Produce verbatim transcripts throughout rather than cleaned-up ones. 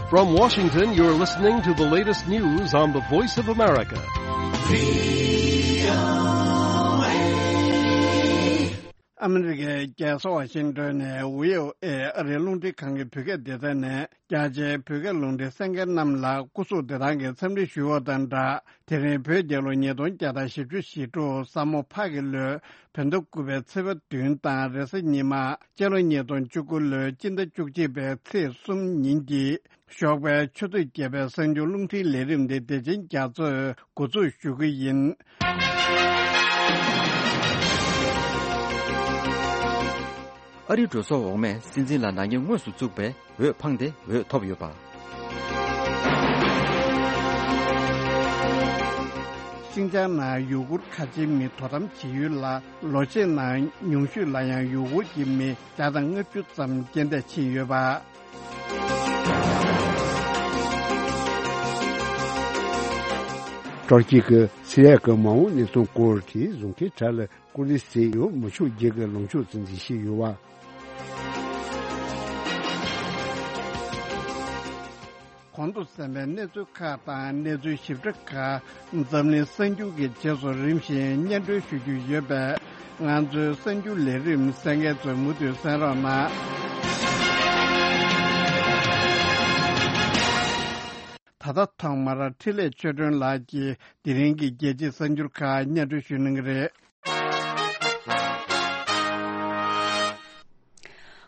From Washington, you're listening to the latest news on the Voice of America. ཨ་མི་རི་ཀའི་རྒྱལ་ས་ཝ་ཤིང་ཏོན་ནས་ཝི་ཨོ་ཨེ་ཨ་རིའི་རླུང་འཕྲིན་ཁང་གི་བོད་སྐད་སྡེ་ཚན་ནས་རྒྱ་ཆེའི་བོད་སྐད་རླུང་འཕྲིན་གསན་མཁན་རྣམས་ལ་སྐུ་གཟུགས་བདེ་ཐང་གི་འཚམས་འདྲི་ཞུ་བ་དང་སྦྲགས། དེ་རིང་བོད་རྒྱལ་ལོ་ཉིས་སྟོང་བརྒྱ་དང་བཞི་བཅུ་ཞེ་དྲུག་ས་མོ་ཕག་གི་ལོའི་བོད་ཟླ་དགུ་པའི་ཚེས་པ་བདུན་དང་རེས་གཟའ་ཉི་མ་སྤྱི་ལོ་ཉིས་སྟོང་བཅུ་དགུ་ལོའི་སྤྱི་ཟླ་བཅུ་གཅིག་པའི་ཚེས་གསུམ་ཉིན་གྱི་ཞོགས་པའི་ཆུ་ཚོད་བརྒྱད་པའི་གསར་འགྱུར་རླུང་འཕྲིན་ལས་རིམ་འདི་བདེ་ཆེན་རྒྱ་མཚོས་འགོ་འཛུགས་ཞུ་གི་ཡིན། ཨ་རིའི་འགྲོ་སོང་འོག་མས་སྲིད་འཛིན་ལ་ནག་ཉེས་དངོས་སུ་བཙུགས་པས་འོས་འཕངས་ཏེ་འོས་ཐོབ་ཡོད་པ། ཤིན་ཅང་ནང་ཡུ་གུར་ཁ་ཆེའི་མི་དོ་དམ་བྱེད་ཡུལ་ལ་ལོ་ཤས་ནང་ཉུང་ཤོས་ལ་ཡང་ཡུ་གུར་གྱི་མི་བརྒྱ་དང་ལྔ་བཅུ་ཙམ་རྐྱེན་འདས་ཕྱིན་ཡོད་པ། ཏུར་ཀི་གིས་སི་རི་ཡ་གི་མ་འོངས་གནས་སྟངས་སྐོར་གྱི་བཟོ་མཁན་དྲ་ལ་ཀུ་ལི་སི་ཡོ་མི་ཆོག་རྒྱུ་གི་ལངས་ཕྱོགས་སུ་འཛིན་བཞིན་ཡོད་པ། གོང་དུ་གསན་པའི་གནས་ཚུལ་ཁག་དང་གནས་ཚུལ་ཞིབ་ཕྲ་ཁག་འཛམ་གླིང་གསར་འགྱུར་གྱི་རྗེས་སུ་རིམ་བཞིན་སྙན་སྒྲོན་ཞུ་རྒྱུ་ཡོད་པས། ང་ཚོའི་གསར་འགྱུར་ལས་རིམ་གསན་མཁན་ཚོས་མུ་མཐུད་གསན་རོགས་གནང་། ད་ལྟ་ཐོག་མར་འཕྲིན་ལས་ཆོས་སྒྲོན་ལགས་ཀྱིས་དེ་རིང་གི་རྒྱལ་སྤྱིའི་གསར་འགྱུར་ཁག་སྙན་སྒྲོན་ཞུ་གནང་གི་རེད།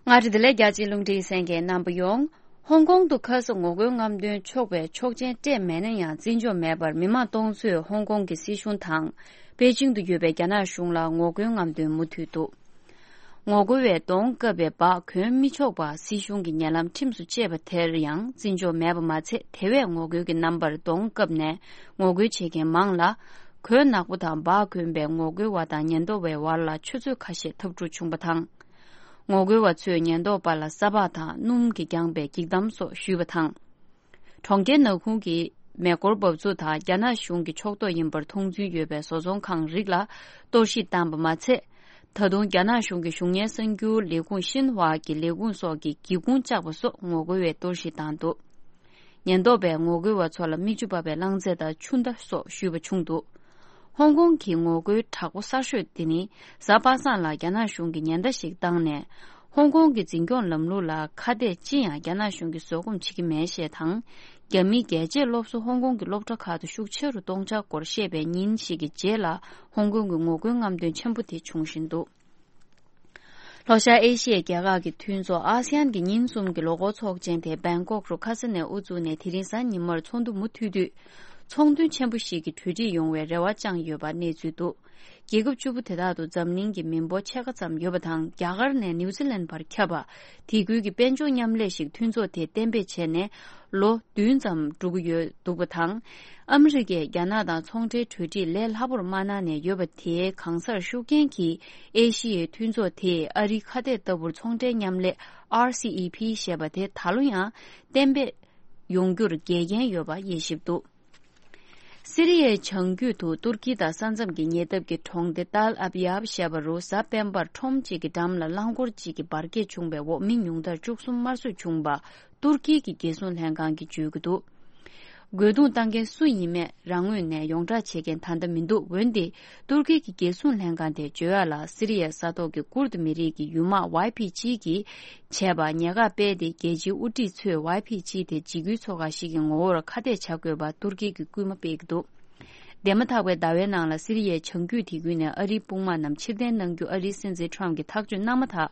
མངའ་རིས་བདེ་ལེགས། རྒྱལ་སྤྱིའི་རླུང་འཕྲིན་གསན་མཁན་རྣམ་པ་ཡོངས། ཧོང་ཀོང་དུ་ཁ་ས་ངོ་རྒོལ་རྔམ་སྟོན་ཆོག་པའི་ཆོག་མཆན་སྤྲད་མེད་ན་ཡང་། བརྩི་འཇོག་མེད་པར་མི་མང་སྟོང་ཚོས་ཧོང་ཀོང་གི་སྲིད་གཞུང་དང་། པེ་ཅིང་དུ་ཡོད་པའི་རྒྱ་ནག་གཞུང་ལ་ངོ་རྒོལ་རྔམ་སྟོན་མུ་མཐུད་འདུག་ངོ་རྒོལ་བས་གདོང་བཀབ་པའི་འབག་གོན་མི་ཆོག་པ་སྲིད་གཞུང་གི་ཉེ་ལམ་ཁྲིམས་སུ་བཅད་པ་དེར་ཡང་བརྩི་འཇོག་མེད་པ་མ་ཚད། དེ་བས་ངོ་རྒོལ་གྱི་རྣམ་པར་གདོང་བཀབ་ནས་ངོ་རྒོལ་བྱེད་མཁན་མང་ལ། གོས་ནག་པོ་དང་འབག་གོན་པའི་ངོ་རྒོལ་བ་དང་ཉེན་རྟོག་པའི་བར་ལ་ཆུ་ཚོད་ཁ་ཤས་འཐབ་འཁྲུག་བྱུང་བ་དང་། ངོ་རྒོལ་བ་ཚོས་ཉེན་རྟོག་པ་ལ་ས་ཕག་དང་སྣུམ་གྱིས་བརྒྱངས་པའི་འགྱིག་དམ་སོགས་གཞུས་པ་དང་། གྲོང་ཁྱེར་ནག་ཁུང་གི་མེ་འཁོར་འབབ་ཚུགས་དང་རྒྱ་ནག་གཞུང་གི་ཕྱོགས་གཏོགས་ཡིན་པར་མཐོང་ཚུལ་ཡོད་པའི་བཟོ་ཚོང་ཁང་རིགས་ལ་གཏོར་བཤིག་བཏང་པ་མ་ཚད། ད་དུང་རྒྱ་ནག་གཞུང་གི་གཞུང་གཉེར་གསར་འགྱུར་ལས་ཁུངས་ཤིན་ཧྭ་གི་ལས་ཁུངས་སོགས་ཀྱི་སྒེའུ་ཁུང་བཅག་པ་སོགས་ངོ་རྒོལ་བས་གཏོར་བཤིག་བཏང་འདུག་ཉེན་རྟོག་པས་ངོ་རྒོལ་བ་ཚོ་ལ་མིག་ཆུ་འབབ་པའི་རླངས་རྫས་དང་ཆུ་མདའ་སོགས་གཞུས་པ་བྱུང་འདུག་ཧོང་ཀོང་གི་ངོ་རྒོལ་དྲག་པོ་གསར་ཤོས་དེ་ནི་གཟའ་པ་སངས་ལ་རྒྱ་ནག་གཞུང་གིས་ཉེན་བརྡ་ཞིག་བཏང་ནས། ཧོང་ཀོང་གི་འཛིན་སྐྱོང་ལམ་ལུགས་ལ་ཁ་གཏད་ཅི་ཡང་རྒྱ་ནག་གཞུང་གིས་བཟོད་སྒོམ་བྱེད་ཀྱི་མེད་ཞེས་དང་། རྒྱ་མིའི་རྒྱལ་གཅེས་སློབ་གསོ་ཧོང་ཀོང་གི་སློབ་གྲྭ་ཁག་ཏུ་ཤུགས་ཆེ་རུ་གཏོང་འཆར་སྐོར་བཤད་པའི་ཉིན་ཞིག་གི་རྗེས་ལ་ཧོང་ཀོང་གི་ངོ་རྒོལ་རྔམ་སྟོན་ཆེན་པོ་དེ་བྱུང་བཞིན་འདུག་ལྷོ་ཤར་ཨེ་ཤི་ཡའི་རྒྱལ་ཁག་གི་མཐུན་ཚོགས་ཨ་སི་ཡན་གྱི་ཉིན་གསུམ་གྱི་ལོ་འཁོར་ཚོགས་ཆེན་དེ་བེང་ཀོག་རུ་ཁ་ས་ནས་དབུ་བཙུགས་ནས་དེ་རིང་གཟའ་ཉི་མར་ཚོགས་འདུ་མུ་མཐུད་དུས། ཚོགས་འདུ་ཆེན་པོ་ཞིག་གི་གྲོས་འགྲིག་ཡོང་བའི་རེ་བ་བཅངས་ཡོད་པ་གནས་ཚུལ་འདུག་རྒྱལ་ཁབ་བཅུ་པོ་དེ་དག་ཏུ་འཛམ་གླིང་གི་མི་འབོར་ཕྱེད་ཀ་ཙམ་ཡོད་པ་དང་། རྒྱ་གར་ནས་ནིའུ་ཛི་ལན་བར་ཁྱབ་པ། དེ་ཁུལ་གྱི་དཔལ་འབྱོར་མཉམ་ལས་ཤིག་མཐུན་ཚོགས་དེས་གཏན་འབེབས་བྱས་ནས་ལོ་བདུན་ཙམ་འགྲོ་གི་ཡོད་འདུག་པ་དང་། ཨ་མི་རི་ཀས་རྒྱ་ནག་དང་ཚོང་འབྲེལ་གྲོས་འགྲིག་ལས་སླ་པོར་མ་གནང་ནས་ཡོད་པ་དེའི་གང་སར་ཤུགས་རྐྱེན་གྱིས། ཨེ་ཤི་ཡའི་མཐུན་ཚོགས་དེས་ཨ་རིའི་ཁ་གཏད་ལྟ་བུར་ཚོང་འབྲེལ་མཉམ་ལས་ཨར་སི་ཨི་ཕི་ཞེས་པ་དེ་ད་ལོ་ཡང་གཏན་འབེབས་ཡོང་རྒྱུར་འགལ་རྐྱེན་ཡོད་པ་དབྱེ་ཞིབ་འདུག་སི་རི་ཡའི་བྱང་རྒྱུད་དུ་ཏུར་ཀི་དང་ས་མཚམས་ཀྱི་ཉེ་འདབས་ཀྱི་གྲོང་སྡེ་ཏཱལ་ཨབ་ཡབ་ཞེས་པ་རུ་གཟའ་སྤེན་པར་ཁྲོམ་གཅིག་གི་འགྲམ་ལ་རླངས་འཁོར་གཅིག་གི་འབར་གས་བྱུང་བའི་འོག་མི་ཉུང་མཐར་བཅུ་གསུམ་དམར་གསོད་བྱུང་བ་ཏུར་ཀི་གི་རྒྱལ་སྲུང་ལྷན་ཁང་གིས་བརྗོད་ཀྱི་འདུག་རྒོལ་རྡུང་བཏང་མཁན་སུ་ཡིན་མེད་རང་ངོས་ནས་ཡོངས་བསྒྲགས་བྱེད་མཁན་ད་ལྟ་མི་འདུག་འོན་ཏེ་ཏུར་ཀི་གི་རྒྱལ་སྲུང་ལྷན་ཁང་དེས་བརྗོད་ཡག་ལ། སི་རི་ཡའི་ས་ཐོག་གི་ཀུར་དི་མི་རིགས་ཀྱི་ཡུལ་དམག་ཝའི་ཕི་ཇི་གིས་བྱས་པ་ཉེས་ཁ་སྤེལ་ཏེ། རྒྱལ་སྤྱིའི་དབུ་ཁྲིད་ཚོས་ཝའི་ཕི་ཇི་དེ་འཇིགས་སྐུལ་ཚོགས་ཁག་ཞིག་གི་ངོ་བོར་ཁ་གཏད་བྱ་དགོས་པར་ཏུར་ཀི་གིས་སྐུལ་མ་སྤེལ་གྱི་འདུག་འདས་མ་ཐག་པའི་ཟླ་བའི་ནང་ལ་སི་རི་ཡའི་བྱང་རྒྱུད་དེ་ཁུལ་ནས་ཨ་རིའི་དཔུང་དམག་རྣམས་ཕྱིར་འཐེན་གནང་རྒྱུ་ཨ་རིའི་སྲིད་འཛིན་ཁྲོམ་གྱིས་ཐག་གཅོད་གནང་མ་ཐག་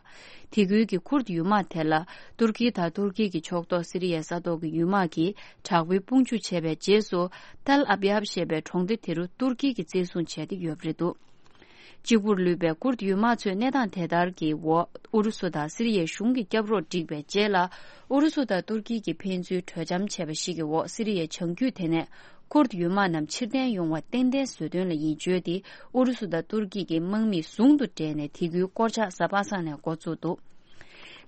དེ་ཁུལ་གྱི་ཁུར་དི་ཡུལ་དམག་དེ་ལ་ཏུར་ཀི་དང་ཏུར་ཀི་གི་ཕྱོགས་གཏོགས་སི་རི་ཡའི་ས་ཐོག་གི་ཡུལ་དམག་གིས་དྲག་པོའི་དཔུང་འཇུག་བྱས་པའི་རྗེས་སུ། ཏལ་ཨབ་ཡབ་ཞེས་པའི་གྲོང་སྡེ་དེ་རུ་ཏུར་ཀི་གིས་བཙན་བཟུང་བྱས་ཏེ་ཡོད་པ་རེད་འདུག་གཅིག་པུར་ལུས་པའི་ཀུར་དི་ཡུལ་དམག་ཚོས་གནས་སྟངས་དེ་ལྟར་གྱི་འོག་ཨུ་རུ་སུ་དང་སི་རི་ཡའི་གཞུང་གི་སྐྱབས་རོགས་བསྒྲིགས་པའི་རྗེས་ལ། ཨུ་རུ་སུ་དང་ཏུར་ཀི་གིས་ཕན་ཚུན་གྲོས་འཆམ་བྱས་པ་ཞིག་གི་འོག་སི་རི་ཡའི་བྱང་རྒྱུད་དེ་ནས་ཀུར་དི་ཡུལ་དམག་རྣམས་ཕྱིར་འཐེན་ཡོང་བ་ཏན་ཏན་བཟོ་དོན་ལ་ཡིན་བརྗོད་དེ། ཨུ་རུ་སུ་དང་ཏུར་ཀི་གི་དམག་མིས་ཟུང་དུ་འབྲེལ་ནས་དེ་ཁུལ་སྐོར་ཆགས་གཟའ་པ་སངས་ནས་འགོ་བཙུགས་འདུག་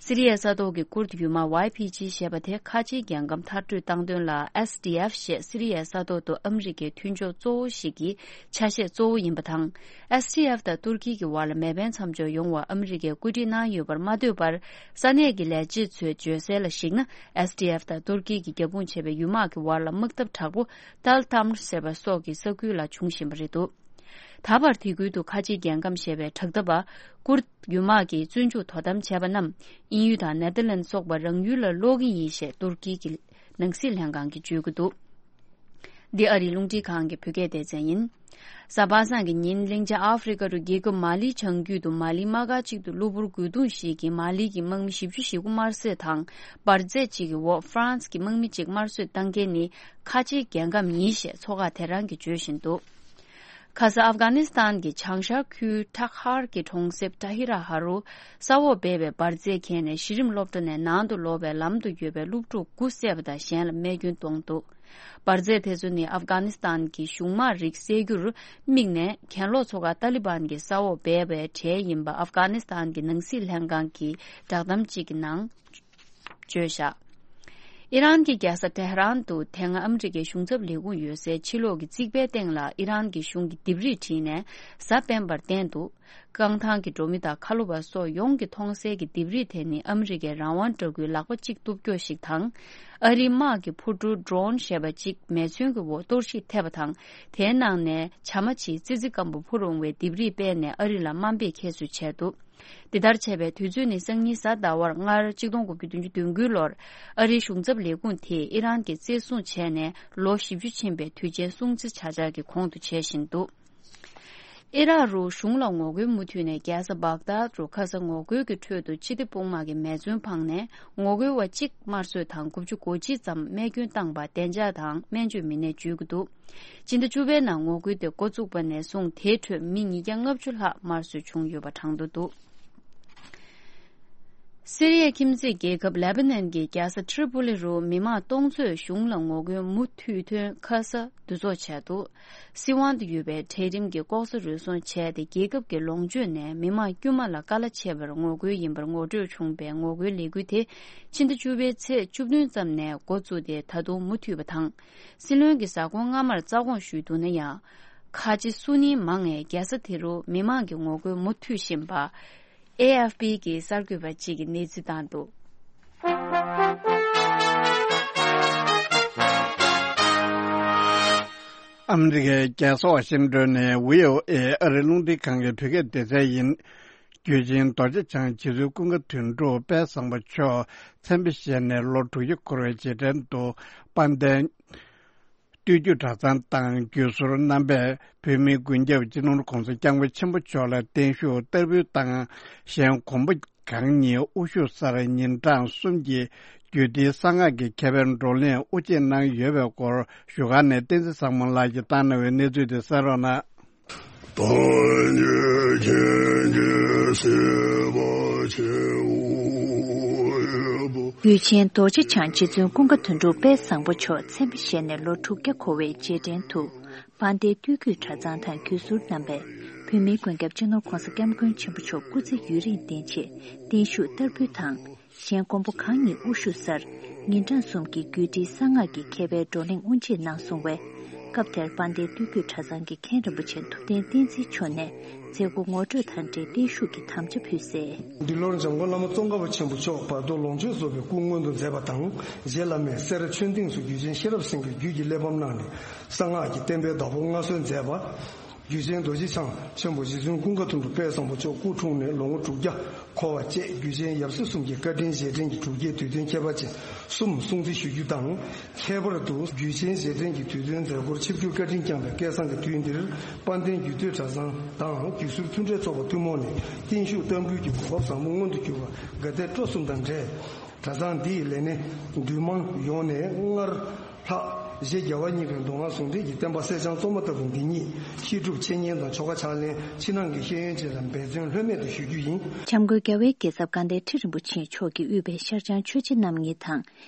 སི་རི་ཡའི་ས་ཐོག་གི་ཀུར་ཌི་ཡུལ་དམག་ཝའི་ཕི་ཇི་ཞེས་པ་དེ་ཁ་ཆེའི་རྒྱལ་ཁམས་མཐར་སྐྲོད་བཏང་དོན་ལ་ཨེས་ཌི་ཨེཕ་ཞེས་སི་རི་ཡའི་ས་ཐོག་ཏུ་ཨ་མི་རི་ཀའི་མཐུན་ཕྱོགས་གཙོ་བོ་ཞིག་གི་ཆ་ཤས་གཙོ་བོ་ཡིན་པ་དང་། ཨེས་ཌི་ཨེཕ་དང་ཏུར་ཀི་གི་བར་ལ་མེ་འཕེན་མཚམས་འཇོག་ཡོང་བར་ཨ་མི་རི་ཀས་བཀོད་སྒྲིག་གནང་ཡོད་པར་མ་ལྟོས་པར། ས་གནས་ཀྱི་ལས་བྱེད་ཚོས་བརྗོད་གསལ་ལ་གཞིགས་ན། ཨེས་ཌི་ཨེཕ་དང་ཏུར་ཀི་གི་རྒྱབ་དཔུང་བྱས་པའི་ཡུལ་དམག་གི་བར་ལ་དམག་འཐབ་དྲག་པོ་ཏལ་ཏམ་ཟེར་བ་སོགས་ཀྱི་ས་ཁུལ་ལ་བྱུང་བཞིན་པ་རེད་འདུག་ད་བར་དེ་ཁུལ་དུ་ཁ་ཆེའི་རྒྱལ་ཁམས་ཞེས་པའི་དྲག་འཐབ་པ་ཀུར་ཡུལ་དམག་གིས་བཙོན་འཇུག་དོ་དམ་བྱས་པ་རྣམས་དབྱིན་ཡུལ་དང་ནེ་ཐར་ལན་སོགས་པ་རང་ཡུལ་ལ་སློག་གི་ཡིན་ཞེས་ཏུར་ཀི་གི་ནང་སྲིད་ལྷན་ཁང་གིས་བརྗོད་ཀྱི་འདུག་འདི་ཨ་རིའི་རླུང་འཕྲིན་ཁང་གི་བོད་སྐད་སྡེ་ཚན་ཡིན། གཟའ་པ་སངས་ཀྱི་ཉིན་གླིང་ཆེན་ཨ་ཧྥེ་རི་ཁ་རུ་རྒྱལ་ཁབ་མ་ལིའི་བྱང་རྒྱུད་དུ་མ་ལིའི་དམག་སྒར་གཅིག་ཏུ་གློ་བུར་རྒོལ་རྡུང་ཞིག་གིས་མ་ལི་གི་དམག་མི་བཞི་བཅུ་ཞེ་དགུ་དམར་གསོད་དང་འབར་རྫས་གཅིག་གི་འོག་ཧྥ་རན་སི་གི་དམག་མི་གཅིག་དམར་གསོད་བཏང་མཁན་ནི་ཁ་ཆེའི་རྒྱལ་ཁམས་ཡིན་ཞེས་མཚོ་ཁ་དེ་རང་གིས་བརྗོད་བཞིན་འདུག་ཁ་ས་ཨབ་གྷ་ནི་སི་ཐན་གྱི་བྱང་ཤར་ཁུལ་ཐག་ཧར་གྱི་གྲོང་གསེབ་ཏ་ཧི་ར་ཧ་རུ་ས་འོག་སྦས་པའི་འབར་རྫས་ཁྱེར་ནས་གཞི་རིམ་སློབ་གྲྭ་ནས་ནང་དུ་ལོག་པའི་ལམ་དུ་ཡོད་པའི་སློབ་ཕྲུག་དགུ་བསད་པ་དང་གཞན་ལ་རྨས་སྐྱོན་བཏང་འདུག་འབར་རྫས་དེ་ཚོ་ནི་ཨབ་གྷ་ནི་སི་ཐན་གྱི་གཞུང་དམག་རིགས་བསད་རྒྱུར་དམིགས་ནས་གྱེན་ལོག་ཚོ་ཁག་ཏཱ་ལི་བན་གྱི་ས་འོག་སྦས་པའི་གྲས་ཡིན་པ་ཨབ་གྷ་ནི་སི་ཐན་གྱི་ནང་སྲིད་ལྷན་ཁང་གི་བསྒྲགས་གཏམ་གཅིག་གི་ནང་བརྗོད་བཞག་ཨི་རན་གྱི་རྒྱལ་ས་ཏེ་ཧ་རན་དུ་དེ་སྔ་ཨ་མི་རི་ཀའི་གཞུང་ཚབ་ལས་ཁུངས་ཡོད་སའི་ཕྱི་ལོགས་ཀྱི་རྩིག་པའི་སྟེང་ལ་ཨི་རན་གྱི་གཞུང་གི་ལྡེབས་རིས་བྲིས་ནས་གཟའ་སྤེན་པར་བསྟན་འདུག་རྐང་ཐང་གི་འགྲོ་མི་དང་ཁ་ལོ་བ་སོགས་ཡོངས་ཀྱིས་མཐོང་གསལ་གྱི་ལྡེབས་རིས་དེ་ནི་ཨ་མི་རི་ཀའི་རང་དབང་དྲག་རྒྱུའི་ལག་པ་གཅིག་གཏུབ་སྐྱོ་ཞིག་དང་། ཨ་རིའི་དམག་གི་འཕུར་གྲུ་ཌོ་རོན་ཞེས་པ་གཅིག་མེ་མཚོན་གྱི་འོག་གཏོར་བཤིག་ཐེབས་པ་དང་། དེའི་ནང་ནས་བྱ་མ་བྱིའི་ཙི་ཙི་སྐམ་པོ་འཕུར་འོང་བའི་ལྡེབས་རིས་སྤེལ་ནས་ཨ་རི་ལ་དམའ་འབེབས་ཁྱད་གསོད་བྱས་འདུག་འདི་ལྟར་བྱས་པའི་དུས་ཚོད་ནི་སང་ཉིན་གཟའ་ཟླ་བར་སྔར་ཆིག་སྟོང་དགུ་བརྒྱ་བདུན་ཅུ་དོན་དགུའི་ལོར་ཨ་རིའི་གཞུང་ཚབ་ལས་ཁུངས་དེས་ཨི་རན་གྱི་བཙན་བཟུང་བྱས་ནས་ལོ་བཞི་བཅུ་ཕྱིན་པའི་དུས་ཆེན་སྲུང་བརྩི་བྱ་འཆར་གྱི་གོང་དུ་བྱེད་བཞིན་འདུག་ཨི་རག་རུ་གཞུང་ལ་ངོ་རྒོལ་མུ་མཐུད་ནས་རྒྱལ་ས་བག་དཱད་རུ་ཁ་ས་ངོ་རྒོལ་གྱི་ཁྲོད་དུ་སྤྱི་བདེ་དཔུང་དམག་གིས་མེ་མཚོན་འཕངས་ནས་ངོ་རྒོལ་བ་གཅིག་དམར་གསོད་དང་དགུ་བཅུ་གོ་གཅིག་ཙམ་རྨས་སྐྱོན་བཏང་བ་བདེ་འཇགས་དང་སྨན་བཅོས་མི་སྣས་བརྗོད་ཀྱི་འདུག་སྤྱི་ཟླ་བཅུ་པའི་ནང་ངོ་རྒོལ་དེ་འགོ་བཙུགས་པ་ནས་བཟུང་དེའི་ཁྲོད་མི་ཉིས་བརྒྱ་ལྔ་བཅུ་ལྷག་དམར་གསོད་བྱུང་ཡོད་པ་གྲངས་ཐོ་འདུག་སི་རི་ཡའི་ཁྱིམ་མཚེས་རྒྱལ་ཁབ་ལེ་བྷ་ནན་གྱི་རྒྱལ་ས་ཏྲི་པོ་ལི་རུ་མི་མང་སྟོང་ཚོས་གཞུང་ལ་ངོ་རྒོལ་མུ་མཐུད་ཐོན་ཁ་ས་འདུ་ཚོགས་བྱས་འདུག་སི་ཝན་དུ་ཡོད་པའི་གྲལ་རིམ་གྱི་ལྐོག་ཟ་རུལ་སུངས་བྱས་ཏེ་རྒྱལ་ཁབ་ཀྱི་ལོངས་སྤྱོད་ནས་མི་མང་དཀྱུས་མ་ལ་ཀ་ལ་ཆད་པར་ངོ་རྒོལ་ཡིན་པར་ངོ་སྤྲོད་བྱུང་བའི་ངོ་རྒོལ་ལས་འགུལ་དེ་ཕྱི་ཟླ་བཅུ་པའི་ཚེས་བཅུ་བདུན་ཙམ་ནས་འགོ་བཙུགས་ཏེ་ད་དུང་མུ་མཐུད་པ་དང་། སྲིད་བློན་གྱི་གཟའ་འཁོར་སྔ་མར་རྩ་དགོངས་ཞུས་འདུག་ན་ཡང་། ཁ་ཆེ་སུ་ནིང་མང་ངས་རྒྱལ་ས་དེ་རུ་མི་མང་གི་ངོ་རྒོལ་མུ་མཐུད་བཞིན་པ། ཨེ་ཨེཕ་པི་གི་གསར་འགོད་པ་གཅིག་གིས་གནས་ཚུལ་བཏང་འདུག་ཨ་མི་རི་ཀའི་རྒྱལ་ས་ཝ་ཤིང་ཏོན་ནས་བྷི་ཨོ་ཨེ་ཨ་རིའི་རླུང་འཕྲིན་ཁང་གི་བོད་སྐད་སྡེ་ཚན་ཡིན། རྒྱུད་ཆེན་རྡོ་རྗེ་འཆང་རྗེ་བཙུན་ཀུན་དགའ་དོན་གྲུབ་དཔལ་བཟང་པོ་མཆོག་མཚན་དཔེ་བཞེས་ནས་ལོ་དྲུག་ཅུ་འཁོར་བའི་རྗེས་དྲན་དུ་དཔལ་ལྡན་སྟོད་རྒྱུད་གྲྭ་ཚང་དང་བརྒྱུད་ཟུར་རྣམ་པས་བོད་མིའི་མགོན་སྐྱབས་སྤྱི་ནོར་༸གོང་ས་༸སྐྱབས་མགོན་ཆེན་པོ་མཆོག་ལ་བརྟན་བཞུགས་བསྟར་འབུལ་དང་། གཞན་མགོན་པོ་གང་ཉིད་དབུ་བཞུགས་སར་ཉིན་གྲངས་གསུམ་གྱི་རྒྱུད་སྡེའི་གསང་སྔགས་ཀྱི་མཁས་པའི་བགྲོ་གླེང་དབུ་འབྱེད་གནང་ཡོད་པའི་སྐོར་བཞུགས་སྒར་ནས་བསྟན་འཛིན་བཟང་མོ་ལགས་ཀྱིས་བཏང་གནང་བའི་གནས་ཚུལ་དེ་གསན་རོགས་གནང་། ད་ཉེ་ཁྱེད་ཀྱི་སྲིད་པ་ཆེའོ་ཨེ་པོ། རྒྱུད་ཆེན་རྡོ་རྗེ་འཆང་རྗེ་བཙུན་ཀུན་དགའ་དོན་གྲུབ་དཔལ་བཟང་པོ་མཆོག་མཚན་དཔེ་བཞེས་ནས་ལོ་དྲུག་བརྒྱ་འཁོར་བའི་རྗེས་དྲན་དུ། དཔལ་ལྡན་སྟོད་རྒྱུད་གྲྭ་ཚང་དང་བརྒྱུད་ཟུར་རྣམ་པས་བོད་མིའི་མགོན་སྐྱབས་སྤྱི་ནོར་༸གོང་ས་༸སྐྱབས་མགོན་ཆེན་པོ་མཆོག་སྐུ་ཚེ་ཡུན་རིང་བརྟན་ཆེད་བརྟན་བཞུགས་བསྟར་འབུལ་དང་། གཞན་མགོན་པོ་གང་ཉིད་དབུ་བཞུགས་སར་ཉིན་གྲངས་གསུམ་གྱི་རྒྱུད་སྡེའི་གསང་སྔགས་ཀྱི་མཁས་པའི་བགྲོ་གླེང་དབུ་འབྱེད་གནང་སོང་བས། སྐབས་དེར་དཔལ་ལྡན་སྟོད་རྒྱུད་གྲྭ་ཚང་གི་མཁན་རིན་པོ་ཆེ་ཐུབ་བསྟན་བསྟན་འཛིན་མཆོག་ནས་མཛད་སྒོ་ངོ་སྤྲོད་དང་འབྲེལ་བརྟན་བཞུགས་ཀྱི་དམ་བཅའ་ཕུལ་གསལ། འདི་ལོར་འཇམ་མགོན་བླ་མ་ཙོང་ཁ་པ་ཆེན་པོ་མཆོག་བར་དོ་ལོངས་སྤྱོད་རྫོགས་པའི་སྐུ་མངོན་དུ་མཛད་པ་དང་། རྗེ་བླ་མས་སེ་ར་ཆོས་སྡིངས་སུ་རྒྱུད་ཆེན་ཤེས་རབ་སེང་གེའི་རྒྱུད་ཀྱི་གླེགས་བམ་གནང་ནས་གསང་སྔགས་ཀྱི་བསྟན་པའི་བདག་པོ་མངའ་གསོལ་མཛད་པ། རྒྱུད་ཆེན་རྡོ་རྗེ་འཆང་ཆེན་པོ་རྗེ་བཙུན་ཀུན་དགའ་དོན་གྲུབ་དཔལ་བཟང་པོ་མཆོག་སྐུ་འཁྲུངས་ནས་ལོ་ངོ་དྲུག་བརྒྱ་འཁོར་བ་བཅས་རྒྱུད་ཆེན་ཡབ་སྲས་གསུམ་གྱི་བཀའ་དྲིན་རྗེས་དྲན་གྱི་གྲུབ་འབྲས་དུས་སྟོན་ཁྱད་པར་ཅན་གསུམ་སྲུང་བརྩི་ཞུ་རྒྱུ་དང་། ཁྱད་པར་དུ་རྒྱུད་ཆེན་རྗེས་དྲན་གྱི་དུས་སྟོན་མཛད་སྒོར་ཆིབས་བསྒྱུར་བཀའ་དྲིན་བསྐྱངས་པའི་སྐལ་བཟང་གི་དུས་འདིར་དཔལ་ལྡན་རྒྱུད་སྟོད་གྲྭ་ཚང་དང་བརྒྱུད་ཟུར་མཐུན་འབྲེལ་ཚོགས་པ་ཐུན་མོང་ནས་བརྟན་བཞུགས་བསྟར་འབུལ་གྱི་གོ་སྐབས་བཟང་པོ་མངོན་དུ་གྱུར་པར་དགའ་དད་སྤྲོ་གསུམ་དང་འབྲེལ། གྲྭ་ཚང་འདིའི་ལས་སྣེ་འདུས་མང་ཡོངས་ནས་སྔར་ལྷག་རྗེ་རྒྱལ་བ་གཉིས་ཀྱི་མདོ་སྔགས་ཟུང་འབྲེལ་གྱི་བསྟན་པ་གསེར་སྦྱངས་གཙོ་མ་ལྟ་བུ་འདི་ཉིད་བཤད་སྒྲུབ་འཆད་ཉན་དང་ཆོ་ག་ཕྱག་ལེན་ཕྱི་ནང་གི་ཤེས་ཡོན་བཅས་ལ་འབད་བརྩོན་ལྷོད་མེད་དུ་ཞུ་རྒྱུ་ཡིན། འཇམ་མགོན་རྒྱལ་བའི་རྒྱལ་ཚབ་དགའ་ལྡན་ཁྲི་རིན་པོ་ཆེ་མཆོག་གིས་དབུས་པའི་ཤར་བྱང་ཆོས་རྗེ་རྣམ་གཉིས་དང་།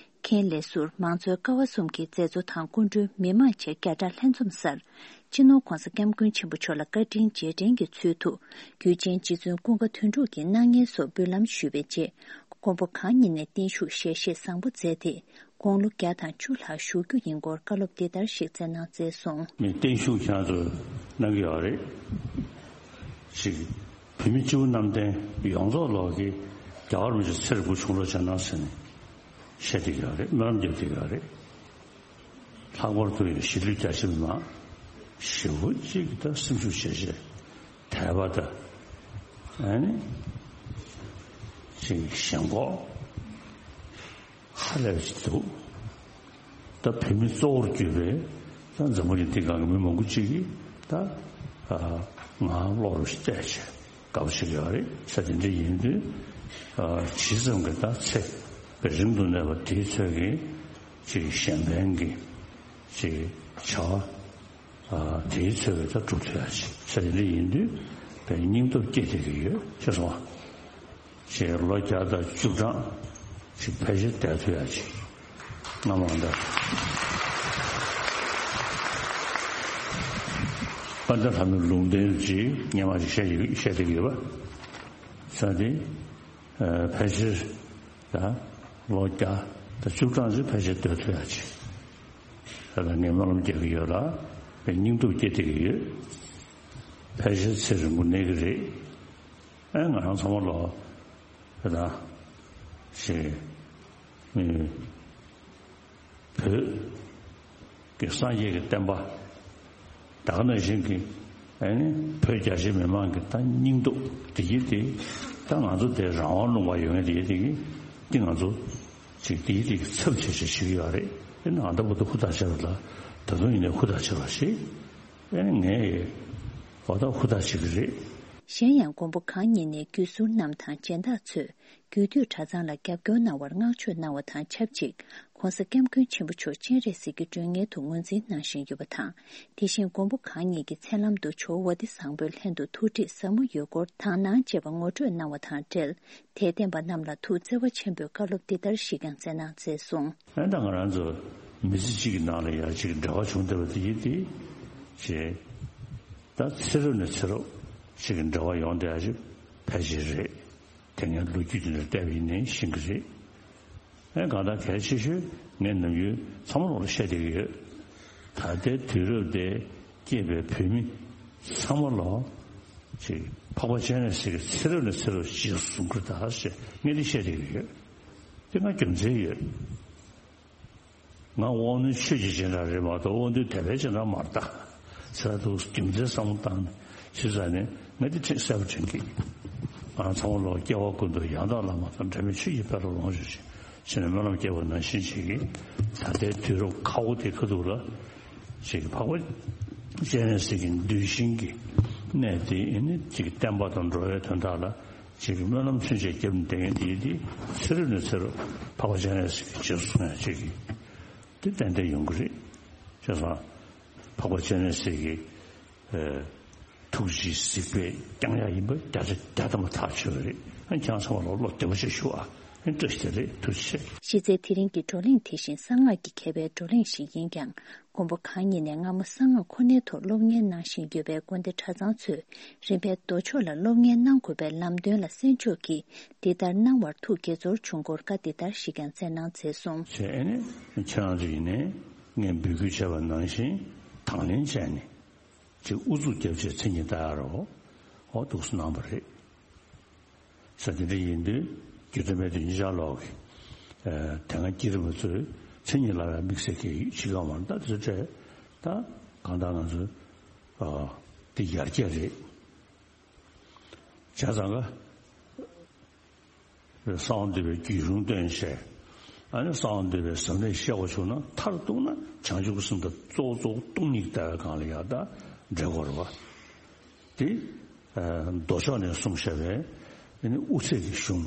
མཁན་ལས་ཟུར་མང་གཙོའི་ཀ་བ་གསུམ་གྱི་མཛད་གཙོ་དང་སྐུ་མགྲོན་མི་མང་བཅས་བརྒྱ་ཕྲག་ལྷན་འཛོམས་སར། སྤྱི་ནོར་༸གོང་ས་༸སྐྱབས་མགོན་ཆེན་པོ་མཆོག་ལ་བཀའ་དྲིན་རྗེས་དྲན་གྱི་ཚུལ་དུ། རྒྱུད་ཆེན་རྗེ་བཙུན་ཀུན་དགའ་དོན་གྲུབ་ཀྱི་སྣང་བརྙན་སོགས་འབུལ་ལམ་ཞུས་པའི་རྗེས། མགོན་པོ་གང་ཉིད་ནས་བརྟན་བཞུགས་ཞལ་བཞེས་བཟང་པོ་མཛད་དེ། དགུང་ལོ་བརྒྱ་དང་བཅུ་ལྷག་བཞུགས་རྒྱུ་ཡིན་སྐོར་བཀའ་སློབ་འདི་ལྟར་ཞིག་སྩལ་གནང་མཛད་སོང་། མི་བརྟན་བཞུགས་ཁྱེད་ཚོས་གནང་གི་ཡོད་རེད། ཅིག་བོད་མི་སྤྱི་བོ་གནམ་བསྟན་ཡོངས་རྫོགས་ལོག་གི་རྒྱལ་བ་རིན་པོ་ཆེ་ཚེ་རིང་པོ་བྱུང་རོགས་བྱས་གནང་ཟེར་ནས་བཤད་བསྡད་ཀྱི་ཡོད་རེད། སྨོན་ལམ་རྒྱབ་བསྡད་ཀྱི་ཡོད་རེད། ལྷག་པར་དུ་ཡང་གཞིས་ལུས་རྒྱ་ཆེ་མི་མང་ཞེ་པོ་ཅིག་ད་སེམས་ཤུགས་ཆེ་ཆེ་དད་པ་དང་ཨ་ནི་ཅིག་ཞེན་ཁོག་ཧ་ལས་པ་ཅིག་འདུག་ད་བོད་མི་གཙོ་བོར་གྱུར་པའི་ད་འཛམ་བུ་གླིང་འདི་སྒང་གི་མི་མང་པོ་ཅིག་གིས་ད་ཨ་ང་བློ་རུ་བལྟས་བྱས་དགའ་པོ་བྱེད་ཀྱི་ཡོད་རེད་ཟེར། དེ་འདྲ་ཡིན་དུས་ཨ་ཇི་ཙམ་གྱི་ད་ཚེ་རིང་དུ་གནས་པ་དེའི་ཚོད་ཀྱི་ཅིག་གཞན་ཕན་གྱི་ཅིག་བྱ་བ་ཨ་དེའི་ཚོད་ཀྱི་ད་སྒྲུབ་ཐུབ་ཡ་ཅིག་ཟེར། དེ་འདྲ་ཡིན་དུས་དཔེ་སྙིང་སྟོབས་སྐྱེ་བསྡད་ཀྱི་ཡོད་ཅེས་གསུངས་པ། ཞེས་ལོ་བརྒྱ་དང་བཅུ་གྲངས་ཅིག་ཕལ་ཆེར་བསྡད་ཐུབ་ཡ་ཅིག་སྔ་མ་འདྲ། དཔལ་ལྡན་ལྷ་མོའི་ལུང་བསྟན་ཅིག་སྔ་མ་ཅིག་བཤད་ཡོད་བཤད་བསྡད་ཀྱི་ཡོད་པ། ས་དེ་ཕལ་ཆེར་ད་ལོ་བརྒྱ་དང་བཅུ་གྲངས་ཅིག་ཕལ་ཆེར་སྡོད་ཐུབ་ཡ་ཅིག་ད་ལྟ་ངས་སྨོན་ལམ་རྒྱག་གི་ཡོད་ལ་སྙིང་སྟོབས་སྐྱེ་བསྡད་ཀྱི་ཡོད། ཕལ་ཆེར་ཚེ་རིང་པོ་གནས་ཀྱི་རེད། ཨེ་ང་རང་ཚང་མ་ལོ་ད་ལྟ་ཞེས་མི་བོད་ཀྱི་སངས་རྒྱས་ཀྱི་བསྟན་པ་ད་ག་ནང་བཞིན་གྱི་ཨ་ནི་བོད་རྒྱ་ཆེ་མི་མང་གི་ད་སྙིང་སྟོབས་དེ་ཡིན་ཏེ་ད་ང་ཚོ་དེ་རང་དབང་ལུང་པ་ཡོད་མཁན་དེ་ཡིན་ཏེ་གི་དེ་ང་ཚོ་ཅིག་དེ་ཡིན་ཏེ་གི་ཚབ་བྱེད་བྱེད་བྱེད་ཀྱི་ཡོད་རེད། དེ་ནི་ཨ་ད་བུ་ད་ཧུར་ཐག་བྱེད་རོགས་ལ་ད་དུང་ཡིན་ནའི་ཧུར་ཐག་བྱེད་རོགས་ཞེས་ཨ་ནི་ངས་འོ་ད་ཧུར་ཐག་བྱེད་ཀྱི་རེད། གཞན་ཡང་མགོན་པོ་གང་ཉིད་ནས་བརྒྱུད་ཟུར་རྣམས་དང་སྦྱིན་བདག་ཚོས་རྒྱུད་སྟོད་གྲྭ་ཚང་ལ་རྒྱབ་སྐྱོར་གནང་བར་བསྔགས་བརྗོད་གནང་བ་དང་ཆབས་ཅིག་༸གོང་ས་༸སྐྱབས་མགོན་ཆེན་པོ་མཆོག་སྤྱན་རས་གཟིགས་ཀྱི་མགྲོན་གཉེར་དུ་ངོས་འཛིན་གནང་བཞིན་ཡོད་པ་དང་། དེ་བཞིན་མགོན་པོ་གང་ཉིད་ཀྱི་མཚན་ལམ་དུ་ཇོ་བོ་ཝ་ཏི་བཟང་པོའི་ལྷན་དུ་ཐུགས་ཁྲིད་ཟབ་མོ་ཡོད་སྐོར་དག་སྣང་བཅས་པ་ངོ་སྤྲོད་གནང་བ་དང་འབྲེལ། དད་ལྡན་པ་རྣམས་ལ་ཐུགས་བརྩེ་བ་ཆེན་པོས་བཀའ་སློབ་འདི་ལྟར་ཞིག་ཀྱང་སྩལ་གནང་མཛད་སོང་། ཨ་ནི་ད་ང་རང་ཚོ་མི་ཚེ་གཅིག་གི་ནང་ལ་ཡང་ཅིག་འབྲེལ་བ་བྱུང་བསྡད་པ་དེ་ཡིན་ཏེ། ཞེས། ད་ཚེ་རབས་ནས་ཚེ་རབས་ཅིག་གི་འབྲེལ་བ་ཡོང་བསྡད་ཡ་ཅིག་ཕལ་ཆེར་རེད། དེ་སྔའི་ལོ་རྒྱུས་དེ་འདྲ་བལྟས་པ་ཡིན་ནའི་ཤེས་ཀྱི་རེད། ཨེ་གང་ལྟར་གལ་ཆེ་ཤོས་ངས་ནམ་རྒྱུན་ཚང་མ་ལོག་ལ་བཤད་བསྡད་ཀྱི་ཡོད། ད་ལྟའི་དུས་རབས་དེ་སྐྱེས་པའི་བོད་མི་ཚང་མ་ལོག་ཅིག་འཕགས་པ་སྤྱན་རས་གཟིགས་ཀྱི་ཚེ་རབས་ནས་ཚེ་རབས་ཅིག་བཟུང་གི་ད་ཞེས་ངས་འདི་བཤད་བསྡད་ཀྱི་ཡོད། དེ་ང་རྒྱུ་མཚན་ཡོད། ང་དབང་རྣོན་ཆོས་ཀྱི་སྦྱིན་བདག་རེད་མ་གཏོགས་དབང་རྣོན་དད་པའི་སྦྱིན་བདག་མ་རེད་ད། ཟེར་འདུག་རྒྱུ་མཚན་བསམ་བློ་བཏང་ནས་ཞུས་ཙང་ནས་ང་འདི་ཁྲིད་གསལ་པོ་དྲན་གི། ང་ཚང་མ་ལོག་སྐྱེ་བ་ཀུན་ཏུ་ཡང་དག་བླ་མ་དང་འབྲལ་མེད་ཆོས་ཀྱི་དཔལ་ལ་ལོངས་སྤྱོད་ཅིང་ཞེས་ནས་སྨོན་ལམ་བརྒྱབ་པ་ནང་བཞིན་ཅིག་གིས་ད་ལྟའི་དུས་རབས་ཁ་བོ་དེ་ཁ་ཐུག་ལ་ཅིག་འཕགས་པ་སྤྱན་རས་གཟིགས་ཀྱི་གདུལ་ཞིང་གི་གནས་དེ་ཨེ་ནི་ཅིག་བསྟན་པ་དང་འགྲོ་བའི་དོན་དག་ལ། ཅིག་གི་སྨོན་ལམ་ཚུན་ཆད་བརྒྱབ་ནས་བསྡད་མཁན་དེ་ཡིན་དེ་ཚེ་རབས་ནས་ཚེ་རབས་འཕགས་པ་སྤྱན་རས་གཟིགས་ཀྱི་རྗེས་སུ་སོང་ཡ་ཅིག་གི་དེ་ཏན་ཏན་ཡོང་གི་རེད། བྱས་ཙང་འཕགས་པ་སྤྱན་རས་གཟིགས་ཀྱི་ཨ་ཐུགས་རྗེའི་གཟིགས་པས་བསྐྱངས་ཡ་ཡིན་པ་བརྒྱ་ཆ་བརྒྱ་ཐམ་པ་ཐག་ཆོད་པ་རེད། ཨ་ཁྱེད་རང་ཚང་མ་ལ་བློ་བདེ་པོ་ཞིག་ཞུ་ཨ། ཨ་བཀྲ་ཤིས་བདེ་ལེགས། ཐུགས་རྗེ་ཆེ། གཞི་རྩའི་དེ་རིང་གི་བགྲོ་གླེང་དེ་བཞིན་གསང་སྔགས་ཀྱི་མཁས་པའི་བགྲོ་གླེང་ཞིག་ཡིན་ཀྱང་། མགོན་པོ་གང་ཉིད་ནས་སྔ་མོ་གསང་སྔགས་ཁོ་ནའི་ཐོག་སློབ་གཉེར་གནང་བཞིན་ཡོད་པའི་དགོན་སྡེ་གྲྭ་ཚང་ཚོས་རིམ་པས་མདོ་ཕྱོགས་ལ་སློབ་གཉེར་གནང་དགོས་པའི་ལམ་སྟོན་ལ་གསན་ཕྱོགས་ཀྱིས་འདི་ལྟར་གནང་བར་ཐུགས་དགྱེས་ཚོར་བྱུང་སྐོར་བཀའ་འདི་ལྟར་ཞིག་ཀྱང་སྩལ་གནང་མཛད་སོང་། བྱས་ནས་ཁྱེད་རང་ཚོ་ཡིན་ནའི་ངས་འབོད་སྐུལ་བྱས་པ་ནང་བཞིན་དང་ལེན་བྱས་ནས་ཅིག་ཨུ་ཚུགས་རྒྱབ་བྱས་མཚན་ཉིད་ལྟ་ཡ་རོགས་འོ་འདུག་སེ་གནང་བ་རེད། ས་དེ་འདྲ་ཡིན་དུས་རྒྱུ་མཚན་མེད་དུ་ཉིན་ཞག་ལོག་གི་དེ་སྔ་སྐྱེས་རབས་པ་ཚོས་མཚན་ཉིད་ལ་ཡང་དམིགས་བསལ་གྱི་ཡིད་ཆེས་ཀྱང་མ་ད་དེ་ཚོ་སྤྲད་ད་གང་ལྟར་ང་ཚོ་དེ་ཡར་རྒྱས་རེད། བྱས་ཙང་ག་གསང་བ་འདུས་པའི་རྒྱུད་གཞུང་སྟོན་བྱས་ཨ་ནི་གསང་བ་འདུས་པའི་ཟབ་གནད་བཤད་དགོས་བྱུང་ན་མཐར་གཏུགས་ན་བྱང་ཆུབ་ཀྱི་སེམས་དང་གཙོ་བོ་གཙོ་བོ་སྟོང་ཉིད་ལྟ་བའི་སྒང་ལ་ཡང་དག་འབྲེལ་དགོས་རེད་བ། དེ་མདོ་ཕྱོགས་ནས་གསུངས་བཞག་པའི་ཨ་ནི་དབུ་ཚད་ཀྱི་གཞུང་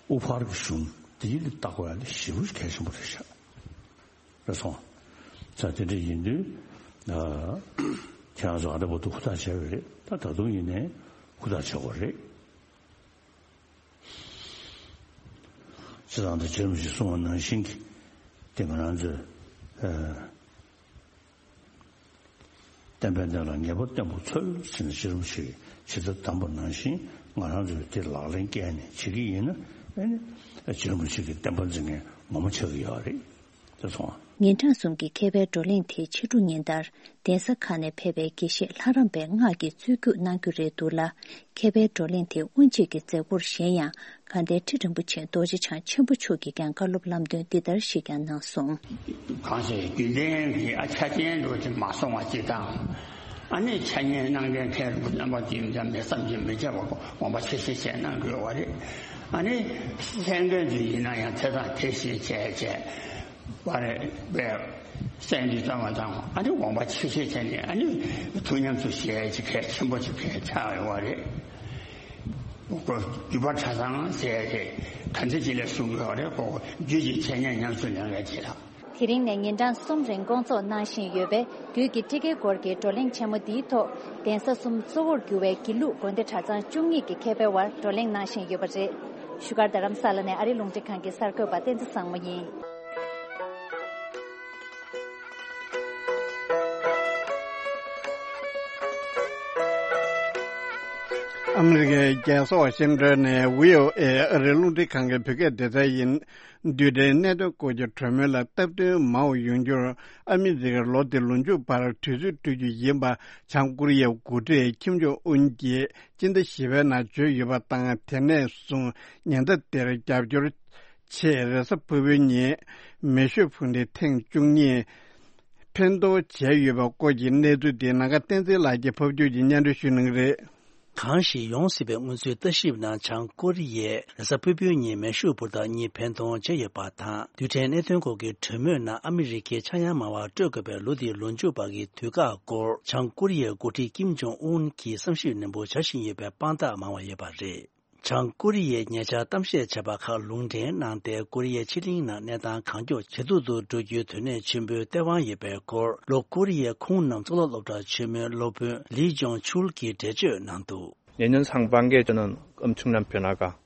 དབུ་ཕར་གྱི་གཞུང་དེ་ཡིན་དུ་བལྟ་དགོས་ཡ་དེ་ཞེ་པོ་གལ་ཆེན་པོ་རེད་ཤག་རེད་སོང་། ས་དེ་འདྲ་ཡིན་དུས་ཁྱེད་རང་ཚོ་ཨ་འདྲ་པོ་འདུག་ཧུར་ཐག་བྱས་པ་རེད་ད་ད་དུང་ཡིན་ནའི་ཧུར་ཐག་བྱེད་དགོས་རེད། སྤྱིར་བཏང་དུ་རྗེ་རིན་པོ་ཆེས་གསུངས་པ་ནང་བཞིན་གྱི་དེ་ང་རང་ཚོས་ཨ་བསྟན་པའི་གནས་ལ་ངེས་པར་བརྟན་པོ་འཚོལ་ཟེར་ནས་རྗེ་རིན་པོ་ཆེས་ཇི་ལྟར་གདམས་པ་ནང་བཞིན་ང་རང་ཚོས་དེ་ལག་ལེན་བཀལ་ནས་བྱེད་ཀྱི་ཡིན་ན་ ཨེ་ནི་རྗེ་རིན་པོ་ཆེ་གི་བསྟན་པ་འཛིན་མཁན་མང་པོ་ཆགས་ཀྱི་ཡོད་རེད། དེ་སོང་། ཉིན་གྲངས་གསུམ་གྱི་མཁས་པའི་བགྲོ་གླེང་དེའི་ཕྱི་དྲོ་ཉིན་ལྟར་གདན་ས་ཁག་ནས་ཕེབས་པའི་དགེ་བཤེས་ལྷ་རམས་པའི་སྔགས་ཀྱི་རྩོད་རྒྱུགས་གནང་རྒྱུ་རེད་འདུག་ལ། མཁས་པའི་བགྲོ་གླེང་དེ་དབུ་འབྱེད་ཀྱི་མཛད་སྒོར་གཞན་ཡང་དགའ་ལྡན་ཁྲི་རིན་པོ་ཆེ་རྡོ་རྗེ་འཆང་ཆེན་པོ་མཆོག་གིས་ཀྱང་བཀའ་སློབ་ལམ་སྟོན་འདི་ལྟར་ཞིག་ཀྱང་གནང་སོང་། གང་ཞིག་རྒྱུན་ལྡན་གྱི་ཨ་ཆ་རྐྱེན་འགྲོ་ཅིག་མ་སོང་བ་ཅིག་དང་། ཨ་ནི་འཆད་ཉན་གནང་མཁན་མཁན་རིན་པོ་ཆེ་རྣམ་པ་འདི་འདྲ་མེད་བསམ་གྱིས་མི་ཁྱབ་པ་དགོངས་པ་ཆེ་བཞེས་བྱས་གནང་དགོས་པ་རེད། ཨ་ནི་གསན་མཁན་ཚོ་ཡིན་ན་ཡང་དེ་དང་དེ་བཞིན་བྱས་བྱས་པ་རེད་པས། གསན་རྒྱུ་ཙམ་མ་ཚང་ཨ་ནི་དགོངས་པ་ཆེ་བཞེས་བྱས་ནས་ཨ་ནི་ཐུགས་ཉམས་སུ་བཞེས་ཅིག་གལ་ཆེན་པོ་ཅིག་གལ་ཆགས་ཡོད་པ་རེད། ཁོ་བརྒྱུད་པ་གྲྭ་ཚང་ཟེར་ཏེ་ག་འདྲ་ཅིག་ལ་གསུང་གི་ཡོད་རེད། ཁོ་རྒྱུད་ཀྱི་འཆད་ཉན་ཉམས་སུ་ལེན་མཁན་ཅིག་ལ། དེ་རིང་ནས་ཉིན་གྲངས་གསུམ་རིང་སྐོང་ཚོགས་གནང་བཞིན་ཡོད་པའི་རྒྱུད་ཀྱི་ཁྲིད་བརྒྱུད་སྐོར་གྱི་བགྲོ་གླེང་ཆེན་མོ་འདིའི་ཐོག་གདན་ས་གསུམ་གཙོ་བོར་གྱུར་བའི་དགེ་ལུགས་དགོན་སྡེ་གྲྭ་ཚང་བཅུ་གཉིས་ཀྱི་མཁས་པའི་དབར་བགྲོ་གླེང་གནང་བཞིན་ཡོད་པ་རེད། བཞུགས་སྒར་རྡ་རམ་ས་ལ་ནས་ཨ་རིའི་རླུང་འཕྲིན་ཁང་གི་གསར་འགོད་པ་བསྟན་འཛིན་བཟང་མོ་ཡིན། ཨ་མི་རི་ཀའི་རྒྱལ་ས་ཝ་ཤིང་ཏོན་ནས་བྷི་ཨོ་ཨེ་ཨ་རིའི་རླུང་འཕྲིན་ཁང་གི་བོད་སྐད་སྡེ་ཚན་ཡིན། རྡུལ་ཕྲན་གནད་དོན་སྐོར་གྱི་གྲོས་མོལ་ལ་སྟབས་བསྟུན་མང་བ་ཡོང་རྒྱུར་ཨ་མི་རི་ཀར་ལོ་འདི་ལོ་མཇུག་བར་དུས་ཚོད་སྤྲོད་རྒྱུ་ཡིན་པ་བྱང་ཀོ་རི་ཡའི་འགོ་ཁྲིད་ཁིམ་ཇོང་ཨུན་གྱིས་སྤྱི་ཟླ་བཞི་པའི་ནང་བརྗོད་ཡོད་པ་དང་། དེ་ནས་བཟུང་ཉེན་བརྡ་དེར་རྒྱབ་སྐྱོར་ཆེད་རེས་གཟའ་ཕུར་བུའི་ཉིན་མེ་ཤོད་ཕུ་ནུ་ཐེངས་བཅུ་གཉིས་འཕེན་གཏོང་བྱས་ཡོད་པའི་སྐོར་གྱི་གནས་ཚུལ་དེ་ནམ་མཁའ་བསྟན་འཛིན་ལགས་ཀྱིས་ཕབ་སྒྱུར་གྱིས་སྙན་སྒྲོན་ཞུ་གནང་གི་རེད། གང་ཞིག་ཡོང་སྲིད་པའི་སྔོན་ཚུད་ལྟ་ཞིབ་ནང་བྱང་ཀོ་རི་ཡས་རེས་གཟའ་ཕུར་བུའི་ཉིན་མེ་ཤོད་ཕུ་ནུ་གཉིས་འཕེན་གཏོང་བྱས་ཡོད་པ་དང་། རྡུལ་ཕྲན་གནད་དོན་སྐོར་གྱི་གྲོས་མོལ་ནང་ཨ་མི་རི་ཀས་ཆག་ཡང་མང་བ་སྤྲོད་དགོས་པའི་ལོ་འདིའི་ལོ་མཇུག་བར་གྱི་དུས་བཀག་སྐོར་བྱང་ཀོ་རི་ཡའི་འགོ་ཁྲིད་ཀིམ་ཇོང་ཨུན་གྱིས་བསམ་ཞིབ་ནན་པོ་བྱ་བཞིན་ཡོད་པའི་དཔང་རྟགས་མང་བ་ཡོད་པ་རེད། བྱང་ཀོ་རི་ཡས་ཉེ་ཆར་གཏམ་བཤད་བྱས་པ་ཁག་ལུང་འདྲེན་གནང་སྟེ། ཀོ་རི་ཡའི་ཕྱེད་གླིང་ནང་གནས་སྟངས་གང་མགྱོགས་ཇེ་སྡུག་ཏུ་འགྲོ་རྒྱུའི་དོན་གནད་ཆེན་པོའི་སྟེས་དབང་ཡོད་པའི་སྐོར། ལྷོ་ཀོ་རི་ཡའི་ཁུངས་རྣམས་གཙུག་ལག་སློབ་གྲྭ་ཆེན་མོའི་སློབ་དཔོན་ལི་ཇོང་ཆུལ་གྱིས་འགྲེལ་བརྗོད་གནང་འདུག། 내년 상반기에 저는 엄청난 변화가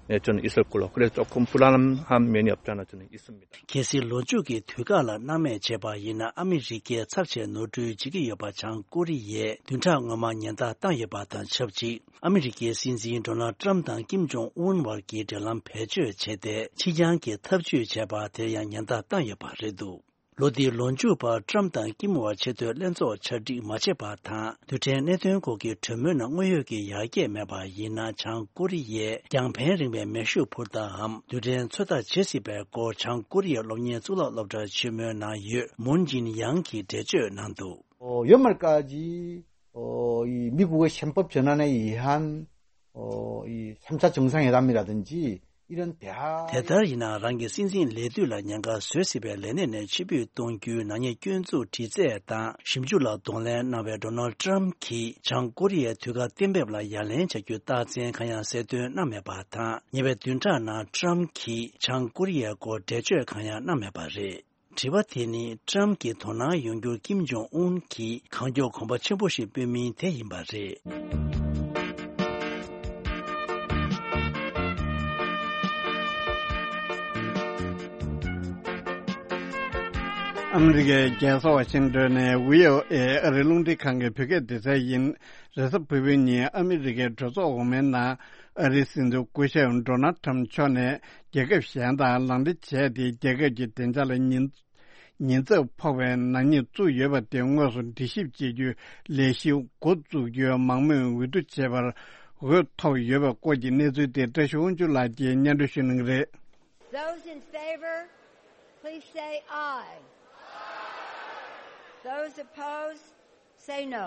네, 저는 있을 걸로. 그래서 조금 불안함이 많이 없지 않아 저는 있습니다. གལ་སྲིད་ལོ་མཇུག་གི་དུས་བཀག་ལ་སྣང་མེད་བྱས་པ་ཡིན་ན། ཨ་མི་རི་ཀས་ཚབས་ཆེ་ནོར་འཁྲུལ་བྱེད་ཀྱི་ཡོད་པ་བྱང་ཀོ་རི་ཡས་བདུན་ཕྲག་སྔོན་མ་ཉེན་བརྡ་བཏང་ཡོད་པ་དང་ཆབས་ཅིག། ཨ་མི་རི་ཀའི་སྲིད་འཛིན་ཌོ་ནལ་ཏྲམ་དང་ཀིམ་ཇོང་ཨུན་བར་གྱི་འབྲེལ་ལམ་བེད་སྤྱོད་བྱས་ཏེ། ཕྱི་འགྱངས་ཀྱི་ཐབས་ཇུས་བྱས་པ་དེར་ཡང་ཉེན་བརྡ་བཏང་ཡོད་པ་རེད་འདུག། ལོ་འདིའི་ལོ་མཇུག་བར་ཏྲམ་དང་ཀིམ་བར་ཆེས་མཐོའི་ལྷན་ཚོགས་གྲ་སྒྲིག་མ་བྱས་པ་དང་། རྡུལ་ཕྲན་གནད་དོན་སྐོར་གྱི་གྲོས་མོལ་ནང་དངོས་ཡོད་ཀྱི་ཡར་རྒྱས་མེད་པ་ཡིན་ན། བྱང་ཀོ་རི་ཡས་རྒྱང་འཕེན་རིང་བའི་མེ་ཤོད་ཕུ་ནུའམ་རྡུལ་ཕྲན་ཚོད་ལྟ་བྱེད་སྲིད་པའི་སྐོར། བྱང་ཀོ་རི་ཡའི་སློབ་གཉེར་གཙུག་ལག་སློབ་གྲྭ་ཆེན་མོའི་ནང་ཡོད་མུན་ཅིན་ཡང་གིས་འགྲེལ་བརྗོད་གནང་འདུག། 어, 연말까지 어, 이 미국의憲법 전환에 의한 어, 이 삼 차 정상회담이라든지 이런 대화 དེ་ལྟར་ཡིན་ན། རང་གི་སྲིད་འཛིན་ལས་དུས་ལ་ཉེན་ཁ་བཟོས་སྲིད་པའི་ལས་གནས་ནས་ཕྱིར་འབུད་གཏོང་རྒྱུའི་ནག་ཉེས་སྐྱོན་འཛུགས་དྲི་རྩད་དང་ཞིབ་འཇུག་ལ་གདོང་ལེན་གནང་བའི་ཌོ་ནལ་ཏྲམ་གྱིས་བྱང་ཀོ་རི་ཡའི་དུས་བཀག་གཏན་འབེབས་ལ་ཡ་ལན་བྱ་རྒྱུའི་རྟགས་མཚན་གང་ཡང་གསལ་སྟོན་གནང་མེད་པ་དང་། ཉེ་བའི་བདུན་ཕྲག་ནང་ཏྲམ་གྱིས་བྱང་ཀོ་རི་ཡའི་སྐོར་འགྲེལ་བརྗོད་གང་ཡང་གནང་མེད་པ་རེད། དྲི་བ་དེ་ནི་ཏྲམ་གྱི་དོ་སྣང་ཡོང་རྒྱུར་ཀིམ་ཇོང་ཨུན་གྱིས་གང་མགྱོགས་གོམ་པ་ཆེན་པོ་ཞིག་སྤོས་མིན་དེ་ཡིན་པ་རེད། ཨ་མི་རི་ཀའི་རྒྱལ་ས་ཝ་ཤིང་ཏོན་ནས་བྷི་ཨོ་ཨེ་ཨ་རིའི་རླུང་འཕྲིན་ཁང་གི་བོད་སྐད་སྡེ་ཚན་ཡིན། རེས་གཟའ་ཕུར་བུའི་ཉིན་ཨ་མི་རི་ཀའི་གྲོས་ཚོགས་འོག་མའི་ནང་ཨ་རིའི་སྲིད་འཛིན་སྐུ་ཞབས་ཌོ་ནལ་ཏྲམ་མཆོག་ནས་རྒྱལ་ཁབ་གཞན་དང་ལག་འབྲེལ་བྱས་ཏེ། རྒྱལ་ཁབ་ཀྱི་བདེ་འཇགས་ལ་ཉེན་ཉེན་ཚབས་ཕོག་པའི་ནག་ཉེས་བཙུགས་ཡོད་པ་དེ་དངོས་སུ་འདྲི་ཞིབ་བྱེད་རྒྱུའི་ལས་གཞི་འགོ་འཛུགས་རྒྱུའི་མང་མོས་འོས་བསྡུ་བྱས་པར་འོས་ཐོབ་ཡོད་པའི་སྐོར་གྱི་གནས་ཚུལ་དེ་བཀྲ་ཤིས་དབང་ཕྱུག་ལགས་ཀྱིས་སྙན་སྒྲོན་ཞུ་གནང་གི་རེད། Those in favor, please say aye. Those opposed, say no.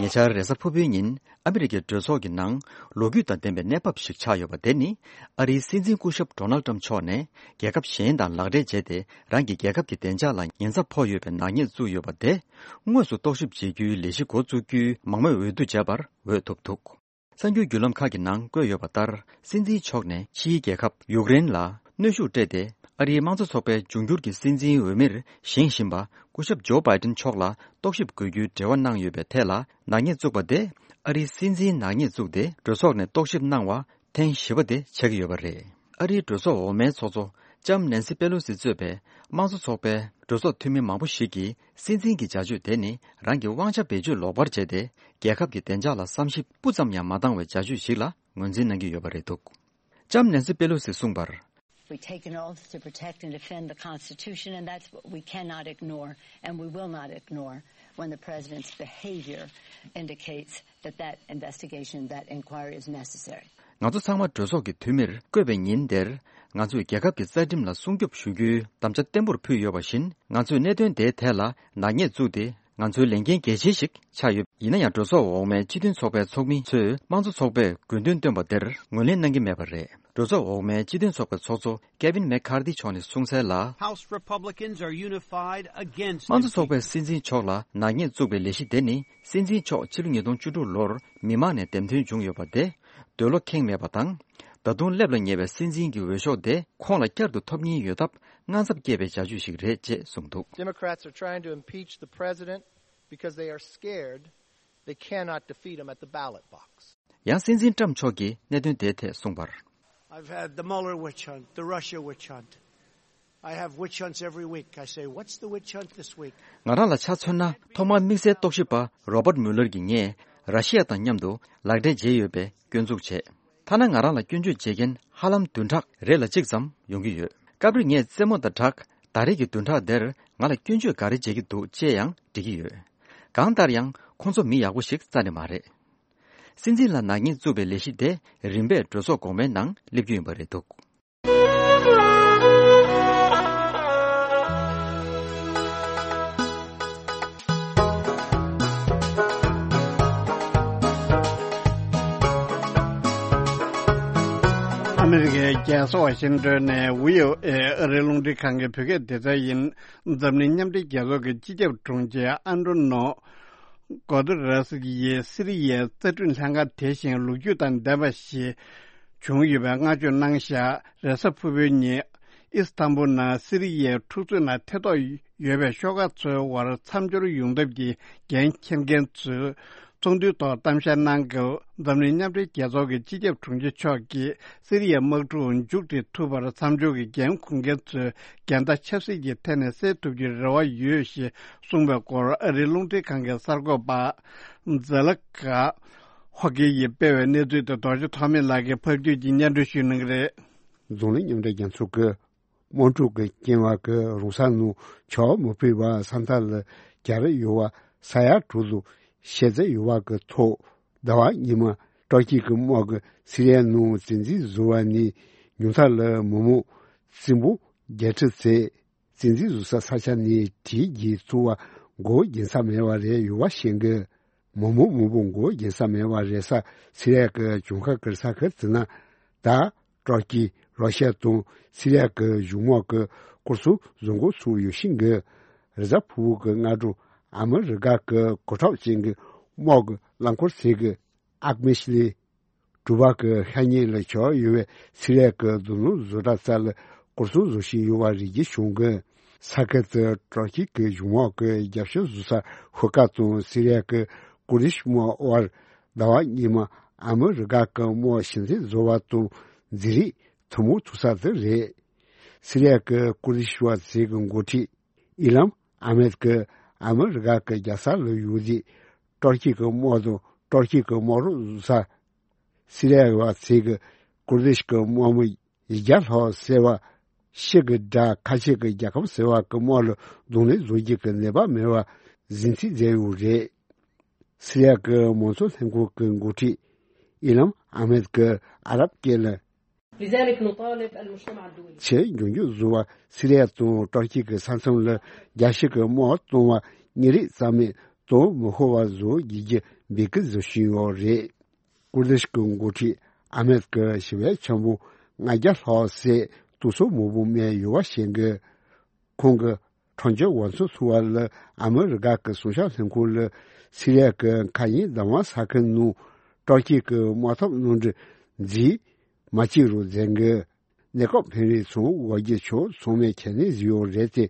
ཉེ་ཆར་རེས་གཟའ་ཕུར་བུའི་ཉིན་ཨ་མི་རི་ཀའི་གྲོས་ཚོགས་ཀྱི་ནང་ལོ་རྒྱུས་དང་ལྡན་པའི་གནས་བབ་ཞིག་ཆགས་ཡོད་པ་དེ་ནི། ཨ་རིའི་སྲིད་འཛིན་སྐུ་ཞབས་ཌོ་ནལ་ཏྲམ་མཆོག་ནས་རྒྱལ་ཁབ་གཞན་དང་ལག་འབྲེལ་བྱས་ཏེ། རང་གི་རྒྱལ་ཁབ་ཀྱི་བདེ་འཇགས་ལ་ཉེན་ཚབས་ཕོག་ཡོད་པའི་ནག་ཉེས་བཙུགས་ཡོད་པ་དེ་དངོས་སུ་རྟོག་ཞིབ་བྱེད་རྒྱུའི་ལས་གཞི་འགོ་བཙུགས་རྒྱུའི་མང་མོས་འོས་བསྡུ་བྱས་པར་འོས་ཐོབ་འདུག། གསར་འགྱུར་བརྒྱུད་ལམ་ཁག་གི་ནང་བཀོད་ཡོད་པ་ལྟར། སྲིད་འཛིན་མཆོག་ནས་ཕྱིའི་རྒྱལ་ཁབ་ཡུཀ་རེན་ལ་གནོན་ཤུགས་སྤྲད་དེ། ཨ་རིའི་དམངས་གཙོ་ཚོགས་པའི་འབྱུང་འགྱུར་གྱི་སྲིད་འཛིན་འོས་མིར་བཞེངས་བཞིན་པ་སྐུ་ཞབས་ཇོ་བྷའི་ཏིན་མཆོག་ལ་རྟོག་ཞིབ་དགོས་རྒྱུའི་འབྲེལ་བ་གནང་ཡོད་པའི་ཐད་ལ་ནག་ཉེས་བཙུགས་པ་དེ། ཨ་རིའི་སྲིད་འཛིན་ནག་ཉེས་བཙུགས་ཏེ་གྲོས་ཚོགས་ནས་རྟོག་ཞིབ་གནང་བ་ཐེངས་བཞི་པ་དེ་ཆགས་ཀྱི་ཡོད་པ་རེད། ཨ་རིའི་གྲོས་ཚོགས་འོག་མའི་ཚོགས་གཙོ་ལྕམ་ནན་སི་པེ་ལོ་སི་གཙོས་པའི་དམངས་གཙོ་ཚོགས་པའི་གྲོས་ཚོགས་འཐུས་མི་མང་པོ་ཞིག་གིས། སྲིད་འཛིན་གྱི་བྱ་སྤྱོད་དེ་ནི་རང་གི་དབང་ཆ་བེད་སྤྱོད་ལོག་པར་བྱས་ཏེ། རྒྱལ་ཁབ་ཀྱི་བདེ་འཇགས་ལ་བསམ་ཞིབ་སྤུ་ཙམ་ཡང་མ་བཏང་བའི་བྱ་སྤྱོད་ཞིག་ལ་ངོས་འཛིན་གནང་གི་ཡོད་པ་རེད་འདུག། ཊམ་ནན་སི་པེ་ལོ་སིས་གསུངས་པར། We take an oath to protect and defend the Constitution, and that's what we cannot ignore, and we will not ignore when the president's behavior indicates that that investigation, that inquiry is necessary. ང་ཚོ་ཚང་མ་གྲོས་ཚོགས་ཀྱི་འཐུས་མིར་བསྐོས་པའི་ཉིན་དེར། ང་ཚོས་རྒྱལ་ཁབ་ཀྱི་རྩ་ཁྲིམས་ལ་སྲུང་སྐྱོབ་ཞུ་རྒྱུའི་དམ་བཅའ་བརྟན་པོར་ཕུལ་ཡོད་པ་བཞིན། ང་ཚོས་གནད་དོན་དེའི་ཐད་ལ་ནག་ཉེས་བཙུགས་ཏེ། ང་ཚོའི་ལས་འགན་གལ་ཆེན་ཞིག་ཆགས་ཡོད། ཡིན་ན་ཡང་། གྲོས་ཚོགས་འོག་མའི་སྤྱི་མཐུན་ཚོགས་པའི་ཚོགས་མི་ཚོས་དམངས་གཙོ་ཚོགས་པས་དགོས་འདུན་བཏོན་པ་དེར་ངོས་ལེན་གནང་གི་མེད་པ་རེད། གྲོས་ཚོགས་འོག་མའི་སྤྱི་མཐུན་ཚོགས་པའི་ཚོགས་གཙོ་Kevin McCarthy་མཆོག་ནས་གསུངས་གསལ་ལ། House Republicans are unified against དམངས་གཙོ་ཚོགས་པས་སྲིད་འཛིན་མཆོག་ལ་ནག་ཉེས་བཙུགས་པའི་ལས་གཞི་དེ་ནི། སྲིད་འཛིན་མཆོག་ཕྱི་ལོ་ཉིས་སྟོང་བཅུ་དྲུག་ལོར་མི་མང་ནས་འདེམས་ཐོན་བྱུང་ཡོད་པ་དེ་འདོད་བློ་ཁེངས་མེད་པ་དང་། ད་དུང་སླེབས་ལ་ཉེ་བའི་སྲིད་འཛིན་གྱི་འོས་ཤོག་དེ་ཁོང་ལ་བསྐྱར་དུ་ཐོབ་ཉེན་ཡོད་སྟབས། དངངས་འཚབ་སྐྱེས་པའི་བྱ་སྤྱོད་ཞིག་རེད་ཅེས་གསུངས་འདུག། Democrats are trying to impeach the president because they are scared they cannot defeat him at the ballot box. ཡང་སྲིད་འཛིན་ཊམ་མཆོག་གིས་གནད་དོན་དེའི་ཐད་གསུངས་པར། I've had the Mueller witch hunt, the Russia witch hunt. I have witch hunts every week. I say, "What's the witch hunt this week?" ང་རང་ལ་ཆ་མཚོན་ན། ཐོག་མར་དམིགས་བསལ་རྟོག་ཞིབ་པ་Robert Mueller གྱིས་ངས་ར་ཤི་ཡ་དང་མཉམ་དུ་ལག་འབྲེལ་བྱས་ཡོད་པའི་སྐྱོན་འཛུགས་བྱས། ཐ་ན་ང་རང་ལ་སྐྱོན་བརྗོད་བྱེད་མཁན་ཧ་ལམ་བདུན་ཕྲག་རེ་ལ་གཅིག་ཙམ་ཡོང་གི་ཡོད། སྐབས་རེ་ངས་རྩེད་མོ་དང་སྦྲགས། ད་རེས་ཀྱི་བདུན་ཕྲག་འདིར་ང་ལ་སྐྱོན་བརྗོད་ག་རེ་བྱེད་ཀྱི་འདུག་ཅེས་ཡང་འདྲི་གི་ཡོད། གང་ལྟར་ཡང་ཁོང་ཚོ་མི་ཡག་པོ་ཞིག་རྩ་ནས་མ་རེད། སྲིད་འཛིན་ལ་ནག་ཉེས་བཙུགས་པའི་ལས་གཞི་དེ་རིམ་པས་གྲོས་ཚོགས་གོང་མའི་ནང་སླེབས་རྒྱུ་ཡིན་པ་རེད་འདུག། ཨ་མི་རི་ཀའི་རྒྱལ་ས་ཝ་ཤིང་ཏོན་ནས་བྷི་ཨོ་ཨེ་ཨ་རིའི་རླུང་འཕྲིན་ཁང་གི་བོད་སྐད་སྡེ་ཚན་ཡིན། འཛམ་གླིང་མཉམ་འབྲེལ་རྒྱལ་ཚོགས་ཀྱི་སྤྱི་ཁྱབ་དྲུང་ཆེ་ཨན་ཏོ་ནོ་གོ་ཏེ་རེས་ཡིས་སི་རི་ཡའི་རྩ་ཁྲིམས་ལྷན་ཁང་དེ་བཞིན་ལོ་རྒྱུས་དང་ལྡན་པ་ཞིག་བྱུང་ཡོད་པའི་བསྔགས་བརྗོད་གནང་བཞག། རེས་གཟའ་ཕུར་བུའི་ཉིན་ཨི་སི་ཐན་བུལ་ནང་སི་རི་ཡའི་འཁྲུག་རྩོད་ནང་ཐེ་གཏོགས་ཡོད་པའི་ཤོག་ཁག་ཚོའི་དབར་མཚམས་སྦྱོར་ཡོང་ཐབས་ཀྱི་འགན་འཁྱེར་མཁན་ཚོས་ཚོགས་འདུའི་ཐོག་གཏམ་བཤད་གནང་སྐབས། འཛམ་གླིང་མཉམ་འབྲེལ་རྒྱལ་ཚོགས་ཀྱི་སྤྱི་ཁྱབ་དྲུང་ཆེ་མཆོག་གིས་སི་རི་ཡའི་དམག་འཁྲུག་མཇུག་སྒྲིལ་ཐུབ་པར་མཚམས་སྦྱོར་གྱི་འགན་འཁུར་མཁན་ཚོས་འགལ་ཟླ་ཆབ་སྲིད་ཀྱི་ཐད་ནས་སེལ་ཐུབ་རྒྱུའི་རེ་བ་ཡོད་ཞེས་གསུངས་པའི་སྐོར་ཨ་རིའི་རླུང་འཕྲིན་ཁང་གི་གསར་འགོད་པ་ཛེ་ལ་ཀ་ཧོ་ཀེ་ཡིས་སྤེལ་བའི་གནས་ཚུལ་དེ་རྡོ་རྗེ་ཐོགས་མེད་ལགས་ཀྱིས་ཕབ་བསྒྱུར་གྱིས་སྙན་སྒྲོན་ཞུ་གནང་གི་རེད། འཛམ་གླིང་མཉམ་འབྲེལ་རྒྱལ་ཚོགས་ཀྱི་དམག་འཁྲུག་གི་རྐྱེན་པས་རང་ས་ནང་བྱ་བ་མི་ཕོད་པར་ས་མཐའ་ལ་གྱར་ཡོད་པ་ས་ཡ་དྲུག་ལ་ཤི་རྩ་ཡོད་པ་གི་ཐོག་ཟླ་བ་སྔོན་མ་ཏུར་ཀི་གི་དམག་གིས་སི་རི་ཡ་ནང་བཙན་འཛུལ་བཟོས་པ་ནས་ཉུང་མཐའ་ལ་མི་མང་བཙན་པོ་བརྒྱད་ཁྲི་ཙམ་བཙན་འཛུལ་བཟོ་ས་ས་ཆ་ནས་གྲི་རྒྱག་ཐུབ་པ་མགོ་འགེངས་ས་མེད་པ་རེད་ཡོད་པ་ཤེས་དགོས། མི་མང་མང་པོ་མགོ་འགེངས་ས་མེད་པ་རེད་ས་སི་རི་ཡ་གི་ལྗོངས་མཁར་གྱི་ས་ཁུལ་དེ་ན་ད་ཏུར་ཀི་རོ་ཤི་ཡ་དང་སི་རི་ཡ་གི་གཞུང་དམག་གི་སྐོར་སྲུང་བཟོ་འགོ་ཚུགས་ཡོད་ཤེས་དགོས། རེས་གཟའ་ཕུར་བུ་གི་སྔ་དྲོ་ཨ་མི་རི་ཀ་གི་གོ་ཁྲབ་ཅན་གྱི་དམག་གི་རླངས་འཁོར་ཚོས་ཀྱི་ཨག་མེ་ཤི་ལི་གྲུ་པ་གི་ཤ་ཉེ་ལ་བྱས་ཡོད་པའི་སི་རི་ཡ་གི་རྡུལ་སྣུམ་བཟོ་གྲྭ་རྩ་ལ་སྐོར་སྲུང་བཟོ་བཞིན་ཡོད་པ་རེ་རྒྱས་བྱུང་གི། ས་ཁུལ་དུ་ཏུར་ཀི་གི་གཞུང་དམག་གི་རྒྱབ་སྐྱོར་བཟོ་ས་ཧུ་ཀ་དང་སི་རི་ཡ་གི་ཀུར་དིཤ་དམག་དབར་ཟླ་བ་སྔོན་མ་ཨ་མི་རི་ཀ་གི་དམག་ཞི་འཛིང་བཟོ་བ་དང་འཛིང་རེས་ཐུན་མོང་ཐུག་ས་དེ་རེད། སི་རི་ཡ་གི་ཀུར་དིཤ་བ་ཚོས་ཀྱི་འགོ་ཁྲིད་ཨི་ལམ་ཨ་མེད་ཀྱིས་ཨ་མི་རི་ཀ་གི་རྒྱལ་ས་ལ་ཡོད་དུས་ཏུར་ཀི་གི་དམག་དང་ཏུར་ཀི་གི་དམག་རོགས་བཟོ་ས། སི་རི་ཡ་བ་ཚོས་ཀྱི་ཀུར་དིཤ་གི་དམག་མི་ཡི་བརྒྱ་ལྷག་ཟེར་བ་ཕྱི་གི་དགྲ་ཁ་ཆེ་གི་རྒྱལ་ཁབ་ཟེར་བ་གི་དམག་ལ་གདོང་ལེན་བཟོ་རྒྱུ་གི་ནུས་པ་མེད་པ་གཟིགས་ཚུལ་མཛད་ཡོད་རེད། སི་རི་ཡ་གི་དམངས་གཙོ་ལྷན་ཁང་གི་འགོ་ཁྲིད་ཨི་ལམ་ཨ་མེད་ཀྱིས་ཨ་རབ་སྐད་ལ། لذلك نطالب المجتمع الدولي. ཆེས་མགྱོགས་མགྱོགས་བཟོ་བ་སི་རི་ཡ་དང་ཏུར་ཀི་གི་ས་མཚམས་ལ་རྒྱལ་སྤྱི་གི་དམག་གཏོང་བ་གཉིས་རིགས་རྩ་མེད་གཏོང་མི་ཤོར་བ་བཟོ་རྒྱུ་གི་འབོད་སྐུལ་བཟོ་བཞིན་ཡོད་རེད། ཀུར་དིཤ་གི་འགོ་ཁྲིད་ཨ་མེད་ཀྱིས་ཞི་བའི་འཆར་འབུམ་ལྔ་བརྒྱ་ལྷག་ཟེར་གཏོར་ཚོགས་མང་པོ་སྨྲས་ཡོད་པ་ཤེས་དགོས། ཁོང་གིས་ཁྲང་ཅིག་ཝང་ཚོགས་ཚུགས་པ་ལ་ཨ་མི་རི་ཀ་གི་སྲུང་སྐྱོབ་ལྷན་ཁང་ལ་སི་རི་ཡ་གི་མཁའ་དབྱིངས་བདག་དབང་ས་ཁུལ་ནང་ཏུར་ཀི་གི་དམག་འཐབ་གནམ་གྲུ་འཛུལ་མ་བྱེད་རོགས་མཛད་དགོས། གནས་སྐབས་ཕན་རེས་ཚོང་དབུ་བརྒྱུད་ཕྱོགས་ཚང་མས་ཁས་ལེན་བཟོས་ཡོད་རེད་དེ།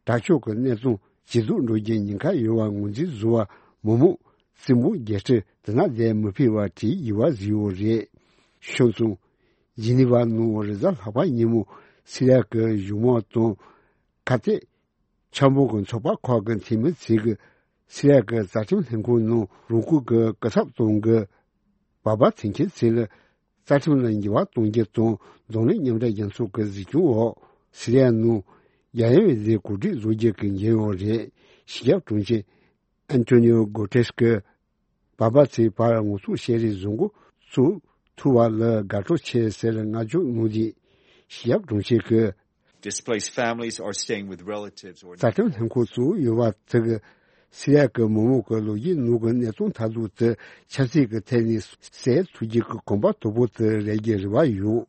དྲག་སྤྱོད་ཀྱི་གནས་སྟངས་ཇེ་སྡུག་འགྲོ་རྒྱུའི་ཉེན་ཁ་ཡོད་པ་ངོས་འཛིན་བཟོ་བ་མི་མང་བཙན་པོ་རྒྱལ་སྤྱི་དེ་ན་བསྡད་མི་ཕོད་པ་བྲིས་ཡོད་པ་བཟོས་ཡོད་རེད། ཤོད་སོང་། ཇི་ནི་ཝ་ནང་རེས་གཟའ་ལྷག་པ་ཉིན་མོ་སི་རི་ཡ་གི་གཞུང་དམག་དང་ཁ་གཏད་འཆར་འབུམ་གྱི་ཚོགས་པ་ཁག་གི་འཐུས་མི་ཚོས་ཀྱིས་སི་རི་ཡ་གི་རྩ་ཁྲིམས་ལྷན་ཁང་ནང་རང་འཁུལ་གྱི་སྐུ་ཚབ་དང་གི་བར་པ་འཐེན་མཁན་ཚོ་ལ་ རྩ་ཁྲིམས་ལ་འགྱུར་བ་གཏོང་རྒྱུ་དང་། འཛམ་གླིང་མཉམ་འབྲེལ་རྒྱལ་ཚོགས་ཀྱི་གཟིགས་སྐྱོང་འོག་སི་རི་ཡ་ནང་རྒྱལ་ཡོངས་འོས་བསྡུའི་གོ་སྒྲིག་བཟོ་རྒྱུ་གི་འགན་ཡོད་རེད། ཞི་ཡབ་དྲུང་ཆེ་ཨན་ཐོ་ནིའོ་གོ་ཏེ་རེས་ཀྱིས་བར་པ་ཚོའི་བར་ངོ་ཐུག་བཤད་རེས་བཟོ་འགོ་བཙུགས་ཐུབ་པ་ལ་དགའ་སྤྲོ་ཆེ་ཟེར་བསྔགས་བརྗོད་གནང་རྗེས། ཞི་ཡབ་དྲུང་ཆེ་གིས། Displaced families are staying with relatives or རྩ་ཁྲིམས་ལྷན་ཁང་བཙུགས་ཡོད་པ་དེ་གིས་སི་རི་ཡ་གི་མི་མང་གི་ལོ་རྒྱུས་ནང་གི་གནས་སྟངས་མཐའ་ཟུར་དེ་ཆབ་སྲིད་ཀྱི་ཐད་ནས་སེལ་ཐུབ་རྒྱུ་གི་གོམ་པ་དོད་པོ་དེ་རེག་རྒྱུའི་རེ་བ་ཡོད།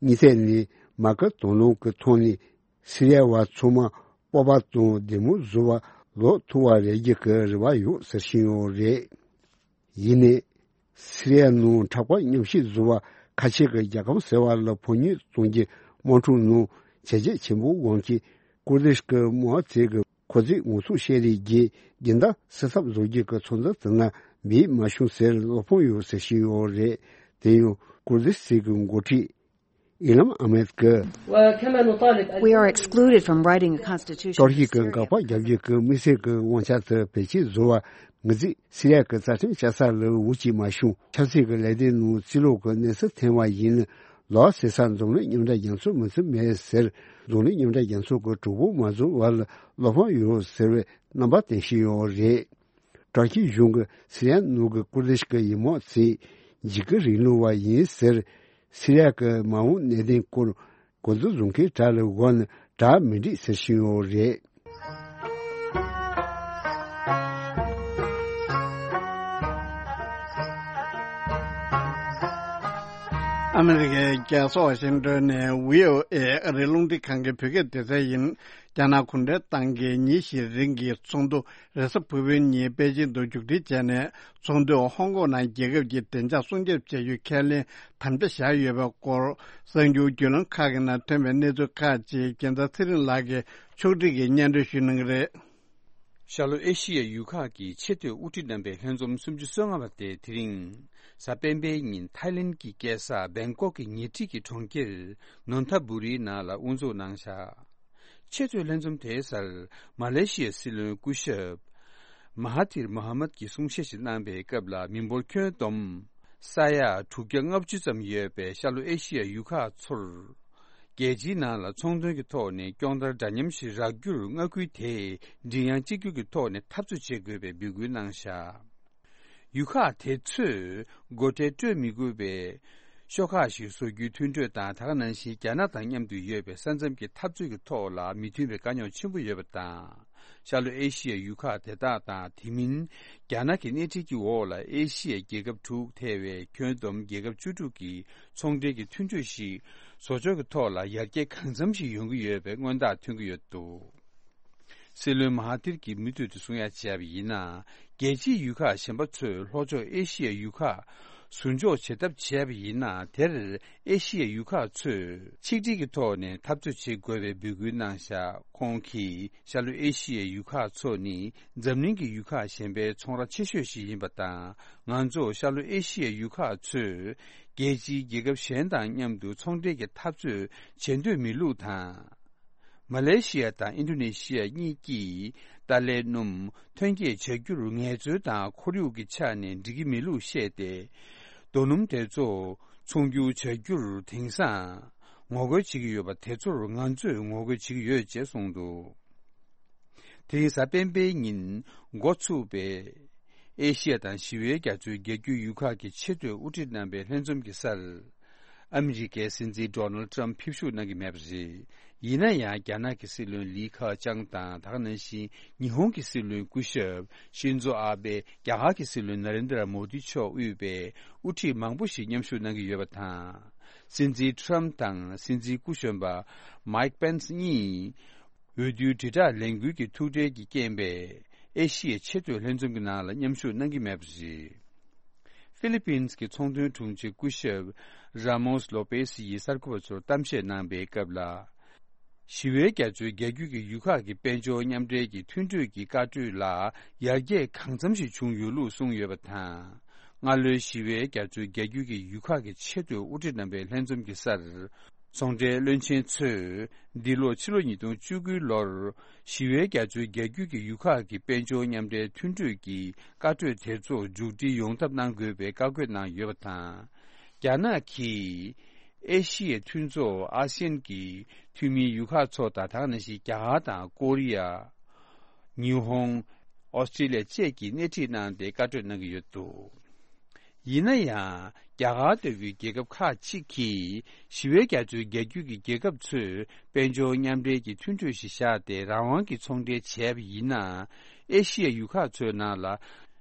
གཉིས་ཐད་ནས་མ་སྐུལ་དོ་སྣང་གི་ཐོག་ནས་སི་རི་ཡ་བ་ཚང་མ་སྤོབས་པ་དང་བདེ་མོ་བཟོ་བར་ལོག་ཐུབ་པ་རེག་རྒྱུ་གི་རེ་བ་ཡོད་ཟེར་བཞིན་ཡོད་རེད། ཡིན་ནའི། སི་རི་ཡ་ནང་དྲག་པོ་མཉམ་བཤད་བཟོ་བར་ཁ་ཆེ་གི་རྒྱལ་ཁམས་ཟེར་བ་ལ་ཕོ་ཉ་གཏོང་རྒྱུ་དམག་འཁྲུག་ནང་བྱས་རྗེས་ཆེན་པོ་དབང་གིས་ཀུར་དིཤ་གི་དམག་ཚོས་ཀྱི་ཁོ་ཚོའི་ངོ་ཚུགས་བཤད་རེས་ཀྱིས་རྒྱུན་ལྡན་སེལ་ཐབས་བཟོ་རྒྱུ་གི་ཚོད་འཛིན་དེ་ན་འབད་མ་བྱུང་ཟེར་བློ་ཕམ་ཡོད་ཟེར་བཞིན་ཡོད་རེད། དེ་ཡང་ཀུར་དིཤ་ཚོས་ཀྱི་འགོ་ཁྲིད་ཨི་ལམ་ཨ་མེད་ཀྱིས། We are excluded from writing a constitution. ཏུར་ཀི་གི་འགག་པ་རྒྱག་རྒྱུ་གི་དམིགས་བསལ་གྱི་དབང་ཆ་དེ་བེད་སྤྱོད་བཟོ་བར་ངེས་ཚིག་སི་རི་ཡ་གི་རྩ་ཁྲིམས་བཅའ་ས་ལ་འོས་ཀྱིས་མ་བྱུང་། ཆབ་སྲིད་ཀྱི་ལས་དོན་ནང་རྩིས་ལོག་གི་གནས་ཚུལ་ཐོན་པ་ཡིན་ན་ལོགས་སུ་ས་འཛམ་གླིང་མཉམ་འབྲེལ་རྒྱལ་ཚོགས་མི་ཚུད་མེད་ཟེར། འཛམ་གླིང་མཉམ་འབྲེལ་རྒྱལ་ཚོགས་ཀྱི་གྲོས་འགོ་མ་བཟོ་བར་ལ་བློ་ཕམ་ཡོད་ཟེར་བའི་རྣམ་པ་བསྟན་བཞིན་ཡོད་རེད། ཏུར་ཀི་གཞུང་གིས་སི་རི་ཡ་ནང་གི་ཀུར་དིཤ་གི་ཡུལ་དམག་ཚོས་འཇིགས་སྐུལ་རིང་ལུགས་པ་ཡིན་ཟེར། སི་རི་ཡ་གི་མ་འོངས་གནད་དོན་སྐོར་གོ་བསྡུར་བཟོ་མཁན་དག་ལ་གོ་ན་གྲ་མི་འགྲིག་ཟེར་བཞིན་ཡོད་རེད། ཨ་མི་རི་ཀའི་རྒྱལ་ས་ཝ་ཤིང་ཏོན་ནས་བྷི་ཨོ་ཨེ་ཨ་རིའི་རླུང་འཕྲིན་ཁང་གི་བོད་སྐད་སྡེ་ཚན་ཡིན། རྒྱ་ནག་གུང་ཁྲན་ཏང་གིས་ཉིན་བཞིའི་རིང་གི་ཚོགས་འདུ་རེས་གཟའ་ཕུར་བུའི་ཉིན་པེ་ཅིང་དུ་མཇུག་སྒྲིལ་བྱས་ནས། ཚོགས་འདུས་ཧོང་ཀོང་ནང་རྒྱལ་ཁབ་ཀྱི་བདེ་འཇགས་སྲུང་སྐྱོབ་བྱ་རྒྱུའི་ཁས་ལེན་དམ་བཅའ་བཞག་ཡོད་པའི་སྐོར། གསར་འགྱུར་བརྒྱུད་ལམ་ཁག་གི་ནང་ཐོན་པའི་གནས་ཚུལ་ཁག་ཅིག་རྒྱལ་མཚན་ཚེ་རིང་ལགས་ཀྱིས་ཕྱོགས་སྒྲིག་གིས་སྙན་སྒྲོན་ཞུ་གནང་གི་རེད། ཤར་ལྷོ་ཨེ་ཤི་ཡའི་ཡུལ་ཁག་གི་ཆེས་མཐོའི་དབུ་ཁྲིད་རྣམ་པའི་ལྷན་འཛོམས་སུམ་ཅུ་སོ་ལྔ་པ་དེ་དེ་རིང་གཟའ་སྤེན་པའི་ཉིན་ཐའི་ལེན་གྱི་རྒྱལ་ས་བེང་ཀོག་གི་ཉེ་འཁྲིས་ཀྱི་གྲོང་ཁྱེར་ནོན་ཐ་བུ་རིའི་ནང་ལ་དབུ་འཛུགས་གནང་བཞག་ཆེས་མཐོའི་ལྷན་འཛོམས་དེའི་སར་མ་ལེ་ཤི་ཡའི་སྲིད་བློན་སྐུ་ཞབས་མ་ཧ་ཐིར་མོ་ཧ་མད་ཀྱིས་གསུང་བཤད་ཞིག་གནང་པའི་སྐབས་ལ། མི་འབོར་ཁྱོན་བསྡོམས་ས་ཡ་དྲུག་བརྒྱ་ལྔ་བཅུ་ཙམ་ཡོད་པའི་ཤར་ལྷོ་ཨེ་ཤི་ཡའི་ཡུལ་ཁག་ཚོར། རྒྱལ་སྤྱིའི་ནང་ལ་ཚོང་དོན་གྱི་ཐོག་ནས་སྐྱོང་བརྡར་འདྲ་མཉམ་ཞིག་རག་རྒྱུར་མངའ་ཁུལ་དེས་མགྲིན་དབྱངས་གཅིག་གྱུར་གྱི་ཐོག་ནས་འཐབ་རྩོད་བྱེད་དགོས་པའི་འབོད་སྐུལ་གནང་བཞག་ཡུལ་ཁག་དེ་ཚོས་སྒོ་ཁྲལ་སྤྲོད་མི་དགོས་པའི་ཤོག་ཁག་ཞིག་བཟོ་རྒྱུའི་མཐུན་གྲོས་དང་། ད་ག་ནང་བཞིན་རྒྱ་ནག་དང་མཉམ་དུ་ཡོད་པའི་ས་མཚམས་ཀྱི་འཐབ་རྩོད་ཀྱི་ཐོག་ལ་མི་མཐུན་པའི་དཀའ་རྙོག་ཆེན་པོ་ཡོད་པ་དང་། ཤར་ལྷོ་ཨེ་ཤི་ཡའི་ཡུལ་ཁག་དེ་དག་དང་། དེ་མིན་རྒྱ་ནག་གི་སྣེ་ཁྲིད་ཀྱི་འོག་ལ་ཨེ་ཤི་ཡའི་རྒྱལ་ཁབ་དྲུག་ཐེ་བའི་ཁྱོན་བསྡོམས་རྒྱལ་ཁབ་བཅུ་དྲུག་གི་ཚོང་འབྲེལ་གྱི་མཐུན་གྲོས་ཤིག་བཟོ་ཕྱོགས་ཀྱི་ཐོག་ལ་ཡར་རྒྱས་གང་འཚམ་ཞིག་ཡོང་གི་ཡོད་པའི་མངོན་རྟགས་ཐོན་གྱི་ཡོད་འདུག་སྲིད་བློན་མ་ཧ་ཐིར་གྱིས་མུ་མཐུད་དུ་གསུང་ཡ་བྱས་པ་ཡིན་ན། རྒྱལ་སྤྱིའི་ཡུལ་ཁག་གཞན་པ་ཚོས་ལྷོ་ཕྱོགས་ཨེ་ཤི་ཡའི་ཡུལ་ཁག་ཟུར་འཇོག་བྱེད་ཐབས་བྱས་པ་ཡིན་ན། དེར་ཨེ་ཤི་ཡའི་ཡུལ་ཁག་ཚོས་ཆིག་སྒྲིལ་གྱི་ཐོག་ནས་འཐབ་རྩོད་བྱེད་དགོས་པའི་འབོད་སྐུལ་གནང་བཞག་ཁོང་གིས་ཤར་ལྷོ་ཨེ་ཤི་ཡའི་ཡུལ་ཁག་ཚོ་ནི་འཛམ་གླིང་གི་ཡུལ་ཁག་གཞན་པའི་ཚོང་ར་ཆེ་ཤོས་ཤིག་ཡིན་པ་དང་། ང་ཚོ་ཤར་ལྷོ་ཨེ་ཤི་ཡའི་ཡུལ་ཁག་ཚོས་རྒྱལ་སྤྱིའི་རྒྱལ་ཁབ་གཞན་དང་མཉམ་དུ་ཚོང་འབྲེལ་གྱི་འཐབ་རྩོད་བྱེད་འདོད་མེད་ལུགས་དང་། མ་ལེ་ཤི་ཡ་དང་ཨིན་ཌོ་ནེ་ཤི་ཡ་གཉིས་ཀྱིས་ཏཱ་ལའི་སྣུམ་ཐོན་སྐྱེད་བྱ་རྒྱུར་ངལ་རྩོལ་དང་ཁོར་ཡུག་གི་ཆ་ནས་འགྲིག་གི་མེད་ལུགས་བཤད་དེ། རྡོ་སྣུམ་དེ་ཚོ་ཚོང་སྒྱུར་བྱ་རྒྱུར་དེང་སང་ངོ་རྒོལ་བྱེད་ཀྱི་ཡོད་པ་དེ་ཚོར་ང་ཚོས་ངོ་རྒོལ་བྱེད་ཀྱི་ཡོད་ཅེས་གསུངས་འདུག་དེ་རིང་གཟའ་སྤེན་པའི་ཉིན་འགོ་ཚུགས་པའི་ཨེ་ཤི་ཡ་དང་ཞི་བའི་རྒྱ་མཚོའི་རྒྱལ་རྒྱུད་ཡུལ་ཁག་གི་ཆེས་མཐོའི་དབུ་ཁྲིད་རྣམ་པའི་ལྷན་འཛོམས་ཀྱི་སར། ཨ་མི་རི་ཀའི་སྲིད་འཛིན་ཌོ་ནལ་ཊམ་ཕེབས་ཞུགས་གནང་གི་མེད་པ་རེད། ཡིན་ན་ཡང་རྒྱ་ནག་གི་སྲིད་བློན་ལི་ཁེ་ཆང་དང་། ད་ག་ནང་བཞིན་ཉི་ཧོང་གི་སྲིད་བློན་སྐུ་ཞབས་ཤིན་ཛོ་ཨ་བྷེ། རྒྱ་གར་གྱི་སྲིད་བློན་ན་རེན་དྲ་མོ་དི་མཆོག་དབུས་པའི་དབུ་ཁྲིད་མང་པོ་ཞིག་མཉམ་ཞུགས་གནང་གི་ཡོད་པ་དང་། སྲིད་འཛིན་ཊམ་དང་སྲིད་འཛིན་སྐུ་གཞོན་པ་མའིག་པེན་སི་གཉིས། འོས་བསྡུའི་དྲིལ་བསྒྲགས་ལས་འགུལ་གྱི་ཐུགས་ཁྲལ་གྱི་རྐྱེན་པས། ཨེ་ཤི་ཡའི་ཆེས་མཐོའི་ལྷན་འཛོམས་ཀྱི་ནང་ལ་མཉམ་ཞུགས་གནང་གི་མེད་པ་རེད། ཧྥི་ལི་པིན་གྱི་ཚོང་དོན་དྲུང་ཆེ་སྐུ་ཞབས་ར་མོས་ལོ་པེ་སི་ཡིས་གསར་འགོད་པ་ཚོར་གཏམ་བཤད་གནང་པའི་སྐབས་ལ། ཞི་བའི་རྒྱ་མཚོའི་རྒྱལ་རྒྱུད་ཀྱི་ཡུལ་ཁག་གི་དཔལ་འབྱོར་མཉམ་འབྲེལ་གྱི་མཐུན་གྲོས་ཀྱི་བཀའ་གྲོས་ལ་ཡར་རྒྱས་གང་འཚམ་ཞིག་བྱུང་ཡོད་ལུགས་གསུངས་ཡོད་པ་དང་། སྔ་ལོའི་ཞི་བའི་རྒྱ་མཚོའི་རྒྱལ་རྒྱུད་ཀྱི་ཡུལ་ཁག་གི་ཆེས་མཐོའི་དབུ་ཁྲིད་རྣམ་པའི་ལྷན་འཛོམས་ཀྱི་སར། ཚོང་འབྲེལ་བློན་ཆེན་ཚོས་འདི་ལོ་ཕྱི་ལོ་ཉིས་སྟོང་བཅུ་དགུའི་ལོར་ཞི་བའི་རྒྱ་མཚོའི་རྒྱལ་རྒྱུད་ཀྱི་ཡུལ་ཁག་གི་དཔལ་འབྱོར་མཉམ་འབྲེལ་མཐུན་གྲོས་ཀྱི་བཀའ་གྲོས་དེ་ཚོ་མཇུག་སྒྲིལ་ཡོང་ཐབས་གནང་དགོས་པའི་བཀའ་བཀོད་གནང་ཡོད་པ་དང་། རྒྱ་ནག་གིས་ཨེ་ཤི་ཡའི་མཐུན་ཚོགས་ཨ་སི་ཡན་གྱི་འཐུས་མིའི་ཡུལ་ཁག་ཚོ་དང་། ད་ག་ནང་བཞིན་རྒྱ་གར་དང་ཀོ་རི་ཡ། ཉི་ཧོང་། ཨོ་སི་ཀྲི་ལི་ཡ་བཅས་ཀྱིས་སྣེ་ཁྲིད་གནང་སྟེ་བཀའ་གྲོས་གནང་གི་ཡོད་འདུག་ཡིན་ན་ཡང་རྒྱ་གར་ལྟ་བུའི་རྒྱལ་ཁབ་ཁག་ཅིག་གིས་ཞི་བའི་རྒྱ་མཚོའི་རྒྱ་རྒྱུད་ཀྱི་རྒྱལ་ཁབ་ཚོས་དཔལ་འབྱོར་མཉམ་འབྲེལ་གྱི་མཐུན་གྲོས་ཤིག་བཞག་སྟེ་རང་དབང་གི་ཚོང་འབྲེལ་བྱས་པ་ཡིན་ན། ཨེ་ཤི་ཡའི་ཡུལ་ཁག་ཚོའི་ནང་ལ་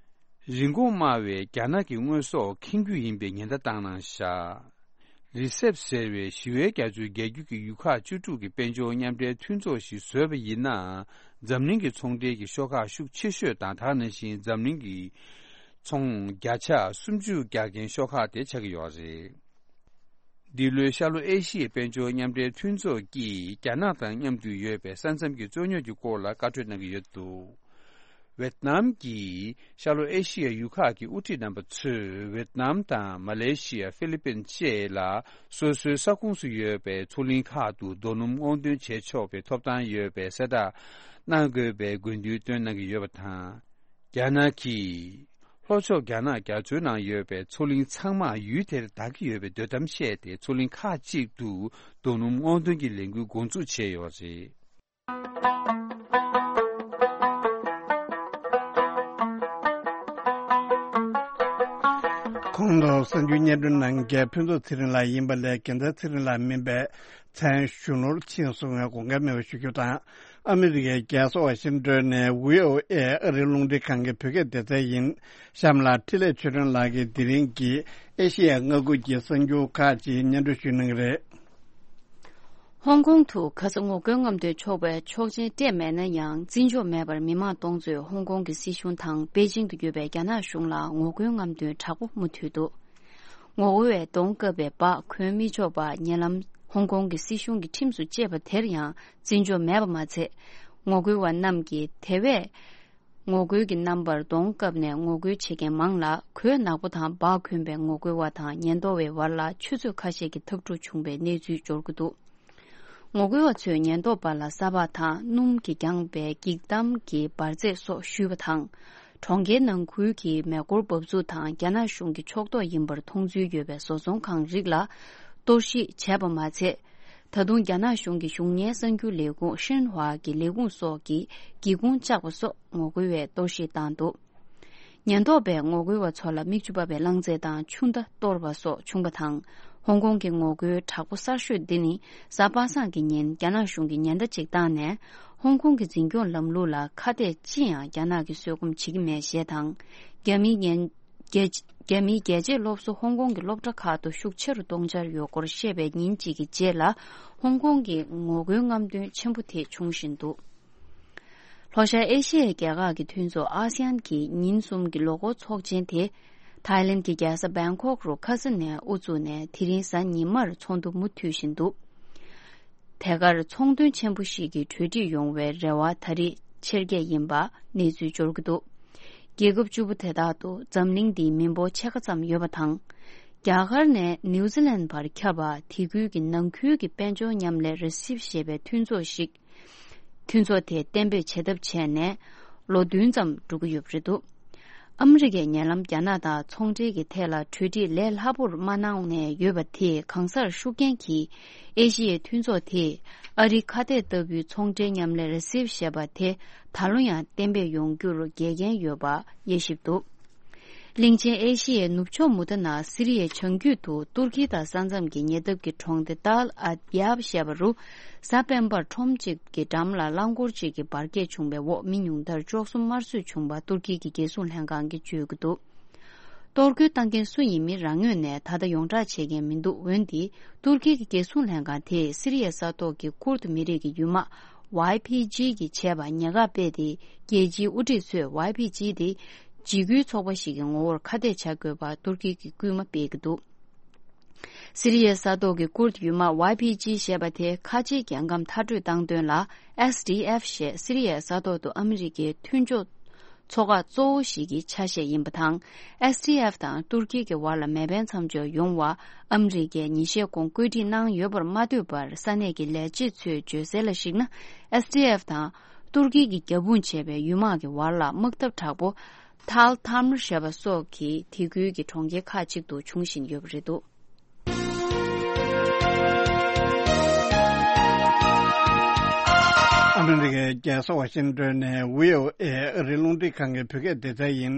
རིན་གོང་དམའ་བའི་རྒྱ་ནག་གི་དངོས་ཟོག་འཁྱེར་རྒྱུ་ཡིན་པའི་ཉེན་བརྡ་བཏང་གནང་བཞག་རི་སེབ་ཟེར་བའི་ཞི་བའི་རྒྱ་མཚོའི་རྒྱ་རྒྱུད་ཀྱི་ཡུལ་ཁག་བཅུ་དྲུག་གི་དཔལ་འབྱོར་མཉམ་འབྲེལ་མཐུན་ཚོགས་ཤིག་བཟོས་པ་ཡིན་ན། འཛམ་གླིང་གི་ཚོང་འབྲེལ་གྱི་ཤོག་ཁག་ཤུགས་ཆེ་ཤོས་དང་། ད་ག་ནང་བཞིན་འཛམ་གླིང་གི་ཚོང་བརྒྱ་ཆ་སུམ་ཅུ་རྒྱག་མཁན་ཤོག་ཁག་དེ་ཆགས་ཀྱི་ཡོད་རེད། འདི་ལོའི་ཤར་ལྷོ་ཨེ་ཤི་ཡའི་དཔལ་འབྱོར་མཉམ་འབྲེལ་མཐུན་ཚོགས་ཀྱིས་རྒྱ་ནག་དང་མཉམ་དུ་ཡོད་པའི་ས་མཚམས་ཀྱི་རྩོད་རྙོག་གི་སྐོར་ལ་བཀའ་གྲོས་གནང་གི་ཡོད་འདུག་ཝེད་ནམ་གྱིས་ཤར་ལྷོ་ཨེ་ཤི་ཡའི་ཡུལ་ཁག་གི་དབུ་ཁྲིད་རྣམ་པ་ཚོས་ཝེད་ནམ་དང་མ་ལེ་ཤི་ཡ། ཧྥི་ལི་པིན་བཅས་ལ་སོ་སོའི་ས་ཁོངས་སུ་ཡོད་པའི་མཚོ་གླིང་ཁག་ཏུ་རྡོ་སྣུམ་སྔོག་འདོན་བྱེད་ཆོག་པའི་ཐོབ་ཐང་ཡོད་པའི་གསལ་བསྒྲགས་གནང་དགོས་པའི་དགོས་འདུན་བཏོན་གནང་གི་ཡོད་པ་དང་། རྒྱ་ནག་གིས་ལྷོ་ཕྱོགས་རྒྱ་ནག་རྒྱ་མཚོའི་ནང་ཡོད་པའི་མཚོ་གླིང་ཚང་མ་ཡུལ་དེར་བདག་གི་ཡོད་པའི་འདོད་གཏམ་བཤད་དེ། མཚོ་གླིང་ཁག་ཅིག་ཏུ་རྡོ་སྣུམ་སྔོག་འདོན་གྱི་ལས་འགུལ་འགོ་འཛུགས་བྱས་ཡོད་རེད། གོང་དུ་གསར་འགྱུར་སྙན་སྒྲོན་གནང་མཁན་ཕུན་ཚོགས་ཚེ་རིང་ལགས་ཡིན་པ་ལས། རྒྱལ་མཚན་ཚེ་རིང་ལགས་མིན་པའི་མཚན་གཞུང་ལོར་ཕྱིན་སོང་བའི་དགོངས་འགལ་མེད་པ་ཞུ་རྒྱུ་དང་། ཨ་མི་རི་ཀའི་རྒྱལ་ས་ཝ་ཤིང་ཏོན་ནས་ཝི་ཨོ་ཨེ་ཨ་རིའི་རླུང་འཕྲིན་ཁང་གི་བོད་སྐད་སྡེ་ཚན་ཡིན། གཤམ་ལ་འཕྲིན་ལས་ཆོས་སྒྲོན་ལགས་ཀྱིས་དེ་རིང་གི་ཨེ་ཤེ་ཡ་མངའ་ཁུལ་གྱི་གསར་འགྱུར་ཁག་ཅིག་སྙན་སྒྲོན་ཞུ་གནང་གི་རེད། ཧོང་ཀོང་དུ་ཁ་ས་ངོ་རྒོལ་རྔམ་སྟོན་ཆོག་པའི་ཆོག་མཆན་སྤྲད་མེད་ན་ཡང་། བརྩི་འཇོག་མེད་པར་མི་མང་སྟོང་ཚོས་ཧོང་ཀོང་གི་སྲིད་གཞུང་དང་པེ་ཅིང་དུ་ཡོད་པའི་རྒྱ་ནག་གཞུང་ལ་ངོ་རྒོལ་རྔམ་སྟོན་དྲག་པོ་མུ་མཐུད་འདུག་ངོ་རྒོལ་བས་གདོང་བཀབ་པའི་འབག་གོན་མི་ཆོག་པ་ཉེ་ལམ་ཧོང་ཀོང་གི་སྲིད་གཞུང་གི་ཁྲིམས་སུ་བཅད་པ་དེར་ཡང་བརྩི་འཇོག་མེད་པ་མ་ཚད། ངོ་རྒོལ་བ་རྣམས་ཀྱིས་དེ་བས་ངོ་རྒོལ་གྱི་རྣམ་པར་གདོང་བཀབ་ནས་ངོ་རྒོལ་བྱེད་མཁན་མང་ལ། གོས་ནག་པོ་དང་འབག་གོན་པའི་ངོ་རྒོལ་བ་དང་ཉེན་རྟོག་པའི་བར་ལ་ཆུ་ཚོད་ཁ་ཤས་ཀྱི་འཐབ་འཁྲུག་བྱུང་བའི་གནས་ཚུལ་འབྱོར་གྱི་འདུག་ངོ་རྒོལ་བ་ཚོས་ཉེན་རྟོག་པ་ལ་ས་ཕག་དང་སྣུམ་གྱིས་བརྒྱངས་པའི་འགྱིག་དམ་གྱི་འབར་རྫས་སོགས་གཞུས་པ་དང་། གྲོང་ཁྱེར་ནང་ཁུལ་གྱི་མེ་འཁོར་འབབ་ཚུགས་དང་རྒྱ་ནག་གཞུང་གི་ཕྱོགས་གཏོགས་ཡིན་པར་མཐོང་ཚུལ་ཡོད་པའི་བཟོ་ཚོང་ཁང་རིགས་ལ་གཏོར་བཤིག་བྱས་པ་མ་ཚད། ད་དུང་རྒྱ་ནག་གཞུང་གི་གཞུང་གཉེར་གསར་འགྱུར་ལས་ཁུངས་ཤིན་ཧྭ་གི་ལས་ཁུངས་སོགས་ཀྱི་སྒེའུ་ཁུང་བཅག་པ་སོགས་ངོ་རྒོལ་བས་གཏོར་བཤིག་བཏང་འདུག་ཉེན་རྟོག་པས་ངོ་རྒོལ་བ་ཚོ་ལ་མིག་ཆུ་འབབ་པའི་རླངས་རྫས་དང་ཆུ་མདའ་གཏོར་བ་སོགས་བྱུང་བ་དང་། ཧོང་ཀོང་གི་ངོ་རྒོལ་དྲག་པོ་གསར་ཤོས་འདི་ནི་གཟའ་པ་སངས་ཀྱི་ཉིན་རྒྱ་ནག་གཞུང་གིས་ཉེན་བརྡ་ཅིག་བཏང་ནས། ཧོང་ཀོང་གི་འཛིན་སྐྱོང་ལམ་ལུགས་ལ་ཁ་གཏད་ཅི་ཡང་རྒྱ་ནག་གིས་བཟོད་སྒོམ་བྱེད་ཀྱི་མེད་ཞེས་དང་། རྒྱ་མིའི་ཉེན་རྒྱལ་རྒྱ་མིའི་རྒྱལ་གཅེས་སློབ་གསོ་ཧོང་ཀོང་གི་སློབ་གྲྭ་ཁག་ཏུ་ཤུགས་ཆེ་རུ་གཏོང་འཆར་ཡོད་སྐོར་བཤད་པའི་ཉིན་གཅིག་གི་རྗེས་ལ། ཧོང་ཀོང་གི་ངོ་རྒོལ་རྔམ་སྟོན་ཆེན་པོ་དེ་འབྱུང་བཞིན་འདུག་ལྷོ་ཤར་ཨེ་ཤི་ཡའི་རྒྱལ་ཁག་གི་མཐུན་ཚོགས་ཨ་སི་ཡན་གྱི་ཉིན་གསུམ་གྱི་ལོ་འཁོར་ཚོགས་ཆེན་དེ། ཐའི་ལེན་གྱི་རྒྱལ་ས་བེང་ཀོག་རུ་ཁ་ས་ནས་དབུ་བཙུགས་ནས་དེ་རིང་གཟའ་ཉི་མར་ཚོགས་འདུ་མུ་མཐུད་བཞིན་འདུག་དེ་གར་ཚོང་དོན་ཆེན་པོ་ཞིག་གི་གྲོས་འགྲིག་ཡོང་བའི་རེ་བ་ད་རེས་ཆེར་སྐྱེད་ཡིན་པ་གནས་ཚུལ་འབྱོར་གྱི་འདུག་རྒྱལ་ཁབ་བཅུ་པོ་དེ་དག་ཏུ་འཛམ་གླིང་འདིའི་མི་འབོར་ཕྱེད་ཀ་ཙམ་ཡོད་པ་དང་། རྒྱ་གར་ནས་ནིའུ་ཛི་ལན་བར་ཁྱབ་པ་དེ་ཁུལ་གྱི་ནང་ཁུལ་གྱི་དཔལ་འབྱོར་མཉམ་ལས་རེ་སིབ་ཞེས་པའི་མཐུན་ཚོགས་ཤིག་མཐུན་ཚོགས་དེ་གཏན་འབེབས་བྱེད་ཐབས་བྱས་ནས་ལོ་བདུན་ཙམ་འགྲོ་གི་ཡོད་པ་རེད་འདུག་ཨ་མི་རི་ཀས་ཉེ་ལམ་རྒྱ་ནག་དང་ཚོང་འབྲེལ་གྱི་ཐད་ལ་གྲོས་འགྲིག་ལས་སླ་པོར་མ་གནང་ནས་ཡོད་པ་དེས་གང་སར་ཤུགས་རྐྱེན་གྱིས་ཨེ་ཤི་ཡའི་མཐུན་ཚོགས་དེས་ཨ་རིའི་ཁ་གཏད་ལྟ་བུའི་ཚོང་འབྲེལ་མཉམ་ལས་རེ་སིབ་ཞེས་པ་དེ་ད་ལོ་ཡང་གཏན་འབེབས་ཡོང་རྒྱུར་འགལ་རྐྱེན་ཡོད་པ་དབྱེ་ཞིབ་འདུག་གླིང་ཆེན་ཨེ་ཤི་ཡའི་ནུབ་ཕྱོགས་མུ་མཐའ་ནང་སི་རི་ཡའི་བྱང་རྒྱུད་དུ་ཏུར་ཀི་དང་ས་མཚམས་ཀྱི་ཉེ་འདབས་ཀྱི་གྲོང་སྡེ་ཏཱལ་ཨད་ཡབ་ཞེས་པ་རུ། གཟའ་སྤེན་པར་ཁྲོམ་གཅིག་གི་འགྲམ་ལ་རླངས་འཁོར་གཅིག་གི་འབར་གས་བྱུང་བའི་འོག་མི་ཉུང་མཐར་བཅུ་གསུམ་དམར་གསོད་བྱུང་བ་ཏུར་ཀི་གི་རྒྱལ་སྲུང་ལྷན་ཁང་གིས་བརྗོད་ཀྱི་འདུག་གཏོར་རྒོལ་བཏང་མཁན་སུ་ཡིན་མིན་རང་ངོས་ནས་ད་ལྟ་ཡོངས་བསྒྲགས་བྱེད་མཁན་མི་འདུག་འོན་ཏེ། ཏུར་ཀི་གི་རྒྱལ་སྲུང་ལྷན་ཁང་དེས་སི་རི་ཡའི་ས་ཐོག་གི་ཀུར་ཏུ་མི་རིགས་ཀྱི་ཡུལ་དམག་ཝའི་ཕི་ཇི་གིས་བྱས་པ་ཉེས་ཁ་སྤེལ་ཏེ། རྒྱལ་སྤྱིའི་དབུ་ཁྲིད་ཚོས་ཝའི་ཕི་ཇི་དེ་འཇིགས་སྐུལ་ཚོགས་པ་ཞིག་གི་ངོ་བོར་ཁ་གཏད་བྱ་དགོས་པར་ཏུར་ཀི་གིས་སྐུལ་མ་སྤེལ་གྱི་འདུག་སི་རི་ཡའི་ས་ཐོག་གི་ཀུར་ཡུལ་དམག་ཝའི་ཕི་ཇི་ཞེས་པ་དེ་ཁ་ཆེའི་རྒྱལ་ཁམས་མཐར་སྐྲོད་བཏང་དོན་ལ། ཨེས་ཌི་ཨེཕ་ཞེས་སི་རི་ཡའི་ས་ཐོག་ཏུ་ཨ་མི་རི་ཀའི་མཐུན་ཕྱོགས་ཚོགས་ཁག་གཙོ་བོ་ཞིག་གི་ཆ་ཤས་ཡིན་པ་དང་། ཨེས་ཌི་ཨེཕ་དང་ཏུར་ཀི་གི་བར་ལ་མེ་འཕེན་མཚམས་འཇོག་ཡོང་བ་ཨ་མི་རི་ཀས་ཉིན་ཤས་གོང་བཀོད་སྒྲིག་གནང་ཡོད་པར་མ་ལྟོས་པར། ས་གནས་ཀྱི་ལས་བྱེད་ཚོས་བརྗོད་གསལ་ལ་གཞིགས་ན། ཨེས་ཌི་ཨེཕ་དང་ཏུར་ཀི་གིས་རྒྱབ་དཔུང་བྱས་པའི་ཡུལ་དམག་གི་བར་ལ་དམག་འཐབ་དྲག་པོ། ཐཱལ་ཐཱ་མར་ཞེས་པ་སོགས་ཀྱི་དེ་ཁུལ་གྱི་གྲོང་ཁྱེར་ཁག་ཅིག་ཏུ་འབྱུང་བཞིན་ཡོད་པ་རེད་འདུག་ཨ་མི་རི་ཀའི་རྒྱལ་ས་ཝ་ཤིང་ཏོན་ནས་བྷི་ཨོ་ཨེ་ཨ་རིའི་རླུང་འཕྲིན་ཁང་གི་བོད་སྐད་སྡེ་ཚན་ཡིན།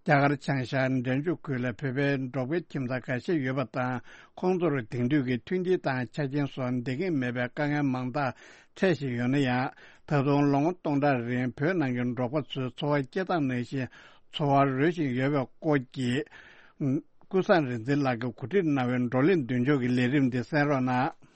རྒྱ་གར་བྱང་ཤར་འབྲས་ལྗོངས་ཁུལ་ལ་བོད་པའི་འབྲོག་པའི་ཁྱིམ་ཚང་ཁ་ཤས་ཡོད་པ་དང་། ཁོང་ཚོར་དེང་དུས་ཀྱི་མཐུན་རྐྱེན་དང་ཆ་རྐྱེན་སོགས་འདང་གི་མེད་པའི་དཀའ་ངལ་མང་དག་འཕྲད་བཞིན་ཡོད་ན་ཡང་། ད་དུང་ལོ་ངོ་སྟོང་ཕྲག་རིང་བོད་ནང་གི་འབྲོག་པ་ཚོའི་འཚོ་བ་སྐྱེལ་སྟངས་ནང་བཞིན་འཚོ་བ་རོལ་བཞིན་ཡོད་པའི་སྐོར་གྱི། ཀུན་བཟང་རིག་འཛིན་ལགས་ཀྱིས་གོ་སྒྲིག་གནང་བའི་བགྲོ་གླེང་མདུན་ལྕོག་གི་ལས་རིམ་འདི་གསན་རོགས་གནང་།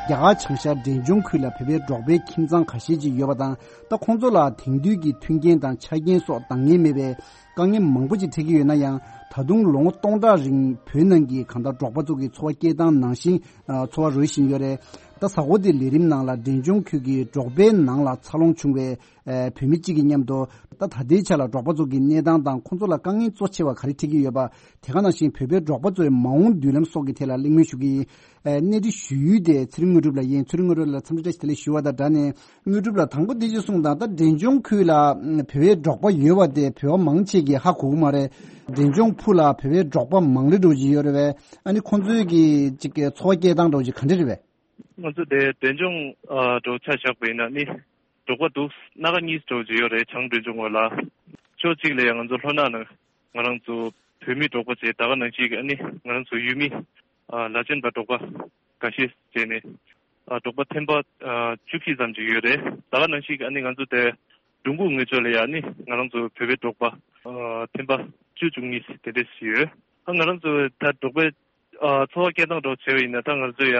རྒྱ་གར་བྱང་ཤར་འབྲས་ལྗོངས་ཁུལ་ལ་བོད་པའི་འབྲོག་པའི་ཁྱིམ་ཚང་ཁ་ཤས་ཅིག་ཡོད་པ་དང་། ད་ཁོང་ཚོ་ལ་དེང་དུས་ཀྱི་མཐུན་རྐྱེན་དང་ཆ་རྐྱེན་སོགས་འདང་ངེས་མེད་པའི་དཀའ་ངལ་མང་པོ་ཅིག་འཕྲད་ཀྱི་ཡོད་ན་ཡང་། ད་དུང་ལོ་ངོ་སྟོང་ཕྲག་རིང་བོད་ནང་གི་གང་ལྟར་འབྲོག་པ་ཚོ་གི་འཚོ་བ་སྐྱེལ་སྟངས་ནང་བཞིན་འཚོ་བ་རོལ་བཞིན་ཡོད་རེད། ད་གཟའ་འཁོར་འདིའི་ལས་རིམ་ནང་ལ་འབྲས་ལྗོངས་ཁུལ་གྱི་འབྲོག་པའི་ནང་ལ་འཚར་ལོངས་བྱུང་བའི་བོད་མི་གཅིག་གི་མཉམ་དུ། ད་ད་ལྟའི་ཆ་ལ་འབྲོག་པ་ཚོ་གི་གནས་སྟངས་དང་ཁོང་ཚོ་ལ་དཀའ་ངལ་གཙོ་ཆེ་བ་ག་རེ་འཕྲད་ཀྱི་ཡོད་པ། དེ་ག་ནང་བཞིན་བོད་པའི་འབྲོག་པ་ཚོའི་མ་འོངས་མདུན་ལམ་སོགས་ཀྱི་ཐད་ལ་གླེང་མོལ་ཞུ་གི་ཡིན། གནས་འདི་ཞུ་ཡུལ་དེ་ཚེ་རིང་དངོས་གྲུབ་ལགས་ཡིན། ཚེ་རིང་དངོས་གྲུབ་ལགས་ལ་འཚམས་འདྲི་བཀྲ་ཤིས་བདེ་ལེགས་ཞུ་བ་དང་སྦྲགས་ནས། དངོས་གྲུབ་ལགས་དང་པོ་འདི་ཅིག་གསུངས་དང་། ད་འབྲས་ལྗོངས་ཁུལ་ལ་བོད་པའི་འབྲོག་པ་ཡོད་པ་དེ་བོད་པ་མང་ཆེ་གིས་ཧ་གོ་གི་མ་རེད། འབྲས་ལྗོངས་ཕུ་ལ་བོད་པའི་འབྲོག་པ་མང་ལེ་འགྲོ་གི་ཡོད་རེད་པས། ཨ་ནི་ཁོང་ཚོའི་གི་ཅིག་གི་འཚོ་བ་སྐྱེལ་སྟངས་འགྲོ་གི་ག་འདྲ་རེད་པས། ང་ཚོ་དེ་འབྲས་ལྗོངས་ཨ་འགྲོ་ཆ་བཞག་པ་ཡིན་ན་ནི་འབྲོག་པ་འདུག་སྣ་ཁ་གཉིས་འགྲོ་གི་ཡོད་རེད། བྱང་འབྲས་ལྗོངས་ངོས་ལ། ཕྱོགས་གཅིག་ལ་ཡང་ང་ཚོ་ལྷོ་ནག་ནང་ང་རང་ཚོ་བོད་མི་འབྲོག་པ་བྱས། ད་ག་ནང་བཞིན་གི་ཨ་ནི་ང་རང་ཚོ་ཡུལ་མི་ཨ་ལ་ཆེན་པ་འབྲོག་པ་འགའ་ཤས་བྱས་ནས་ཨ་འབྲོག་པ་ཐེམ་པ་ཨ་བཅུ་བཞི་ཙམ་ཅིག་ཡོད་རེད། ད་ག་ནང་བཞིན་གི་ཨ་ནི་ང་ཚོ་དེ་འགྲོ་མགོ་ངོས་ཕྱོགས་ལ་ཡང་ཨ་ནི་ང་རང་ཚོ་བོད་པའི་འབྲོག་པ་ཨ་ཐེམ་པ་བཅུ་བཅུ་གཉིས་དེ་འདྲས་ཡོད། ཨ་ང་རང་ཚོ་ད་འབྲོག་པའི་ཨ་འཚོ་བ་སྐྱེལ་སྟངས་འདྲ་བྱས་པ་ཡིན་ན། ད་ང་ཚོ་ཡ་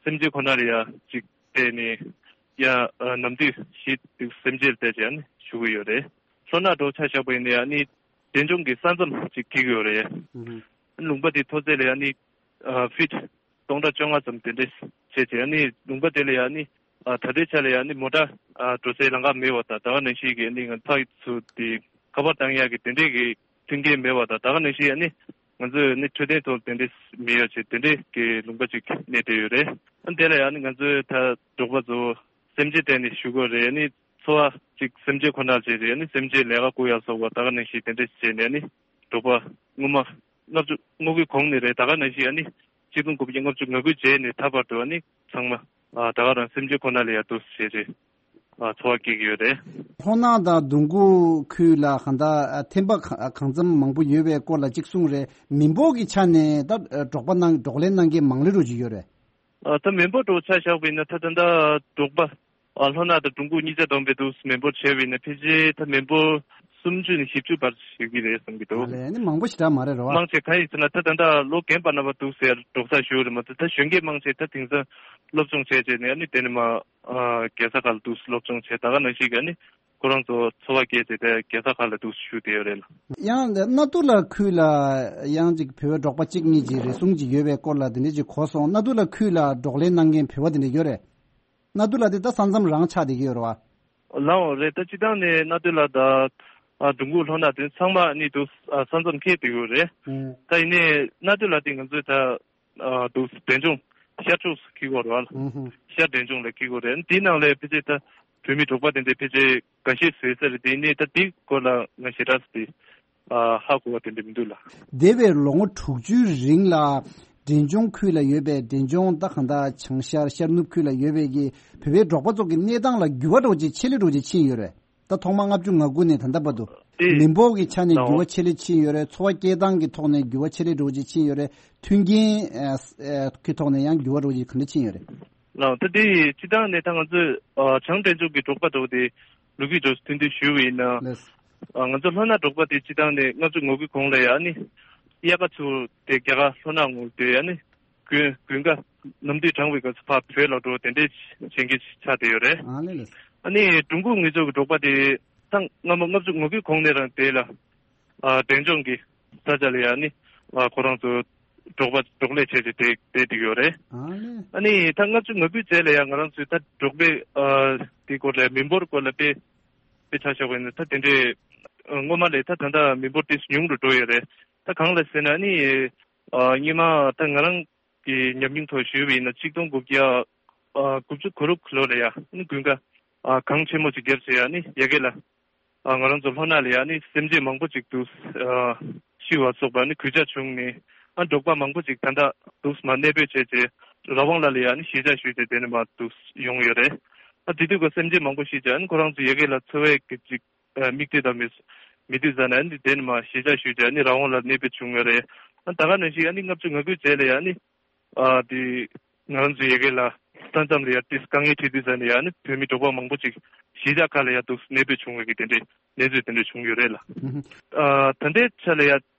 སེམས་ཅན་ཁོ་ན་ལ་ཡ་ཅིག་བལྟས་ནས་ཡ་ཨ་ནམ་དུས་ཤི་དུས་སེམས་ཅན་ལ་བལྟས་བྱས་ཨ་ནི་བཞུགས་ཀྱི་ཡོད་རེད། ལྷོ་ནག་འདྲ་ཆ་བཞག་པ་ཡིན་ན་ཡ་ཨ་ནི་འབྲས་ལྗོངས་ཀྱི་ས་མཚམས་ཅིག་འཁེལ་གྱི་ཡོད་རེད། ཨ་ལུང་པ་དེ་མཐོ་ཚད་ལ་ཡ་ཨ་ནི་ཨ་ཕིཊ་སྟོང་ཕྲག་བཅོ་ལྔ་ཙམ་དེ་འདྲས་བྱས་བྱས། ཨ་ནི་ལུང་པ་དེ་ལ་ཡ་ཨ་ནི་ཨ་ད་ལྟའི་ཆ་ལ་ཡ་ཨ་ནི་མོ་ཊ་ཨ་འགྲོ་སའི་ལམ་ཁ་མེད་པ་དང་། ད་ག་ནང་བཞིན་གྱི་ཨ་ནི་ང་ཚོ་དེ་ཁ་པར་བཏང་ཡག་གི་དེ་འདྲས་ཀྱི་མཐུན་རྐྱེན་མེད་པ་དང་། ད་ག་ནང་བཞིན་ཨ་ནི་ང་ཚོས་ནི་འཕྲོད་བསྟེན་ཐོག་དེ་འདྲས་མེད་ཡོད་ཅེས་དེ་འདྲས་ཀྱི་ལུང་པ་ཅིག་གནས་བསྡད་ཡོད་རེད། ཨ་དེ་ལ་ཡང་ནི་ང་ཚོས་ད་འབྲོག་པ་ཚོ་སེམས་ཅན་བསྟེན་ནས་བཞུགས་དགོས་རེད། ནི་འཚོ་བ་ཅིག་སེམས་ཅན་ཁོ་ནར་བྱས་རེད། ནི་སེམས་ཅན་ལས་ཀ་བསྐུར་ཡག་སོགས་པ་ད་ག་ནང་བཞིན་དེ་འདྲས་བྱས་ནས་ནི་འབྲོག་པ་སྔོན་མ་ལྔ་བཅུ་སྔོན་གྱི་གོང་ནས་རེད། ད་ག་ནང་བཞིན་ཨ་ནི་གཅིག་སྟོང་དགུ་བརྒྱ་ལྔ་བཅུ་ང་དགུ་རྗེས་ནས་ད་བར་དུ་ཨ་ནི་ཚང་མ་ཨ་ད་ག་རང་སེམས་ཅན་ཁོ་ན་ལ་ཡ་འདུག་བྱས་རེད། ཨ་འཚོ་བ་སྐྱེལ་གྱི་ཡོད་རེད། ལྷོ་ནག་དང་དུང་དགུ་ཁུལ་ལ་གང་ལྟར་ཨ་ཐེམ་པ་ག་གང་འཚམ་མང་པོ་ཡོད་པའི་སྐོར་ལ་གཅིག་གསུངས་རེད། མི་འབོར་གྱི་ཆ་ནས་ད་ཨ་འབྲོག་པ་གནང་འབྲོག་ལས་གནང་མཁན་མང་ལེ་འགྲོ་གི་ཡོད་རེད། ཨ་ད་མི་འབོར་འདྲ་ཆ་བཞག་པ་ཡིན་ན་ད་ད་ལྟ་འབྲོག་པ་ཨ་ལྷོ་ནག་དང་དུང་དགུ་གཉིས་ཆ་བསྡོམས་པའི་འདུག་མི་འབོར་བྱས་པ་ཡིན་ན་ཕལ་ཆེར་ད་མི་འབོར་སུམ་ཅུ་ནས་བཞི་བཅུ་བར་ཞིག་གི་རེད་བསམ་གྱི་འདུག་ཨ་ལས་ནི་མང་པོ་ཞེ་དྲག་མ་རེད་རོ། མང་ཆེ་གང་ཡིན་ཟེར་ན་ད་ད་ལྟ་ལོ་རྒན་པ་རྣམ་པ་འདུག་ཟེར་འབྲོག་སར་བཞུགས་རེད་མ་གཏོགས། ད་གཞོན་སྐྱེས་མང་ཆེ་ད་དེང་སང་སློབ་སྦྱོང་བྱས་བྱས་ནས་ཨ་ནི་དེ་ནས་མ་ཨ་རྒྱལ་ས་ཁག་ལ་འདུག་སློབ་སྦྱོང་བྱས། ད་ག་ནང་བཞིན་གྱི་ཨ་ནི་ཁོ་རང་ཚོ་འཚོ་བ་སྐྱེལ་བྱས་ཏེ་རྒྱལ་ས་ཁག་ལ་འདུག་བཞུགས་བསྡད་ཡོད་རེད་ལ། ཡང་ནཱ་ཏུ་ལ་ཁུལ་ལ་ཡང་ཅིག་བོད་པའི་འབྲོག་པ་གཅིག་གཉིས་ཀྱི་རེ་ཟུང་ཅིག་ཡོད་པའི་སྐོར་ལ་དེ་འདྲ་ཅིག་གོ་སོང་། ནཱ་ཏུ་ལ་ཁུལ་ལ་འབྲོག་ལས་གནང་མཁན་བོད་པ་དེ་འདྲ་ཡོད་རེད། ནཱ་ཏུ་ལ་དེ་ད་ས་མཚམས་རང་ཆགས་བསྡད་ཀྱི་ཡོད་རེད་བ། ལའོ་རེད། ད་སྤྱི་བཏང་ནས་ནཱ་ཏུ་ལ་དང་ཨ་དུང་དགུ་ལྷོ་ནག་དེ་ཚང་མ་ནི་འདུག་ཨ་ས་མཚམས་འཁེལ་བསྡད་ཡོད་རེད། ཨུ། ད་ཡིན་ནའི་ནཱ་ཏུ་ལ་དེ་ང་ཚོས་ད་ཨ་འདུག་འབྲས་ལྗོངས་ཤར་ཕྱོགས་སུ་འཁེལ་གྱི་ཡོད་རེད་བ། ཨུ་ཧུ། ཤར་འབྲས་ལྗོངས་ལ་འཁེལ་གྱི་ཡོད་རེད། དེའི་ནང་ལ་ཕལ་ཆེར་ད་བོད་མི་འབྲོག་པ་དེ་འདྲ་ཕལ་ཆེར་འགའ་ཤས་བཟོས་ས་རེད། དེ་ཡིན་ནའི་ད་དེའི་སྐོར་ལ་ང་ཞེ་དྲག་དེ་ཨ་ཧ་གོ་བ་དེ་འདྲ་མི་འདུག་ལ། འདས་པའི་ལོ་ངོ་དྲུག་ཅུའི་རིང་ལ་འབྲས་ལྗོངས་ཁུལ་ལ་ཡོད་པའི་འབྲས་ལྗོངས་ད་གང་ལྟར་བྱང་ཤར་ཤར་ནུབ་ཁུལ་ལ་ཡོད་པའི་གི་བོད་པའི་འབྲོག་པ་ཚོ་གི་གནས་སྟངས་ལ་འགྱུར་བ་འདྲ་བོ་ཅིག་ཆེ་ལེ་འདྲ་བོ་ཅིག་ཕྱིན་ཡོད་རེད། ད་ཐོག་མ་ལྔ་བཅུ་ང་དགུ་ནས་ད་ལྟ་བར་དུ་དེ་མི་འབོར་གྱི་ཆ་ནས་ལའོ་འགྱུར་བ་ཆེ་ལེ་ཕྱིན་ཡོད་རེད། འཚོ་བ་སྐྱེལ་སྟངས་ཀྱི་ཐོག་ནས་འགྱུར་བ་ཆེ་ལེ་འདྲ་བོ་ཅིག་ཕྱིན་ཡོད་རེད། མཐུན་རྐྱེན་ཨ་ཨ་གི་ཐོག་ནས་ཡང་འགྱུར་བ་འདྲ་བོ་ཅིག་ག་འདྲ་ཕྱིན་ཡོད་རེད། ལགས། ད་དེ་སྤྱི་བཏང་ནས་ད་ང་ཚོས་ཨ་བྱང་འབྲས་ལྗོངས་ཀྱི་འབྲོག་པ་འདྲ་བོ་དེ་ལོ་རྒྱུས་འདྲ་བོ་ཐུང་ཐུང་ཞུས་པ་ཡིན་ན། ལགས། ཨ་ང་ཚོ་ལྷོ་ནག་འབྲོག་པ་དེ་སྤྱི་བཏང་ནས་ལྔ་བཅུ་ང་དགུའི་གོང་ལ་ཡ་ནི་དབྱར་ཁ་ཚུར་དེ་རྒྱ་གར་ལྷོ་ནག་ངོས་དེ་ཡ་ནི་དགུན་དགུན་ཁ་ནམ་དུས་གྲང་བའི་སྐབས་སུ་ཕར་བོད་ལ་འགྲོ་དེ་འདྲའི་བྱེད་མཁན་ཆགས་བསྡད་ཡོད་རེད། ཨ་ལེ་ལེ། ཨ་ནི་དུང་དགུ་ངོས་ཕྱོགས་ཀྱི་འབྲོག་པ་དེ་ད་སྔ་མ་ལྔ་བཅུ་ང་དགུའི་གོང་ནས་རང་དེ་ལ་ཨ་འབྲས་ལྗོངས་ཀྱི་ས་ཆ་ལ་ཡ་ནི་ཨ་ཁོ་རང་ཚོ་འབྲོག་པ་འབྲོག་ལས་བྱས་ཏེ་བསྡད་བསྡད་ཡོད་རེད། ཨ་ལེ། ཨ་ནི་ད་ལྔ་བཅུ་ང་དགུའི་རྗེས་ལ་ཡང་ང་རང་ཚོའི་ད་འབྲོག་པའི་ཨ་དེ་སྐོར་ལ་མི་འབོར་སྐོར་ལ་དཔེ་དཔེ་ཆ་བཞག་པ་ཡིན་ན་ད་དེ་འདྲའི་ཨ་སྔོན་མ་ལས་ད་ད་ལྟ་མི་འབོར་ཏོག་ཙམ་ཉུང་རུ་འགྲོ་ཡོད་རེད། ད་གང་ལ་ཟེར་ན་ཨ་ནི་ཨ་སྔོན་མ་ད་ང་རང་གི་ཉམས་མྱོང་ཐོག་ཞུས་པ་ཡིན་ན་གཅིག་སྟོང་དགུ་བརྒྱ་ཨ་དགུ་བཅུ་གོ་དྲུག་ལོ་ལ་ཡ་ཨ་ནི་དགུན་ཁ་ ཨ་གངས་ཆེན་མོ་ཅིག་བརྒྱབ་བྱས་ཨ་ནི་ཡ་གི་ལ། ཨ་ང་རང་ཚོ་ལྷོ་ནག་ལ་ཡ་ཨ་ནི་སེམས་ཅན་མང་པོ་ཅིག་འདུག་ཨ་ཤི་བ་སོགས་པ་ཨ་ནི་གོད་ཆག་བྱུང་ནས་ཨ་འབྲོག་པ་མང་པོ་ཅིག་ད་ལྟ་འདུག་མ་གནས་སྤོས་བྱས་བྱས་ར་ཝང་ལ་ལ་ཡ་ཨ་ནི་གཞིས་ཆགས་ཞུས་ཏེ་དེ་ནས་མ་འདུག་ཡོང་ཡོད་རེད། ཨ་དེ་དུས་ཀ་སེམས་ཅན་མང་པོ་ཤི་བྱས་ཨ་ནི་ཁོ་རང་ཚོ་ཡ་གི་ལ་འཚོ་བའི་གི་ཅིག་ཨ་མིག་ལྟོས་དང་མི་མི་འདུག་ཟེར་ན་ཨ་ནི་དེ་ནས་མ་གཞིས་ཆགས་ཞུས་བྱས་ཨ་ནི་ར་ཝང་ལ་གནས་སྤོས་བྱུང་ཡོད་རེད། ཨ་ད་ག་ནང་བཞིན་ཨ་ནི་ལྔ་བཅུ་ང་དགུའི་རྗེས་ལ་ཡ་ཨ་ནི། ཨ་དེ་ང་རང་ཚོའི་ཡ་གི་ལ་ས་མཚམས་ལ་ཡ་ཏིས་དཀའ་ངལ་འཕྲད་དུས་ཙ་ནས་ཡ་ནི་བོད་མི་འབྲོག་པ་མང་པོ་ཅིག་གཞིས་ཆགས་ཁག་ལ་ཡ་འདུག་གནས་སྤོས་བྱུང་བའི་གི་དེ་འདྲའི་གནས་ཚུལ་དེ་འདྲ་བྱུང་ཡོད་རེད་ལ། ཨ་ད་ལྟའི་ཆ་ལ་ཡ་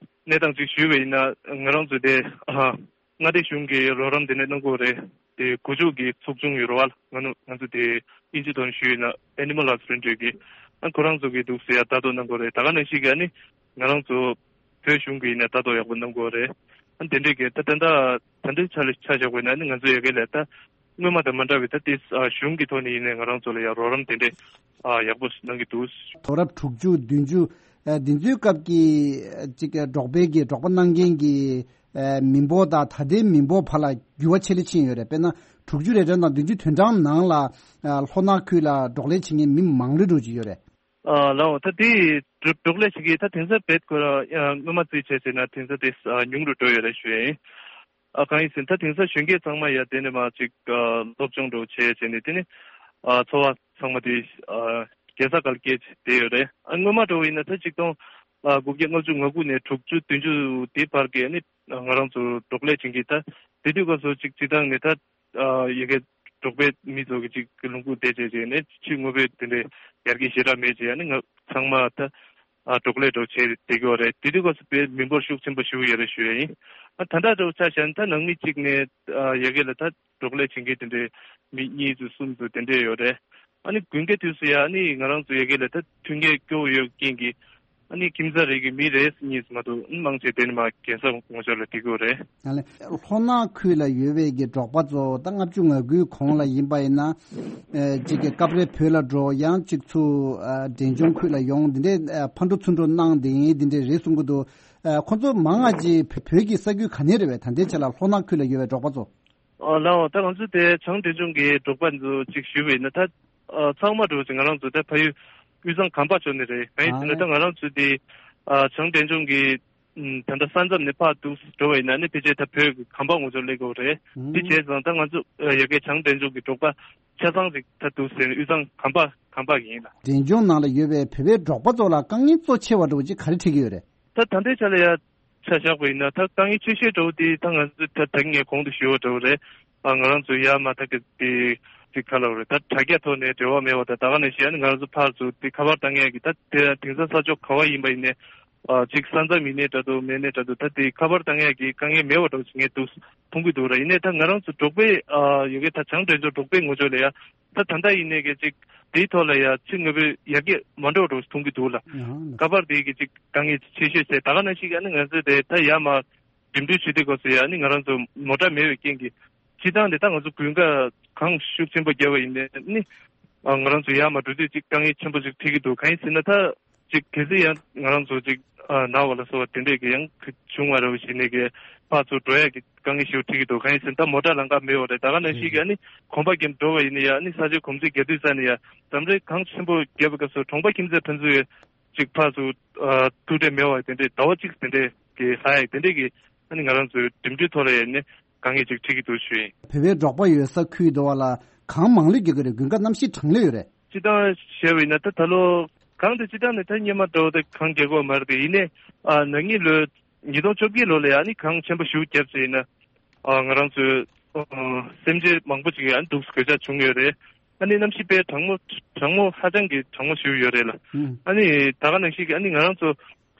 གནས་སྟངས་ཅིག་ཞུས་པ་ཡིན་ན་ང་རང་ཚོ་དེ་ཨ་མངའ་སྡེ་གཞུང་གི་རོགས་རམ་དེ་འདྲ་གནང་གི་ཡོད་རེད། དེ་སྒོ་ཕྱུགས་ཀྱི་ཚོགས་ཆུང་ཡོད་རེད་བ། ང་ནུ་ང་ཚོ་དེ་ཨིན་ཇི་ཐོག་ནས་ཞུས་ཡིན་ན་Animal Husbandry་གི་ཨ་ཁོ་རང་ཚོ་གི་འདུག་ཟེར་ཡ་ལྟ་རྟོག་གནང་གི་ཡོད་རེད། ད་ག་ནང་བཞིན་གི་ཨ་ནི་ང་རང་ཚོ་བོད་གཞུང་གི་ཡིན་ན་ལྟ་རྟོག་ཡག་པོ་གནང་གི་ཡོད་རེད། ཨ་དེ་འདྲའི་གི་ད་ད་ད་ད་འདྲའི་ཆ་ལ་ཆ་བཞག་པ་ཡིན་ན་ནི་ང་ཚོ་ཡ་གི་ལ་ད་སྔོན་མ་དང་མ་འདྲ་བའི་ད་དེ་ཨ་གཞུང་གི་ཐོག་ནས་ཡིན་ནའི་ང་རང་ཚོ་ལ་ཡ་རོགས་རམ་དེ་འདྲའི་ཨ་ཡག་པོ་གནང་གི་འདུག་དུས་རབས་དྲུག་ཅུ་བདུན་ཅུ་ཨ་འདི་ཚོའི་སྐབས་ཀྱི་ཨ་ཅིག་འབྲོག་པའི་གི་འབྲོག་པ་གནང་མཁན་གྱི་ཨ་མི་འབོར་དང་ད་ལྟའི་མི་འབོར་བར་ལ་འགྱུར་བ་ཆེ་རུ་ཕྱིན་ཡོད་རེད། དཔེར་ན་དྲུག་ཅུ་རེ་གྲངས་དང་བདུན་ཅུ་དོན་གྲངས་ནང་ལ་ཨ་ལྷོ་ནག་ཁུལ་ལ་འབྲོག་ལས་བྱེད་མཁན་མི་མང་རུ་འགྲོ་གི་ཡོད་རེད། ཨ་ལའོ་ད་དེ་འབྲོག་འབྲོག་ལས་བྱེད་མཁན་ད་དེང་སང་རྦད་ཁོ་ར་ཨ་སྔོན་མ་བརྩིས་བྱས་ཟེར་ན་དེང་སང་དེ་ཨ་ཉུང་རུ་འགྲོ་ཡོད་རེད་ཞུ་ཡིན། ཨ་གང་ཡིན་ཟེར་ན་ད་དེང་སང་གཞོན་སྐྱེས་ཚང་མ་ཡ་དེ་ནས་མ་ཅིག་ཨ་སློབ་སྦྱོང་འགྲོ་བྱས་བྱས་ནས་དེ་ནས་ཨ་འཚོ་བ་ཚང་མ་དེ་ཨ་རྒྱལ་ས་སྒང་ལ་སྐྱེལ་བྱས་བསྡད་ཡོད་རེད། ཨ་སྔོན་མ་འགྲོ་བ་ཡིན་ན་ད་ཆིག་སྟོང་ཨ་དགུ་བརྒྱ་ལྔ་བཅུ་ང་དགུ་ནས་དྲུག་ཅུ་བདུན་ཅུ་དེ་བར་གྱི་ཨ་ནི་ང་རང་ཚོ་འབྲོག་ལས་བྱེད་མཁན་ད་དེ་དུས་སྐབས་སུ་ཅིག་སྤྱི་བཏང་ནས་ད། ཨ་ཡ་གི་འབྲོག་པའི་མི་ཚོ་གི་ཅིག་ལུང་ཁུག་བསྡད་བྱས་བྱས་ནས་ཕྱི་དངོས་པོའི་དེ་འདྲའི་ཡར་རྒྱས་ཞེ་དྲག་མེད་བྱས་ནས་ང་ཚང་མ་ད་ཨ་འབྲོག་ལས་འགྲོ་བྱས་བསྡད་ཀྱི་ཡོད་རེད། དེ་དུས་སྐབས་སུ་དཔེ་མི་འབོར་ཤུགས་ཆེན་པོ་ཞིག་ཡོད་རེད་ཞུ་ཡ་ཡིན། ཨ་ད་ལྟ་འདྲ་བོ་ཆ་བཞག་ན་ད་ནང་མི་གཅིག་ནས་ཨ་ཡ་གི་ལ་ད་འབྲོག་ལས་བྱེད་མཁན་དེ་འདྲའི་མི་གཉིས་ཚོ་གསུམ་ཚོ་དེ་འདྲས་ཡོད་རེད། ཨ་ནི་དགུན་ཁའི་དུས་སུ་ཡ་ཨ་ནི་ང་རང་ཚོ་ཡ་གི་ལ་ད་མཐུན་རྐྱེན་སྐྱོ་བོ་ཡོད་རྐྱེན་གྱིས། ཨ་ནི་ཁྱིམ་ཚང་རེ་གི་མི་རེ་གཉིས་མ་གཏོགས་མང་ཆེ་དེ་ནི་མ་རྒྱལ་ས་ངོ་ཕྱོགས་ལ་བསྡད་ཀྱི་ཡོད་རེད། ཡང་ལས་ལྷོ་ནག་ཁུལ་ལ་ཡོད་པའི་གི་འབྲོག་པ་ཚོ་ད་ལྔ་བཅུ་ང་དགུའི་གོང་ལ་ཡིན་པ་ཡིན་ན། ཨེ་གཅིག་གི་སྐབས་རེ་བོད་ལ་འགྲོ། ཡང་གཅིག་ཚུར་ཨ་འབྲས་ལྗོངས་ཁུལ་ལ་ཡོང་། འདི་འདྲའི་ཨ་ཕར་འགྲོ་ཚུར་འགྲོ་གནང་བསྡད་མཁན་འདི་འདྲའི་རེད་གསུང་གི་འདུག་ཨ་ཁོང་ཚོ་མང་ང་ཅིག་བོད་བོད་ཀྱི་ས་ཁུལ་ག་ནས་རེད་པས། ད་ལྟའི་ཆ་ལ་ལྷོ་ནག་ཁུལ་ལ་ཡོད་པའི་འབྲོག་པ་ཚོ། ཨ་ལའོ་ད་ང་ཚོ་དེ་བྱང་འབྲས་ལྗོངས་ཀྱི་འབྲོག་པ་ཚོ་གཅིག་ཞུས་པ་ཡིན་ན་ད་ཨ་ཚང་མ་འགྲོ་ཅིག་ང་རང་ཚོ་ད་ཕ་ཡུལ་དབུས་གཙང་གམ་པ་ཕྱོགས་ནས་རེད། གང་ཡིན་ཟེར་ན་ད་ང་རང་ཚོ་དེ་ཨ་བྱང་འབྲས་ལྗོངས་ཀྱི་ཨམ་ད་ལྟ་ས་མཚམས་ནས་ཕར་འདུག་འགྲོ་བ་ཡིན་ན་ནི་ཕལ་ཆེར་ད་བོད་ཀྱི་གམ་པ་ངོ་ཚ་སླེབས་ཀྱི་ཡོད་རེད། དེ་བྱས་ཙང་ད་ང་ཚོ་ཡ་གི་བྱང་འབྲས་ལྗོངས་ཀྱི་འབྲོག་པ་ཆ་ཚང་ཅིག་ད་འདུག་ཟེར་ནས་དབུས་གཙང་གམ་པ་གམ་པ་ཡིན་ལ། འབྲས་ལྗོངས་ནང་ལ་ཡོད་པའི་བོད་པའི་འབྲོག་པ་ཚོ་ལ་དཀའ་ངལ་གཙོ་ཆེ་བ་འདྲ་བོ་ཅིག་ག་རེ་འཕྲད་ཀྱི་ཡོད་རེད། ད་ད་ལྟའི་ཆ་ལ་ཡ་ཆ་བཞག་པ་ཡིན་ན་ད་དཀའ་ངལ་ཆེ་ཤོས་འདྲ་བོ་དེ་ད་ང་ཚོ་ད་ད་ངས་གོང་དུ་ཞུས་པ་འདྲ་བོ་རེད། ཨ་ང་རང་ཚོ་ཡ་མ་ད་གི་དེ་དེ་ག་ལ་བ་རེད། ད་དྲ་རྒྱ་ཐོག་ནས་འབྲེལ་བ་མེད་པ་དང་ད་ག་ནང་བཞིན་ཨ་ནི་ང་རང་ཚོ་ཕར་ཚུར་དེ་ཁ་པར་བཏང་ཡས་ཀྱི་ད་དེ་དེང་སང་ས་ཕྱོགས་ག་བ་ཡིན་པ་ཡིན་ནའི་ཨ་ཅིག་ས་མཚམས་ཡིན་ནའི་འདྲ་འདུག་མེད་ནའི་འདྲ་འདུག་ད་དེ་ཁ་པར་བཏང་ཡས་ཀྱི་དཀའ་ངལ་མེད་པ་འདྲ་བོ་ཞིག་ངས་འདུག་མཐོང་གི་འདུག་ར། ཡིན་ནའི་ད་ང་རང་ཚོ་འབྲོག་པའི་ཨ་ཡ་གི་ད་བྱང་འབྲས་ལྗོངས་འབྲོག་པའི་ངོས་ཕྱོགས་ལ་ཡ། ད་ད་ལྟ་ཡིན་ནའི་གི་ཅིག་དེའི་ཐོག་ལ་ཡ་ཕྱི་དངོས་པོའི་ཡར་རྒྱས་མ་འགྲོ་འགྲོ་མཐོང་གི་འདུག་ལ། ཨང་། ཁ་པར་དེ་གི་ཅིག་དཀའ་ངལ་ཆེ་ཤོས་ཟེར་ད་ག་ནང་བཞིན་གི་ཨ་ནི་ང་ཚོས་དེ་ད་ཡར་མར་འགྲིམ་འགྲུལ་བྱེད་དུས་སྐབས་སུ་ཡ་ཨ་ནི་ང་རང་ཚོ་མོ་ཊ་མེད་པའི་རྐྱེན་གྱིས་སྤྱིར་བཏང་དེ་ད་ང་ཚོ་དགུན་ཁ་གངས་ཤུགས་ཆེན་པོ་བརྒྱབ་པ་ཡིན་ནའི་ཨ་ནི་ཨ་ང་རང་ཚོ་ཡར་མར་འགྲོ་དུས་ཅིག་དཀའ་ངལ་ཆེན་པོ་ཅིག་འཕྲད་ཀྱི་འདུག་གང་ཡིན་ཟེར་ན་ད། ཅིག་གལ་སྲིད་ཡང་ང་རང་ཚོ་ཅིག་ཨ་ན་བ་ལ་སོགས་པ་དེ་འདྲས་ཀྱི་ཡང་བྱུང་བ་རེད་བ་ཞིག་ནས་ཀྱི་ཕར་ཚུར་འགྲོ་ཡག་གི་དཀའ་ངལ་ཞིག་འཕྲད་ཀྱི་འདུག་གང་ཡིན་ཟེར་ན་ད་མོ་ཊ་ལམ་ཁ་མེད་བ་རེད། ད་ག་ནང་བཞིན་གྱི་ཨ་ནི་གོམ་པ་རྒྱབ་འགྲོ་བ་ཡིན་ན་ཡང་ཨ་ནི་ས་ཆའི་གོམས་གཤིས་རྒྱག་དུས་ཙ་ནས་ཡང་འཛམ་གླིང་གངས་ཆེན་པོ་རྒྱབ་པའི་སྐབས་སུ་གྲོང་པ་ཁྱིམ་མཚེས་ཕན་ཚུན་ཡང་ཅིག་ཕར་ཚུར་ཨ་ཐུག་འཕྲད་མེད་བ་དེ་འདྲས་ཟླ་བ་གཅིག་དེ་འདྲས་ཀྱི་ལྷག་ཡག་དེ་འདྲས་ཀྱི་ཨ་ནི་ང་རང་ཚོའི་འགྲིམ་འགྲུལ་ཐོག་ལ་ཡང་ནི་དཀའ་ངལ་ཅིག་འཕྲད་ཀྱི་འདུག་ཞུ་ཡིན། བོད་པའི་འབྲོག་པ་ཡོད་ས་ཁུལ་དུ་བ་ལ་གངས་མང་ལོས་རྒྱག་གི་རེད། དགུན་ཁ་གནམ་གཤིས་གྲང་ལོས་ཡོད་རེད། སྤྱིར་བཏང་བཤད་པ་ཡིན་ན་ད་ད་ལོ་གངས་དེ་སྤྱིར་བཏང་ནས་ད་སྔོན་མ་འདྲ་བོ་དེ་གངས་རྒྱག་གི་ཡོད་མ་རེད་དེ། ཡིན་ནའི་ཨ་ན་ནིང་ལོའི་ཉིས་སྟོང་བཅོ་བརྒྱད་ལོ་ལ་ཡ་ནི་གངས་ཆེན་པོ་ཞེ་པོ་བརྒྱབ་བྱས་ཡིན་ན་ཨ་ང་རང་ཚོའི་ཨ་སེམས་ཅན་མང་པོ་ཅིག་ཡང་འདུག་གོད་ཆག་བྱུང་ཡོད་རེད། ཨ་ནི་གནམ་གཤིས་དཔེ་གྲང་མོ་གྲང་མོ་ཧ་ཅང་གི་གྲང་མོ་ཞེ་པོ་ཡོད་རེད་ལ། ཨ་ནི་ད་ག་ནང་བཞིན་གྱི་ཨ་ནི་ང་རང་ཚོ་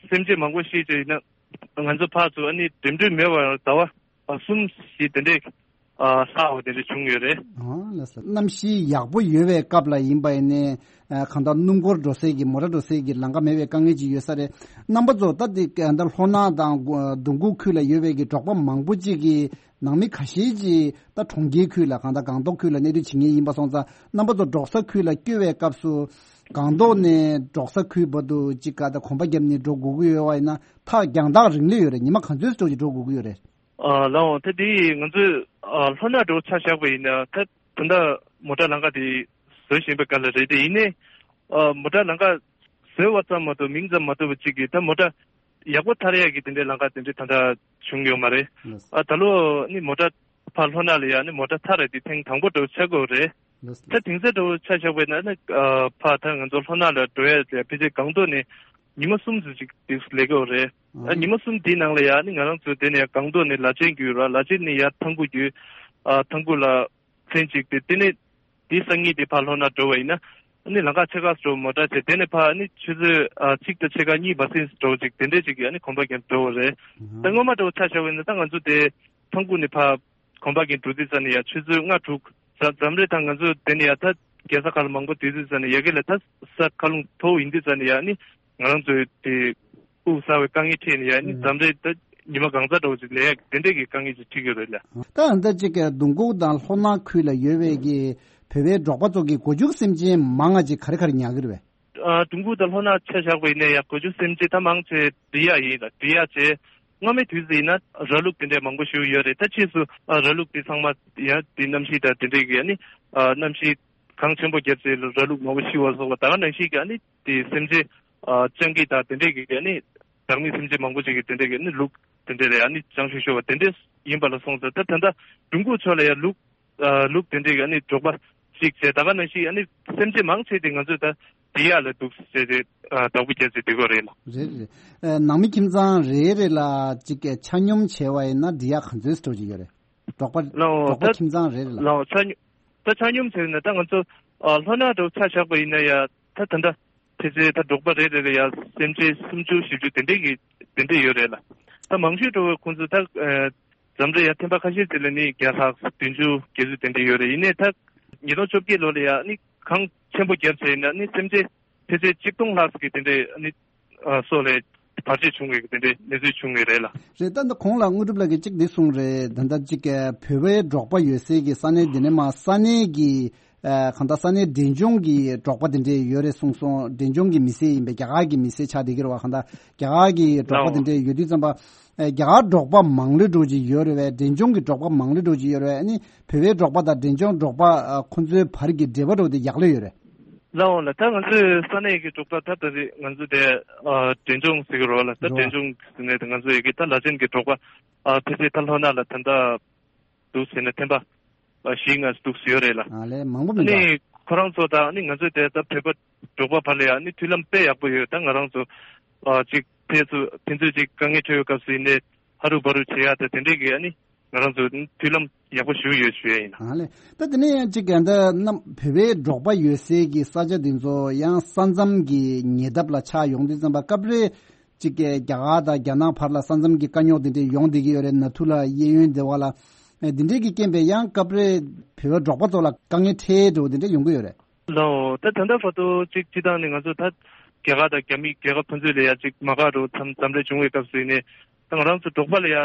སེམས་ཅན་མང་པོ་ཤི་བྱས་ཡིན་ན་ང་ཚོ་ཕར་ཚུར་ཨ་ནི་འགྲིམ་འགྲུལ་མེད་པར་ཟླ་བ་ཨ་གསུམ་བཞི་དེ་འདྲས་ཨ་ལྷག་པ་དེ་འདྲ་བྱུང་ཡོད་རེད། ཨ་ལགས་སོ། གནམ་གཤིས་ཡག་པོ་ཡོད་པའི་སྐབས་ལ་ཡིན་པ་ཡིན་ནའི་ཨ་གང་ལྟར་སྣུམ་འཁོར་འགྲོ་སའི་གི་མོ་ཊ་འགྲོ་སའི་གི་ལམ་ཁ་མེད་པའི་དཀའ་ངལ་ཅིག་ཡོད་ས་རེད། རྣམ་པ་ཚོ་ད་འདི་ད་ལྷོ་ནག་དང་ལྡུམ་ཁུག་ཁུལ་ལ་ཡོད་པའི་གི་འབྲོག་པ་མང་པོ་ཅིག་གི་ནང་མི་ཁ་ཤས་ཅིག་ད་གྲོང་ཁྱེར་ཁུལ་ལ་གང་ལྟར་སྒང་ཏོག་ཁུལ་ལ་གནས་སྡོད་བྱེད་མཁན་ཡིན་པ་སོང་ཙང་རྣམ་པ་ཚོ་འབྲོག་ས་ཁུལ་ལ་སྐྱོད་པའི་སྐབས་སུ་སྒང་ཏོག་ནས་འབྲོག་ས་ཁུལ་བར་དུ་ཅིག་ག་ད་གོམ་པ་བརྒྱབ་ནས་འགྲོ་དགོས་ཀྱི་ཡོད་པ་ཡིན་ན་ཐག་རྒྱང་ཐག་རིང་ལོས་ཡོད་རེད། ཉི་མ་ག་ཚོད་ཙམ་ཅིག་འགྲོ་དགོས་ཀྱི་ཡོད་རེད། ཨ་ལའོ་ད་དེ་ང་ཚོས་ཨ་ལྷོ་ནག་འགྲོ་ཆ་བཞག་པ་ཡིན་ན་ད་ད་ལྟ་མོ་ཊ་ལམ་ཁ་དེ་ བཟོ་བཞིན་པའི་སྐབས་ལ་རེད། དེ་ཡིན་ནའི་ཨ་མོ་ཊ་ལམ་ཁ་བཟོས་པ་ཙམ་མ་གཏོགས་མིང་ཙམ་མ་གཏོགས་པ་གཅིག་གིས་ད་མོ་ཊ་ཡག་པོ་ཐར་ཡག་གི་དེ་འདྲའི་ལམ་ཁ་དེ་འདྲའི་ད་ལྟ་བྱུང་ཡོད་མ་རེད། ལགས། ཨ་ད་ལོ་ནི་མོ་ཊ་ཕར་ལྷོ་ནག་ལ་ཡ་ནི་མོ་ཊ་ཐར་རེད། དེ་ཐེངས་དང་པོ་འདྲ་བོ་ཆགས་ཀྱི་ཡོད་རེད། ལགས། ད་དེང་སང་འདྲ་བོ་ཆ་བཞག་པ་ཡིན་ན་ནི་ཨ་ཕར་ད་ང་ཚོ་ལྷོ་ནག་ལ་འགྲོ་ཡ་དེ་ཕལ་ཆེར་སྒང་ཏོག་ནས་ཉི་མ་གསུམ་ཙམ་ཅིག་དེ་སླེབས་ཀྱི་ཡོད་རེད། ཨ་ཉི་མ་གསུམ་དེའི་ནང་ལ་ཡ་ནི་ང་རང་ཚོ་དེ་ནས་སྒང་ཏོག་ནས་ལ་ཆེན་བརྒྱུད་ར། ལ་ཆེན་ནས་ཡ་ཐང་ཁུ་བརྒྱུད། ཨ་ཐང་ཁུ་ལ་ཚན་གཅིག་དེ། དེ་ནས་དེའི་སང་ཉིན་དེ་ཕར་ལྷོ་ནག་འགྲོ་བ་ཡིན་ན། ཨ་ནི་ལམ་ཁ་ཕྱེད་ཀ་འགྲོ་མོ་ཊ་བྱས། དེ་ནས་ཕར་ཨ་ནི་ཆུ་ཚོད་ཨ་གཅིག་དང་ཕྱེད་ཀ་གཉིས་མ་ཟིན་འགྲོ་ཅིག་དེ་འདྲས་ཅིག་གི་ཨ་ནི་གོམ་པ་རྒྱབ་འགྲོ་བ་རེད། ད་སྔོན་མ་འདྲ་བོ་ཆ་བཞག་པ་ཡིན་ན་ད་ང་ཚོ་དེ་ཐང་ཁུ་ནས་ཕར་གོམ་པ་རྒྱབ་འགྲོ་དུས་ཙ་ནས་ཡ་ཆུ་ཚོད་ལྔ་དྲུག་ཙམ་ཙམ་རེད། ད་ང་ཚོ་དེ་ནས་ཡ་ད་རྒྱལ་ས་ཁག་ལ་མང་པོ་དེ་དུས་ཙ་ནས་ཡ་གི་ལ་ད་ས་ཁ་ལུང་མཐོ་བོ་ཡིན་དུས་ཙ་ནས་ཡ་ཨ་ནི་ང་རང་ཚོའི་དེ་དབུགས་གསར་བའི་དཀའ་ངལ་འཕྲད་ནས་ཡ་ནི་ཨུ། འཛམ་རེད་ད་ཉི་མ་གང་ཚ་འདྲ་བོ་ཅིག་ལས་ཡ་དེ་འདྲས་ཀྱི་དཀའ་ངལ་ཅིག་འཕྲད་ཀྱི་རེད་ལ། ད་ཨ་ད་ཅིག་གི་ལྡུང་ཁུག་དང་ལྷོ་ནག་ཁུལ་ལ་ཡོད་པའི་གི་བོད་པའི་འབྲོག་པ་ཚོ་གི་སྒོ་ཕྱུགས་སེམས་ཅན་མང་ང་ཅིག་ག་རེ་ག་རེ་ཉར་གི་རེད་པས། ཨ་ལྡུང་ཁུག་དང་ལྷོ་ནག་ཆ་བཞག་པ་ཡིན་ན་ཡ་སྒོ་ཕྱུགས་སེམས་ཅན་ད་མང་ཆེ་འབྲི་གཡག་ཡིན་ལ། འབྲི་གཡག་བྱས་སྔོན་མའི་དུས་སུ་ཡིན་ན་ར་ལུག་དེ་འདྲས་མང་པོ་ཞིག་ཡོད་རེད། ད་ཕྱིས་སུ་ཨ་ར་ལུག་དེ་ཚང་མ་ཡ་དེ་གནམ་གཤིས་དང་དེ་འདྲས་ཀྱི་ཡ་ནི་ཨ་གནམ་གཤིས་གངས་ཆེན་པོ་བརྒྱབ་ཚེ་ར་ལུག་མང་པོ་ཤི་བ་སོགས་པ་ད་ག་ནང་བཞིན་གྱི་ཨ་ནི་དེ་སེམས་ཅན་ཨ་སྤྱང་ཀི་དང་དེ་འདྲས་ཀྱི་ཨ་ནི་བདག་མེད་སེམས་ཅན་མང་པོ་ཅིག་གི་དེ་འདྲས་ཀྱི་ཨ་ནི་ལུག་དེ་འདྲས་རེད། ཨ་ནི་སྤྱང་ཤོས་ཤོས་པ་དེ་འདྲས་ཡིན་པ་ལ་སོང་ཙང་ད་ད་ལྟ་ལྡུང་ཁུག་ཕྱོགས་ལ་ཡ་ལུག་ཨ་ལུག་དེ་འདྲས་ཀྱི་ཨ་ནི་འབྲོག་པ་ཅིག་བྱས་ད་ག་ནང་བཞིན་ཨ་ནི་སེམས་ཅན་མང་ཆེ་དེ་ང་ཚོས་ད་འབྲི་གཡག་ལ་འདུག་ཟེར་ཏེ་ཨ་བདག་པོ་རྒྱག་ཚེ་འདི་གོ་རེད་ལ། རེད་རེད། ཨ་ནང་མི་ཁྱིམ་ཚང་རེ་རེ་ལ་ཅིག་ཆ་སྙོམས་བྱས་པ་ཡིན་ན་འབྲི་གཡག་ག་ཚོད་ཙམ་འགྲོ་གི་ཡོད་རེད། འབྲོག་པ་ལའོ་འབྲོག་པ་ད་ཁྱིམ་ཚང་རེ་རེ་ལ། ལའོ་ཆ་སྙོམས་ད་ཆ་སྙོམས་ཟེར་ན་ད་ང་ཚོ་ཨ་ལྷོ་ནག་འདྲ་བོ་ཆ་བཞག་པ་ཡིན་ན་ཡ་ད་ད་ལྟ་ཕལ་ཆེར་ད་འབྲོག་པ་རེ་རེ་ལ་ཡ་སེམས་ཅན་སུམ་ཅུ་བཞི་བཅུ་དེ་འདྲས་ཀྱི་དེ་འདྲས་ཡོད་རེད་ལ། ད་མང་ཤོས་འདྲ་བོ་ཁོང་ཚོ་ད་ཨ་འཛམ་གླིང་ཡ་ཐེམ་པ་ཁ་ཤས་དེ་ལ་ནི་བརྒྱ་ལྷག་བདུན་ཅུ་བརྒྱད་ཅུ་དེ་འདྲས་ཡོད་རེད། ཡིན་ནའི་ད་ཉིས་སྟོང་བཅོ་བརྒྱད་ལོ་ལ་ཡ་ནི་གངས་ཆེན་པོ་བརྒྱབ་བྱས་ཡིན་ན་ནི་སེམས་ཅན་ཕལ་ཆེར་གཅིག་སྟོང་ལྷག་ཙམ་གྱི་དེ་འདྲས་ནི་ཨ་སོགས་ལས་བར་ཆད་བྱུང་བའི་དེ་འདྲའི་གནས་ཚུལ་བྱུང་ཡོད་རེད་ལ། རེད། ད་ལྟ་གོང་ལ་དངོས་གྲུབ་ལགས་ཀྱིས་གཅིག་འདི་གསུངས་རེད། ད་ལྟ་གཅིག་བོད་པའི་འབྲོག་པ་ཡོད་སའི་གི་ས་གནས་འདི་ནས་མ་ས་གནས་ཀྱི་ཨ་གང་ལྟར་ས་གནས་འབྲས་ལྗོངས་ཀྱི་འབྲོག་པ་དེ་འདྲས་ཡོད་རེད་གསུངས་སོང་། འབྲས་ལྗོངས་ཀྱི་མི་སེར་ཡིན་པའི་རྒྱ་གར་གྱི་མི་སེར་ཆགས་བསྡད་ཀྱི་རེད་བ། གང་ལྟར་རྒྱ་གར་གྱི་འབྲོག་པ་དེ་འདྲས་ཡོད་དུས་ཙམ་པ་ཨ་རྒྱ་གར་འབྲོག་པ་མང་ལོས་འགྲོ་གི་ཡོད་རེད་བས། འབྲས་ལྗོངས་ཀྱི་འབྲོག་པ་མང་ལོས་འགྲོ་གི་ཡོད་རེད་བས། ཨ་ནི་བོད་པའི་འབྲོག་པ་དང་འབྲས་ལྗོངས་འབྲོག་པ་ཨ་ཁོང་ཚོའི་བར་གྱི་འབྲེལ་བ་འདྲ་བོ་དེ་ཡག་ལོས་ཡོད་རེད། ལའོ་ལ་ད་ང་ཚོའི་ས་གནས་ཀྱི་འབྲོག་པ་ད་ད་རེས་ང་ཚོ་དེ་ཨ་འབྲས་ལྗོངས་ཟེར་གི་རོ་ལ། ད་རོ། འབྲས་ལྗོངས་ཟེར་ནས་ད་ང་ཚོ་ཡི་གེ་ད་ལ་ཆེན་གྱི་འབྲོག་པ་ཨ་ཕལ་ཆེར་ད་ལྷོ་ནག་ལ་ད་ལྟ་འདུག་ཟེར་ན་ཐེམ་པ་ཨ་བཞི་ལྔ་འདུག་ཟེར་ཡོད་རེད་ལ། ཨ་ལས་མང་པོ་མི་འདུག་ཨ་ནི་ཁོ་རང་ཚོ་དང་ཨ་ནི་ང་ཚོའི་དེ་ད་བོད་པ་འབྲོག་པ་བར་ལ་ཡ་ཨ་ནི་མཐུན་ལམ་དཔེ་ཡག་པོ་ཡོད། ད་ང་རང་ཚོ་ཨ་ཅིག་ཕན་ཚུན་ཕན་ཚུན་ཅིག་དཀའ་ངལ་འཕྲད་ཡོད་སྐབས་སུ་ཡིན་ནའི་ཧ་རུ་བ་རུ་བྱེད་ཡ་ད་དེ་འདྲས་ཀྱི་ཨ་ནི་ང་རང་ཚོ་མཐུན་ལམ་ཡག་པོ་ཞིག་ཡོད་ཞུ་ཡ་ཡིན། ཨ་ལས། ད་དེ་ནས་ཡང་གཅིག་ཡང་ད་རྣམ་བོད་པའི་འབྲོག་པ་ཡོད་སའི་གི་ས་ཆ་དེ་ཚོ་ཡང་ས་མཚམས་ཀྱི་ཉེ་འདབས་ལ་ཆགས་ཡོང་དུས་ཙམ་པ་སྐབས་རེ་གཅིག་གི་རྒྱ་གར་དང་རྒྱ་ནག་བར་ལ་ས་མཚམས་ཀྱི་དཀའ་རྙོག་དེ་འདྲས་ཡོང་བསྡད་ཀྱི་ཡོད་རེད། ནཱ་ཐུ་ལ་གཡས་གཡོན་དེ་བ་ལ་ཨེ་དེ་འདྲས་ཀྱི་རྐྱེན་པས་ཡང་སྐབས་རེ་བོད་པའི་འབྲོག་པ་ཚོ་ལ་དཀའ་ངལ་འཕྲད་འགྲོ་བ་དེ་འདྲས་ཡོང་གི་ཡོད་རེད། ལའོ་ད་ད་ལྟ་བར་དུ་གཅིག་སྤྱི་བཏང་ནས་ང་ཚོ་ད་རྒྱ་གར་དང་རྒྱ་མི་རྒྱལ་ཁབ་ཕན་ཚུན་ལ་ཡ་གཅིག་མ་དགའ་འགྲོ་མཚམས་མཚམས་རེ་བྱུང་བའི་སྐབས་སུ་ཡིན་ནའི་ད་ང་རང་ཚོ་འབྲོག་པ་ལ་ཡ་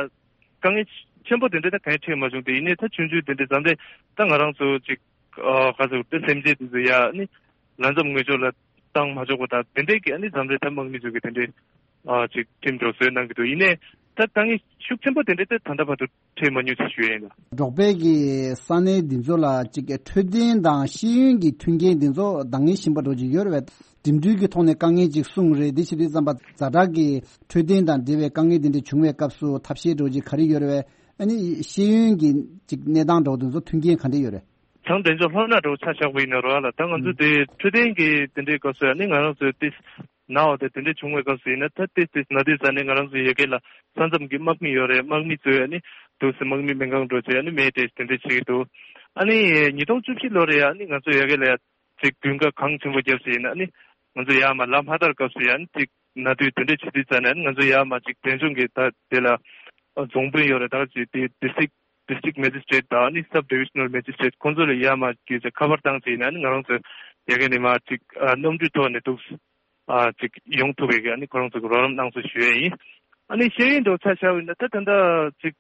དཀའ་ངལ་ཆེན་པོ་དེ་འདྲ་ད་གང་ཡང་འཕྲད་མ་བྱུང་སྟེ། ཡིན་ནའི་ད་ཆུང་ཆུང་དེ་འདྲ་མཚམས་རེ་ད་ང་རང་ཚོ་ཅིག་ཨ་ག་ཚོད་དེ་སེམས་ཅན་དེ་ཚོ་ཡ་ནི་ལ་མཚམས་ངོས་ཕྱོགས་ལ་བཏང་མ་ཆོག་པ་དང་དེ་འདྲའི་གི་ཨ་ནི་མཚམས་རེ་ད་དམག་མི་ཚོ་གི་དེ་འདྲའི་ཨ་ཅིག་ཁྲིམས་སྒྲོག་བཟོས་གནང་གི་འདུག་ཡིན་ནའི་ད་དཀའ་ངལ་ཤུགས་ཆེན་པོ་དེ་འདྲ་ད་ད་ལྟ་བར་དུ་འཕྲད་མ་མྱོང་ཞེས་ཞུ་ཡ་ཡིན་ལ། འབྲོག་པའི་གི་ས་གནས་འདི་ཚོ་ལ་ཅིག་འཕྲོད་བསྟེན་དང་ཤེས་ཡོན་གྱི་མཐུན་རྐྱེན་འདི་ཚོ་འདང་ངེས་བཞིན་པ་འགྲོ་གི་ཡོད་རེད་པས། འགྲིམ་འགྲུལ་གྱི་ཐོག་ནས་དཀའ་ངལ་ཅིག་གསུངས་རེད། འདི་བྱེད་དུས་ཙམ་པ་ཛ་དྲག་གི་འཕྲོད་བསྟེན་དང་འབྲེལ་བའི་དཀའ་ངལ་འདི་འདྲ་བྱུང་བའི་སྐབས་སུ་ཐབས་ཤེས་འགྲོ་གི་ག་རེ་ཡོད་རེད་པས། ཨ་ནི་ཤེས་ཡོན་གྱི་ཅིག་གནས་སྟངས་འགྲོ་འདི་ཚོ་མཐུན་རྐྱེན་ག་འདྲ་ཡོད་རེད། བྱང་འབྲས་ལྗོངས་ལྷོ་ནག་འགྲོ་ཆ་བཞག་པ་ཡིན་ན་རོ་ལ་ད་ང་ཚོ་དེ་འཕྲོད་བསྟེན་གྱི་དེ་འདྲའི་སྐབས་སུ་ཨ་ནི་ང་རང་ཚོའི་ཏིས་ན་འོ་དེ་དེ་འདྲ་བྱུང་བའི་སྐབས་སུ་ཡིན་ན་ད་ཏིས་ཏིས་ན་དུས་ཙ་ནས་ང་རང་ཚོའི་ཡ་གི་ལ་ས་མཚམས་ཀྱི་དམག་མི་ཡོད་རེད། དམག་མི་ཚོས་ཨ་ནི་དུས་སུ་དམག་མི་སྨན་ཁང་འགྲོ་བྱས་ཨ་ནི་སྨན་སྤྲད་དེ་འདྲ་བྱེད་ཀྱི་འདུག་ཨ་ནི་ཉིས་སྟོང་བཅུ་བཞི་ལོ་རེ་ཨ་ནི་ང་ཚོ་ཡ་གི་ལ་ཡ་ཅིག་དགུན་ཁ་གངས་ཆེན་པོ་བརྒྱབ་ཟིན་ཨ་ནི་ང་ཚོ་ཡར་མར་ལམ་ཧ་ཐར་སྐབས་སུ་ཡ་ཨ་ནི་ཅིག་ན་དུས་དེ་འདྲ་བྱེད་དུས་ཙ་ནས་ཨ་ནི་ང་ཚོ་ཡར་མར་ཅིག་འབྲས་ལྗོངས་ཀྱི་ད་དེ་ལ་རྫོང་དཔོན་ཡོད་རེད། ད་ཅིག་དེ་district district magistrate དང་ཨ་ནི་sub divisional magistrate ཁོང་ཚོ་ལ་ཡར་མར་གྱི་ཅིག་ཁ་པར་བཏང་ཟིན་ཨ་ནི་ང་རང་ཚོ་ཡ་གི་ནས་མར་ཅིག་གནམ་གྲུའི་ཐོག་ནས་འདུག་ཨ་ཅིག་ཡོང་ཐུབ་པའི་གི་ཨ་ནི་ཁོ་རང་ཚོ་གི་རོགས་རམ་གནང་སོང་ཞུ་ཡས་ཡིན། ཨ་ནི་ཤེས་ཡོན་འདྲ་བོ་ཆ་བཞག་པ་ཡིན་ན་ད་ད་ལྟ་ཅིག་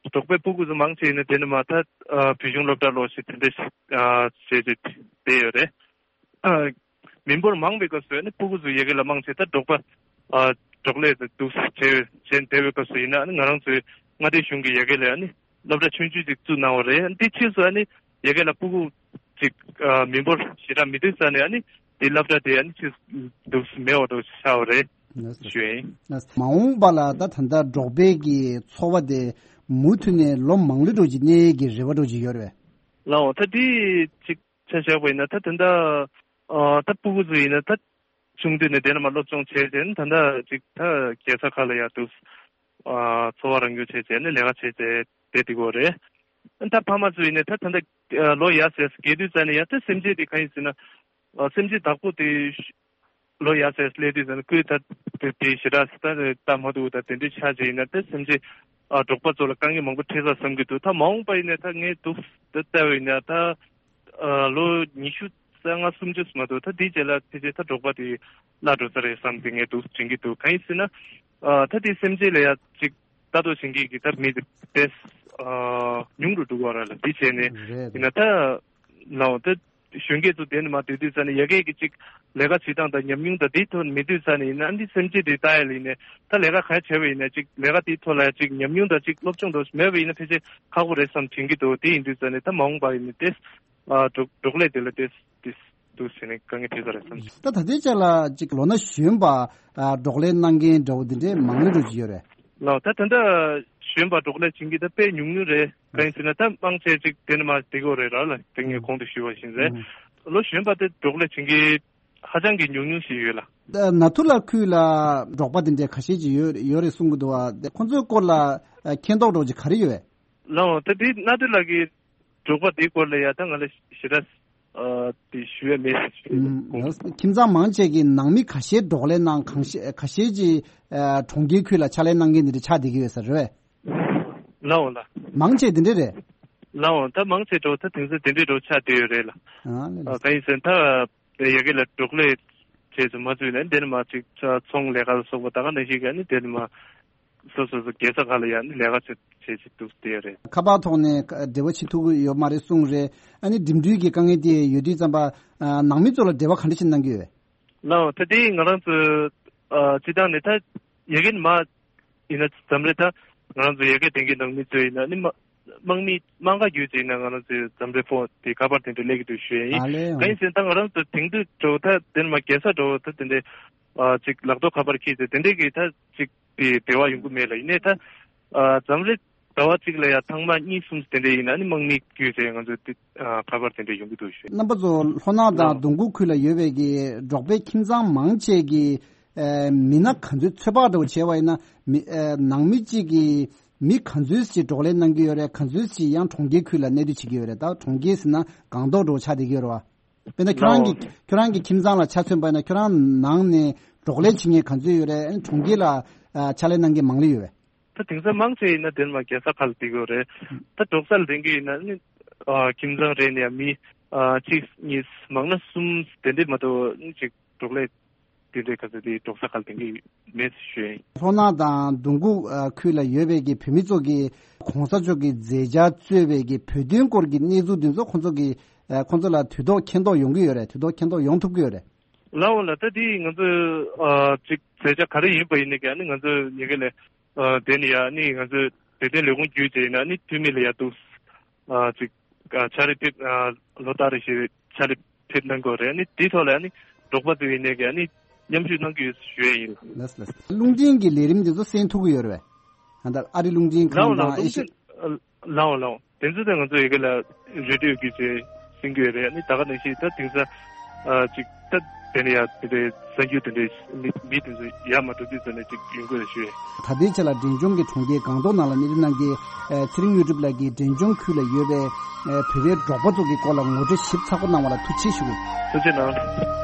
འབྲོག་པའི་སྤུ་གུ་ཚོ་མང་ཆེ་ཡིན་ན་དེ་ནི་མ་ད་ཨ་བོད་གཞུང་སློབ་གྲྭ་ལོགས་ཤིག་དེ་འདྲ་ཞིག་ཨ་བྱས་ཏེ་བསྡད་ཡོད་རེད། ཨ་མི་འབོར་མང་བའི་སྐབས་སུ་ཨ་ནི་སྤུ་གུ་ཚོ་ཡ་གི་ལ་མང་ཆེ་ད་འབྲོག་པ་ཨ་འབྲོག་ལས་དེ་འདུག་བྱས་བྱས་བསྡད་པའི་སྐབས་སུ་ཡིན་ན་ཨ་ནི་ང་རང་ཚོའི་མངའ་སྡེ་གཞུང་གི་ཡ་གི་ལ་ཨ་ནི་སློབ་གྲྭ་ཆུང་ཆུང་ཅིག་བཙུགས་གནང་བ་རེད། ཨ་ནི་དེ་ཕྱིས་སུ་ཨ་ནི་ཡ་གི་ལ་སྤུ་གུ་ ཅིག་ཨ་མི་འབོར་ཞེ་དྲག་མི་འདུག་ས་ནས་ཨ་ནི་དེ་སློབ་གྲྭ་དེ་ཨ་ནི་ཅིག་འདུག་མེད་པ་འདྲ་ཆགས་པ་རེད་ཞུ་ཡིན། མ་འོངས་པ་ལ་ད་ད་ལྟ་འབྲོག་པའི་གི་འཚོ་བ་དེ་མུ་མཐུད་ནས་ལོ་མང་ལོས་འགྲོ་གི་གནས་ཀྱི་རེ་བ་འདྲ་ཅིག་ཡོད་རེད། ལའོ་ད་དེ་ཅིག་ཆ་བཞག་པ་ཡིན་ན་ད་ད་ལྟ་ཨ་ད་སྤུ་གུ་ཚོ་ཡིན་ན་ད་ཆུང་དུས་ནས་དེ་ནས་མར་སློབ་སྦྱོང་བྱས་རྗེས་ནས་ད་ལྟ་ཅིག་ད་རྒྱལ་ས་ཁག་ལ་ཡར་འདུག་ཨ་འཚོ་བ་རང་སྐྱོང་བྱས་རྗེས་ནས་ལས་ཀ་བྱས་རྗེས་བསྡད་འདུག་གོ་རེད། ད་ཕ་མ་ཚོ་ཡིན་ནས་ད་ད་ལྟ་ལོ་ཡར་ཟེར་རྒས་དུས་ཙ་ནས་ཡང་ད་སེམས་ཅན་དེ་གང་ཡིན་ཟེར་ན་ཨ་སེམས་ཅན་བདག་པོ་དེ་ལོ་ཡར་ཟེར་སླེབས་དུས་ཙ་ནས་ཁོས་ད་དེ་དེ་ཞེ་དྲག་ད་ལྟ་མ་འདུག་ད་དེ་འདྲའི་ཆ་ཅིག་ཡིན་ན་ད་སེམས་ཅན་ཨ་འབྲོག་པ་ཚོ་ལ་དཀའ་ངལ་མང་པོ་འཕྲད་ས་བསམ་གྱི་འདུག་ད་མ་འོངས་པ་ཡིན་ནས་ད་ངས་འདུག་ད་བལྟས་པ་ཡིན་ན་ད། ཨ་ལོ་ཉི་ཤུ་རྩ་ལྔ་སུམ་ཅུ་མ་གཏོགས་ད་དེའི་རྗེས་ལ་ཕལ་ཆེར་ད་འབྲོག་པ་དེ་བརླག་འགྲོ་ས་རེད་བསམ་སྟེ་ངས་འདུག་དྲན་གྱི་འདུག་གང་ཡིན་ཟེར་ན་ཨ་ད་དེ་སེམས་ཅན་ལ་ཡ་ཅིག་ལྟ་རྟོག་བྱེད་མཁན་གྱི་ད་མི་དེ་ཏོག་ཙམ་ཨ་ཉུང་རུ་འགྲོ་གི་ཡོད་རེད་ལ། དེ་བྱས་ནས་རེད་ཡིན་ན་རེད། ད་ལའོ་ད་གཞོན་སྐྱེས་ཚོ་དེ་ནས་མར་སྡོད་དུས་ཙ་ནས་ཡ་གིའི་གི་ཅིག་ལས་ཀ་བྱེད་སྟངས་དང་ཉམས་མྱོང་དང་དེའི་ཐོག་མེད་དུས་ཙ་ནས་ཡིན་ན་ཨ་འདི་སེམས་ཅན་དེ་ལྟ་ཡ་ལ་ཡིན་ནས་ད་ལས་ཀ་ག་བྱས་པ་ཡིན་ན་ཅིག་ལས་ཀ་དེའི་ཐོག་ལ་ཡ་ཅིག་ཉམས་མྱོང་དང་ཅིག་སློབ་སྦྱོང་འདྲ་མེད་པ་ཡིན་ན་ཕལ་ཆེར་ཁག་པོ་རེད་བསམ་དྲན་གྱི་འདུག་དེ་ཡིན་དུས་ཙ་ནས་ད་མ་འོངས་པ་ཡིན་ནས་ཏོག་ཙམ་ཨ་འབྲོག་འབྲོག་ལས་དེ་ལ་ཏོག་ཙམ་ཏོག་ཙམ་འདུག་ཟེར་ནས་དཀའ་ངལ་འཕྲད་ས་རེད་བསམ། ད་ད་ལྟའི་ཆ་ལ་ཅིག་ལོ་ན་གཞོན་པ་ཨ་འབྲོག་ལས་གནང་མཁན་འདྲ་བོ་འདི་འདྲའི་མང་ལོས་འགྲོ་གི་ཡོད་རེད། ལགས་ད་ད་ལྟ་གཞོན་པ་འབྲོག་ལས་བྱེད་མཁན་ད་དཔེ་ཉུང་ཉུང་རེད། གང་ཡིན་ཟེར་ན་ད་མང་ཆེ་ཅིག་དེ་ནས་མར་བསྡད་ཀྱི་ཡོད་རེད་ར་ལ། དེ་ངས་གོང་དུ་ཞུས་པ་བཞིན་རེད། ལོ་གཞོན་པ་དེ་འབྲོག་ལས་བྱེད་མཁན་ཧ་ཅང་གི་ཉུང་ཉུང་ཞིག་ཡོད་ལ། ད་ནཱ་ཐུ་ལ་ཁུལ་ལ་འབྲོག་པ་དེ་འདྲའི་ཁ་ཤས་ཅིག་ཡོད་ཡོད་རེད་གསུང་གི་འདུག་བ། དེ་ཁོང་ཚོའི་སྐོར་ལ་ཨ་མཁྱེན་རྟོགས་འདྲ་བོ་ཅིག་ག་རེ་ཡོད་པས། ལགས་འོང་ད་དེ་ནཱ་ཐུ་ལ་གི་འབྲོག་པ་དེའི་སྐོར་ལ་ཡ་ད་ང་ལ་ཞེ་དྲག་ཨ་དེ་ཞུ་ཡ་མེད་ཟེར་ཞུ་ཡ་ཡིན། ཁྱིམ་ཚང་མང་ཆེ་གི་ནང་མི་ཁ་ཤས་འབྲོག་ལས་གནང་། གང་ཤེས་ཁ་ཤས་ཀྱིས་ཨ་གྲོང་ཁྱེར་ཁུལ་ལ་ཕྱག་ལས་གནང་མཁན་དེ་འདྲ་ཆགས་བསྡད་ཀྱི་ཡོད་ས་རེད་པས། ལགས་འོང་ལགས། མང་ཆེ་དེ་འདྲ་རེད། ལགས་འོང་ད་མང་ཆེ་འགྲོ་ད་དེང་སང་དེ་འདྲའི་འགྲོ་ཆགས་བསྡད་ཡོད་རེད་ལ། ཨ་ལས་ཨ་ལས། གང་ཡིན་ཟེར་ན་ད་ཡ་གི་ལ་འབྲོག་ལས་བྱས་ཚུལ་མ་ཚུལ་ནས་འདི་ནས་མར་ཅིག་ཚོང་ལས་ཀ་ལ་སོགས་པ་ད་ག་ནང་བཞིན་ག་ནི་འདི་ནས་མར་སོ་སོ་སོ་རྒྱལ་ས་ཁག་ལ་ཡང་ནི་ལས་ཀ་བྱེད་བྱེད་བྱེད་འདུག་བསྡད་ཡོད་རེད། ཁ་པར་ཐོག་ནས་འབྲེལ་བ་བྱེད་ཐུབ་ཀྱི་ཡོད་མ་རེད་གསུངས་རེད། ཨ་ནི་འགྲིམ་འགྲུལ་གྱི་དཀའ་ངལ་དེ་ཡོད་དུས་ཙམ་པ་ཨ་ནང་མི་ཚོ་ལ་འབྲེལ་བ་ག་འདྲ་ཞིག་གནང་གི་ཡོད། ལའོ་ད་དེ་ང་རང་ཚོ་ཨ་སྤྱི་བཏང་ནས་ད་ཡ་གི་ནས་མར་ཡིན་ན་འཛམ་རེ་ད་ང་རང་ཚོ་ཡ་གི་དེང་གི་ནང་མི་ཚོ་ཡིན་ན་ནི་མ་དམག་མི་དམག་སྒར་བརྒྱུད་ཅིག་ན་ང་རང་ཚོའི་འཛམ་རེ་ཕོ་དེ་ཁ་པར་དེ་འདྲ་སླེབས་ཀྱི་འདུག་ཞུ་ཡ་ཡིན། ཨ་ལས། གང་ཡིན་ཟེར་ན་ད་ང་རང་ཚོ་དེང་དུས་འགྲོ་ད་དེ་ནས་མར་རྒྱལ་ས་འགྲོ་ད་དེ་འདྲའི་ཨ་ཅིག་ལག་ཐོག་ཁ་པར་ཁྱེར་ཏེ་དེ་འདྲའི་གི་ད་ཅིག་དེ་འབྲེལ་བ་ཡོང་གི་མེད་ལ། ཡིན་ནའི་ད་ཨ་འཛམ་རེ་ཟླ་བ་གཅིག་ལ་ཡ་ཐེངས་མ་གཉིས་གསུམ་དེ་འདྲ་ཡིན་ན་ནི་དམག་མི་བརྒྱུད་ཟེར་ང་ཚོ་དེ་ཨ་ཁ་པར་དེ་འདྲ་ཡོང་གི་འདུག་ཞུ། རྣམ་པ་ཚོ་ལྷོ་ནག་དང་ལགས། སྡོང་མགོ་ཁུལ་ལ་ཡོད་པའི་གི་འབྲོག་པའི་ཁྱིམ་ཚང་མང་ཆེ་གི་ཨ་མི་སྣ་ག་ཚོད་ཚོད་དཔག་འདྲ་བོ་བྱས་པ་ཡིན་ན་མི་ཨ་ནང་མི་གཅིག་གི་མི་ག་ཚོད་ཅིག་འབྲོག་ལས་གནང་གི་ཡོད་རེད། ག་ཚོད་ཅིག་ཡང་གྲོང་ཁྱེར་ཁུལ་ལ་གནས་སྡོད་བྱེད་ཀྱི་ཡོད་རེད། ད་གྲོང་ཁྱེར་ཟེར་ན་སྒང་ཏོག་འདྲ་བོ་ཆགས་བསྡད་ཀྱི་ཡོད་རེད་བ། དཔེར་ན་ཁྱོད་རང་གི་ལའོ། ཁྱོད་རང་གི་ཁྱིམ་ཚང་ལ་ཆ་མཚོན་པ་ཡིན་ན་ཁྱོད་རང་ནང་ནས་འབྲོག་ལས་བྱེད་མཁན་ག་ཚོད་ཡོད་རེད། ཨ་ནི་གྲོང་ཁྱེར་ལ་ཨ་ཕྱག་ལས་གནང་མཁན་མང་ལོས་ཡོད་པས། ད་དེང་སང་མང་ཆེ་ཡིན་ན་དེ་ནས་མར་རྒྱལ་ས་ཁག་ལ་བསྡད་ཀྱི་ཡོད་རེད། ད་འབྲོག་སར་ལེན་གྱི་ཡིན་ན་ནི་ཨ་ཁྱིམ་ཚང་རེ་ནས་ཡང་མི་ཨ་གཅིག་གཉིས་མང་ན་གསུམ་དེ་འདྲས་མ་གཏོགས་ནི་ཅིག་འབྲོག་ལས་དེ་འདྲས་ག་ཚོད་དེ་འབྲོག་ས་ཁག་ལ་ལེན་གྱི་མེད་ཞུ་ཡིན། ལྷོ་ནག་དང་སྡོང་མགོ་ཨ་ཁུལ་ལ་ཡོད་པའི་གི་བོད་མི་ཚོ་གི་གོང་ས་མཆོག་གི་མཛད་འཆར་གཙོས་པའི་གི་བོད་དོན་སྐོར་གྱི་གནས་ཚུལ་འདི་ཚོ་ཁོང་ཚོ་གི་ཨ་ཁོང་ཚོ་ལ་དུས་ཐོག་མཁྱེན་རྟོགས་ཡོང་གི་ཡོད་རེད། དུས་ཐོག་མཁྱེན་རྟོགས་ཡོང་ཐུབ་ཀྱི་ཡོད་རེད། ལའོ་ལ་ད་དེ་ང་ཚོ་ཨ་ཅིག་མཛད་འཆར་ག་རེ་ཡིན་པ་ཡིན་ནའི་ཀྱང་ནི་ང་ཚོ་ཡ་གི་ལ་ཨ་དེ་ནི་ཡ་ནི་ང་ཚོ་བོད་དོན་ལས་ཁུངས་བརྒྱུད་བྱས་ཡིན་ན་ནི་འཐུས་མི་ལ་ཡ་འདུག་ཨ་ཅིག་ཨ་ཕྱག་ལས་ཕེབས་ཨ་ལོ་ལྟར་རེ་བཞིན་ཕྱག་ལས་ཕེབས་གནང་དགོས་རེད། ནི་དེའི་ཐོག་ལ་ནི་འབྲོག་པ་ཚོ་ཡིན་ནའི་ཀྱང་ནི་མཉམ་ཞུགས་གནང་གི་ཡོད་ཞུ་ཡ་ཡིན། ལགས་ལགས། རླུང་འཕྲིན་གྱི་ལས་རིམ་འདི་ཚོ་གསན་ཐུབ་ཀྱི་ཡོད་རེད་པས། ད་ལྟ་ཨ་རི་རླུང་འཕྲིན་ཁང་ལའོ་ལའོ་དང་ཨེ་ཤི། རླུང་འཕྲིན་ལའོ་ལའོ། དེ་ཚོ་ད་ང་ཚོ་ཡ་གི་ལ་རེ་ཌི་ཡོ་བརྒྱུད་བྱས་གསན་གྱི་ཡོད་རེད། ནི་ད་ག་ནང་བཞིན་ད་དེང་སང་ཨ་ཅིག་ད་དེ་ནས་ཡ་དེ་འདྲའི་གསར་འགྱུར་དེ་འདྲའི་མི་མི་དེ་ཚོ་ཡར་མར་འགྲོ་དུས་ཙམ་ནས་ཅིག་ཡོང་དགོས་ཞུ། ད་ལྟའི་ཆ་ལ་འབྲས་ལྗོངས་ཀྱི་གྲོང་ཁྱེར་སྒང་ཏོག་ནང་ལ་གནས་སྡོད་གནང་མཁན་ཨ་ཚེ་རིང་དངོས་གྲུབ་ལགས་ཀྱིས་འབྲས་ལྗོངས་ཁུལ་ལ་ཡོད་པའི་ཨ་བོད་པའི་འབྲོག་པ་ཚོ་གི་སྐོར་ལ་ངོ་སྤྲོད་ཞིབ་ཚགས་པོ་གནང་བ་ལ་ཐུགས་རྗེ་ཆེ་ཞུ། ཐུགས་རྗེ་གནང་།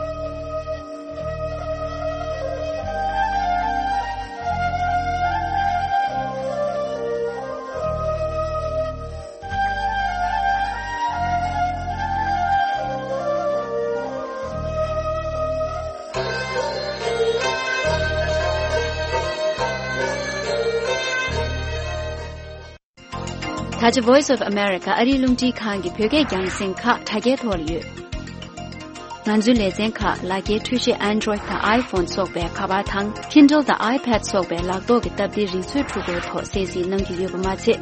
ད་ཆ་Voice of America ཨ་རིའི་རླུང་འཕྲིན་ཁང་གི་བོད་སྐད་རྒྱང་སྲིང་ཁག་དྲ་རྒྱའི་ཐོག་ལ་ཡོད། ང་ཚོའི་ལེ་ཚན་ཁག་ལག་འཁྱེར་འཕྲུལ་ཆས་Android་དང་iPhone་སོགས་པའི་ཁ་པར་དང་Kindle་དང་iPad་སོགས་པའི་ལག་ཐོག་གི་སྟབས་བདེ་རིག་མཛོད་འཕྲུལ་འཁོར་ཐོག་གསན་གཟིགས་གནང་རྒྱུ་ཡོད་པ་མ་ཚད།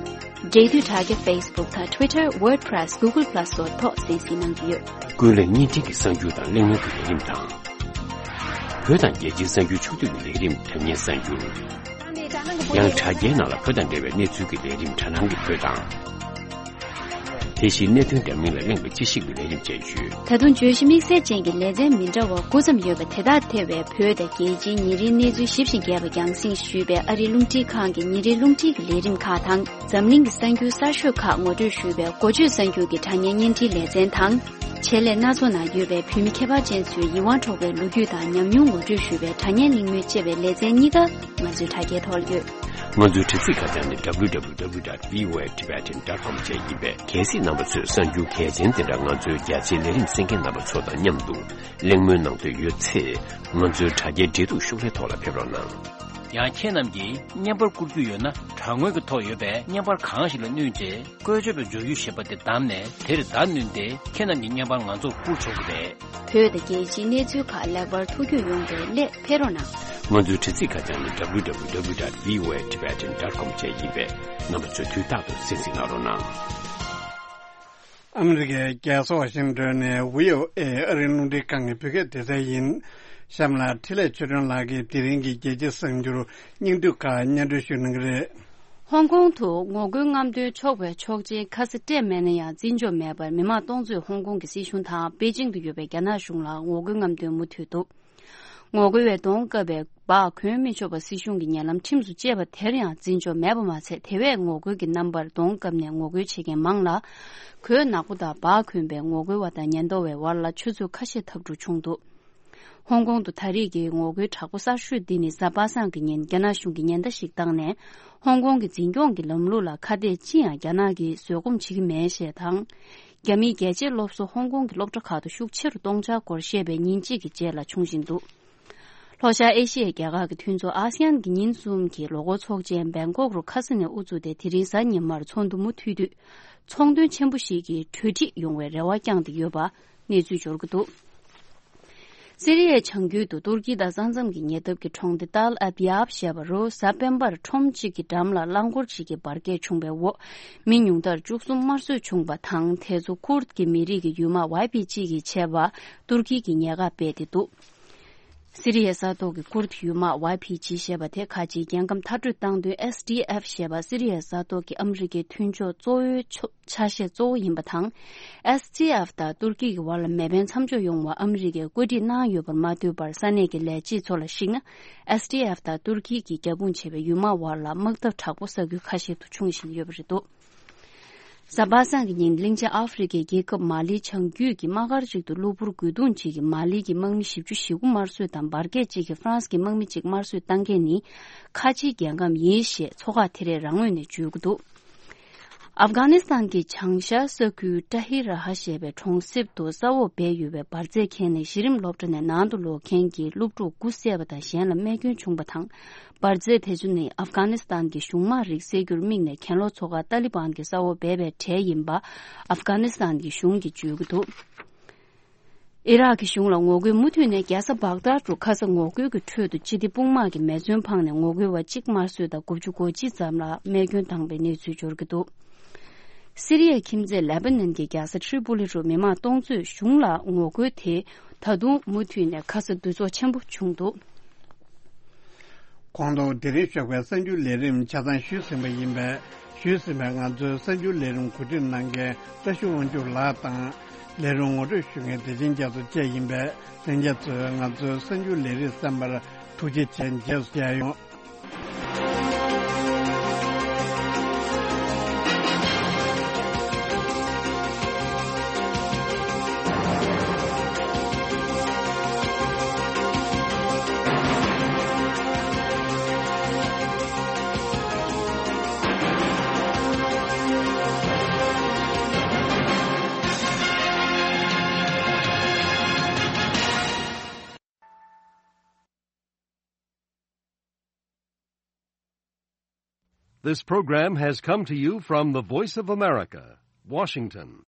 འབྲེལ་མཐུད་དྲ་རྒྱ་Facebook་དང་Twitter WordPress Google Plus སོགས་ཐོག་གསན་གཟིགས་གནང་རྒྱུ་ཡོད། ཀུན་གླེང་བརྙན་འཕྲིན་གྱི་གསར་འགྱུར་དང་གླེང་མོལ་གྱི་ལས་རིམ་དང་། བོད་དང་རྒྱལ་སྤྱིའི་གསར་འགྱུར་ཕྱོགས་བསྡུས་ཀྱི་ལས་རིམ་དྲ་བརྙན་གསར་འགྱུར། ཡང་དྲ་རྒྱའི་ནང་ལ་བོད་དང་འབྲེལ་བའི་གནས་ཚུལ་གྱི་ལས་རིམ་དྲ་སྣང་གི་བོད་དང་། དེ་བཞིན་གནད་དོན་འདྲ་མིན་ལ་གླེང་བའི་དཔྱད་ཞིབ་ཀྱི་ལས་རིམ་བཅས་ཡོད། ད་དུང་བརྗོད་གཞི་དམིགས་བསལ་ཅན་གྱི་ལེ་ཚན་མི་འདྲ་བ་དགུ་ཙམ་ཡོད་པ་དེ་དག་ཐེ་བའི་བོད་དང་རྒྱལ་སྤྱིའི་ཉིན་རེའི་གནས་ཚུལ་ཞིབ་ཅིང་རྒྱས་པ་རྒྱང་སྲིང་ཞུས་པའི་ཨ་རིའི་རླུང་འཕྲིན་ཁང་གི་ཉིན་རེའི་རླུང་འཕྲིན་གྱི་ལས་རིམ་ཁག་དང་། འཛམ་གླིང་གི་གསར་འགྱུར་གསར་ཤོས་ཁག་ངོ་སྤྲོད་ཞུས་པའི་འགོ་བརྗོད་གསར་འགྱུར་གྱི་དྲ་བརྙན་བརྙན་འཕྲིན་ལེ་ཚན་དང་། ཆེད་ལས་སྣ་ཚོགས་ནང་ཡོད་པའི་བོད་མི་ཁྱད་པར་ཅན་ཚོའི་ཡིད་དབང་འཕྲོག་པའི་ལོ་རྒྱུས་དང་ཉམས་མྱོང་ངོ་སྤྲོད་ཞུས་པའི་དྲ་བརྙན་གླེང་མོལ་བཅས་པའི་ལེ་ཚན་གཉིས་ཀ་ང་ཚོའི་དྲ་རྒྱའི་ཐོག་ཡོད། ང་ཚོའི་དྲ་ཚིགས་ཁ་བྱང་ནི་W W W dot V O A Tibetan dot com བཅས་ཡིན་པས། གལ་སྲིད་རྣམ་པ་ཚོས་གསར་འགྱུར་གལ་ཆེན་དེ་འདྲ་ང་ཚོའི་རྒྱ་ཆེའི་ལས་རིམ་གསན་མཁན་རྣམ་པ་ཚོ་དང་མཉམ་དུ་གླེང་མོལ་གནང་འདོད་ཡོད་ཚེ། ང་ཚོའི་དྲ་རྒྱའི་འབྲེལ་གཏུག་ཤོག་ལྷེ་ཐོག་ལ་ཕེབས་རོགས་གནང་། ཡང་ཁྱེད་རྣམས་ཀྱིས་བརྙན་པར་བསྐུར་རྒྱུ་ཡོད་ན། དྲ་ངོས་ཀྱི་ཐོག་ཡོད་པའི་བརྙན་པར་གང་ཞིག་ལ་བསྣུན་རྗེས། བཀོལ་སྤྱོད་པའི་འབྱོར་རྒྱུ་ཞེས་པ་དེ་བདམས་ནས། དེར་བརྡ་བསྣུན་ཏེ། ཁྱེད་རྣམས་ཀྱི་བརྙན་པར་ང་ཚོར་བསྐུར་ཆོག་གི་རེད། བོད་དང་རྒྱལ་སྤྱིའི་གནས་ཚུལ་ཁག་ལེགས་པར་ཐུགས་རྒྱུས་ཡོང་བའི་སླད་ཕེབས་རོགས་གནང་། ང་ཚོའི་དྲ་ཚིགས་ཁ་བྱང་ནི་W W W dot V O A Tibetan dot com བཅས་ཡིན་པས། རྣམ་པ་ཚོས་དུས་རྟག་ཏུ་གསན་གཟིགས་གནང་རོགས་གནང་། ཨ་མི་རི་ཀའི་རྒྱལ་ས་ཝ་ཤིང་ཏོན་ནས་V O A་ཨ་རིའི་རླུང་འཕྲིན་ཁང་གི་བོད་སྐད་སྡེ་ཚན་ཡིན། གཤམ་ལ་འཕྲིན་ལས་ཆོས་སྒྲོན་ལགས་ཀྱིས་དེ་རིང་གི་རྒྱལ་སྤྱིའི་གསར་འགྱུར་སྙིང་བསྡུས་ཁག་སྙན་སྒྲོན་ཞུ་གནང་གི་རེད། ཧོང་ཀོང་དུ་ངོ་རྒོལ་རྔམ་སྟོན་ཆོག་པའི་ཆོག་མཆན་ཁ་ས་སྤྲད་མེད་ན་ཡང་། འཛིན་ཕྱོགས་མེད་པར་མི་མང་སྟོང་ཚོས་ཧོང་ཀོང་གི་སྲིད་གཞུང་དང་པེ་ཅིང་དུ་ཡོད་པའི་རྒྱ་ནག་གཞུང་ལ་ངོ་རྒོལ་རྔམ་སྟོན་མུ་མཐུད་འདུག་ངོ་རྒོལ་བས་གདོང་བཀབ་པའི་སྦག་གོན་མི་ཆོག་པ་སྲིད་གཞུང་གི་ཉེ་ལམ་ཁྲིམས་སུ་བཅད་པ་དེར་ཡང་འཛིན་ཕྱོགས་མེད་པ་མ་ཚད། དེ་བས་ངོ་རྒོལ་གྱི་རྣམ་པར་གདོང་བཀབ་ནས་ངོ་རྒོལ་བྱེད་མཁན་མང་ལ། གོས་ནག་པོ་དང་སྦག་གོན་པའི་ངོ་རྒོལ་བ་དང་ཉེན་རྟོག་པའི་བར་ལ་ཆུ་ཚོད་ཁ་ཤས་འཐབ་འཁྲུག་བྱུང་འདུག་ཧོང་ཀོང་དུ་ད་རེས་ཀྱི་ངོ་རྒོལ་དྲག་པོ་གསར་ཤོས་འདི་ནི་གཟའ་པ་སངས་ཀྱི་ཉིན་རྒྱ་ནག་གཞུང་གིས་ཉེན་བརྡ་ཞིག་བཏང་ནས། ཧོང་ཀོང་གི་འཛིན་སྐྱོང་གི་ལམ་ལུགས་ལ་ཁ་གཏད་ཅི་ཡང་རྒྱ་ནག་གིས་བཟོད་སྒོམ་བྱེད་ཀྱི་མེད་ཞེས་དང་། རྒྱ་མིའི་རྒྱལ་གཅེས་སློབ་གསོ་ཧོང་ཀོང་གི་སློབ་གྲྭ་ཁག་ཏུ་ཤུགས་ཆེ་རུ་གཏོང་འཆར་སྐོར་བཤད་པའི་ཉིན་གཅིག་གི་རྗེས་ལ་བྱུང་བཞིན་འདུག་ལྷོ་ཤར་ཨེ་ཤི་ཡའི་རྒྱལ་ཁག་གི་མཐུན་ཚོགས་ཨ་སི་ཡན་གྱི་ཉིན་གསུམ་གྱི་ལོ་འཁོར་ཚོགས་ཆེན་བེང་ཀོག་རུ་ཁ་ས་ནས་དབུ་བཙུགས་ཏེ། དེ་རིང་གཟའ་ཉི་མར་ཚོགས་འདུ་མུ་མཐུད་དུས། ཚོང་དོན་ཆེན་པོ་ཞིག་གི་གྲོས་འགྲིག་ཡོང་བའི་རེ་བ་བསྐྱངས་ཏེ་ཡོད་པ་གནས་ཚུལ་འབྱོར་གྱི་འདུག་སི་རི་ཡའི་བྱང་རྒྱུད་དུ་ཏུར་ཀི་དང་ས་མཚམས་ཀྱི་ཉེ་འདབས་ཀྱི་གྲོང་སྡེ་ཏཱལ་ཨབ་ཡབ་ཞེས་པ་རུ་གཟའ་སྤེན་པར་ཁྲོམ་གཅིག་གི་འགྲམ་ལ་རླངས་འཁོར་གཅིག་གི་འབར་གས་བྱུང་བའི་འོག་མི་ཉུང་མཐར་བཅུ་གསུམ་དམར་གསོད་བྱུང་བ་དང་། དེ་ཚོ་ཀུར་དཀྱི་མི་རིགས་ཀྱི་ཡུལ་དམག་ཝའི་ཕི་ཇི་གིས་བྱས་པ་ཏུར་ཀི་གིས་ཉེན་ཁ་སྤེལ་ཏེ་འདུག་སི་རི་ཡའི་ས་ཐོག་གི་ཀུར་དཀྱི་ཡུལ་དམག་ཝའི་ཕི་ཇི་ཞེས་པ་དེ་ཁ་ཆེའི་རྒྱལ་ཁམས་མཐར་སྐྲོད་བཏང་དོན་S D F ཞེས་པ་སི་རི་ཡའི་ས་ཐོག་གི་ཨ་མི་རི་ཀའི་མཐུན་ཕྱོགས་གཙོ་བོའི་ཕྱོགས། ཆ་ཤས་གཙོ་བོ་ཡིན་པ་དང་། S D F དང་ཏུར་ཀི་གི་བར་ལ་མེ་འཕེན་མཚམས་འཇོག་ཡོང་བར་ཨ་མི་རི་ཀས་བཀོད་སྒྲིག་གནང་ཡོད་པར་མ་ལྟོས་པར། ས་གནས་ཀྱི་ལས་བྱེད་ཚོ་ལ་གཞིགས་ན། S D F དང་ཏུར་ཀི་གིས་རྒྱབ་དཔུང་བྱེད་པའི་ཡུལ་དམག་བར་ལ་དམག་འཐབ་དྲག་པོ་ས་ཁུལ་ཁ་ཤས་སུ་འབྱུང་བཞིན་ཡོད་པ་རེད་འདུག་གཟའ་པ་སངས་ཀྱི་ཉིན་གླིང་ཆེན་ཨ་ཧྥེ་རི་ཁའི་རྒྱལ་ཁབ་མ་ལིའི་བྱང་རྒྱུད་ཀྱི་དམག་སྒར་གཅིག་ཏུ་གློ་བུར་རྒོལ་རྡུང་གཅིག་གིས་མ་ལི་གི་དམག་མི་བཞི་བཅུ་ཞེ་དགུ་དམར་གསོད་དང་། འབར་གས་གཅིག་གིས་ཧྥ་རན་སི་གི་དམག་མི་གཅིག་དམར་གསོད་བཏང་མཁན་ནི་ཁ་ཆེའི་རྒྱལ་ཁམས་ཡིན་ཞེས་མཚོ་ཁག་དེ་རས་རང་ངོས་ནས་བརྗོད་ཀྱི་འདུག་ཨབ་གྷ་ནི་སི་ཐན་གྱི་བྱང་ཤར་ས་ཁུལ་ཏྲ་ཧི་ར་ཧ་ཞེས་པའི་གྲོང་གསེབ་ཏུ་ས་འོག་སྦས་ཡོད་པའི་འབར་རྫས་ཁྱེར་ནས་གཞི་རིམ་སློབ་གྲྭ་ནས་ནང་དུ་ལོག་མཁན་གྱི་སློབ་ཕྲུག་དགུ་བསད་པ་དང་། གཞན་ལ་རྨས་སྐྱོན་བྱུང་བ་དང་། འབར་རྫས་དེ་ཚོ་ནི་ཨབ་གྷ་ནི་སི་ཐན་གྱི་གཞུང་དམངས་རིགས་བསད་རྒྱུར་དམིགས་ནས་གྱེན་ལོག་ཚོགས་ཁག་ཏཱ་ལི་བན་གྱི་ས་འོག་སྦས་པའི་གྲས་ཡིན་པ་ཨབ་གྷ་ནི་སི་ཐན་གྱི་གཞུང་གིས་བརྗོད་ཀྱི་འདུག་ཨི་རག་གི་གཞུང་ལ་ངོ་རྒོལ་མུ་མཐུད་ནས་རྒྱལ་ས་བག་དཱད་དུ་ཁ་ས་ངོ་རྒོལ་གྱི་ཁྲོད་དུ་སྤྱི་བདེ་དཔུང་དམག་གིས་མེ་མཚོན་འཕངས་ནས་ངོ་རྒོལ་བ་གཅིག་དམར་གསོད་དང་དགུ་བཅུ་གོ་གཅིག་ཙམ་ལ་རྨས་སྐྱོན་བཏང་པའི་གནས་ཚུལ་འབྱོར་གྱི་འདུག་སི་རི་ཡའི་ཁྱིམ་མཚེས་ལེ་པ་ནན་གྱི་རྒྱལ་ས་ཁྲི་པོ་ལི་རུ་མི་མང་སྟོང་ཚོས་གཞུང་ལ་ངོ་རྒོལ་དེ་ད་དུང་མུ་མཐུད་ནས་ཁ་ས་འདུ་ཚོགས་ཆེན་པོ་བྱུང་འདུག་གོང་དུ་དེ་རིང་ཞོགས་པའི་གསར་འགྱུར་ལས་རིམ་ཆ་ཚང་ཞུས་ཟིན་པ་ཡིན་པས། ཞུས་ཟིན་པའི་ང་ཚོའི་གསར་འགྱུར་ལས་རིམ་གོ་སྒྲིག་གནང་མཁན་བཀྲ་ཤིས་དབང་ཕྱུག་ལགས་དང་། ལས་རིམ་ངོ་སྤྲོད་ཞུ་མཁན་བདེ་ཆེན་རྒྱ་མཚོ་བཅས་ཡིན་པས། ལྷན་རྒྱས་ཚོས་ང་ཚོའི་གསར་འགྱུར་ལས་རིམ་གསན་པར་ཐུགས་རྗེ་ཆེ། རྗེས་སུ་མཇལ་ཡོང་། This program has come to you from the Voice of America, Washington.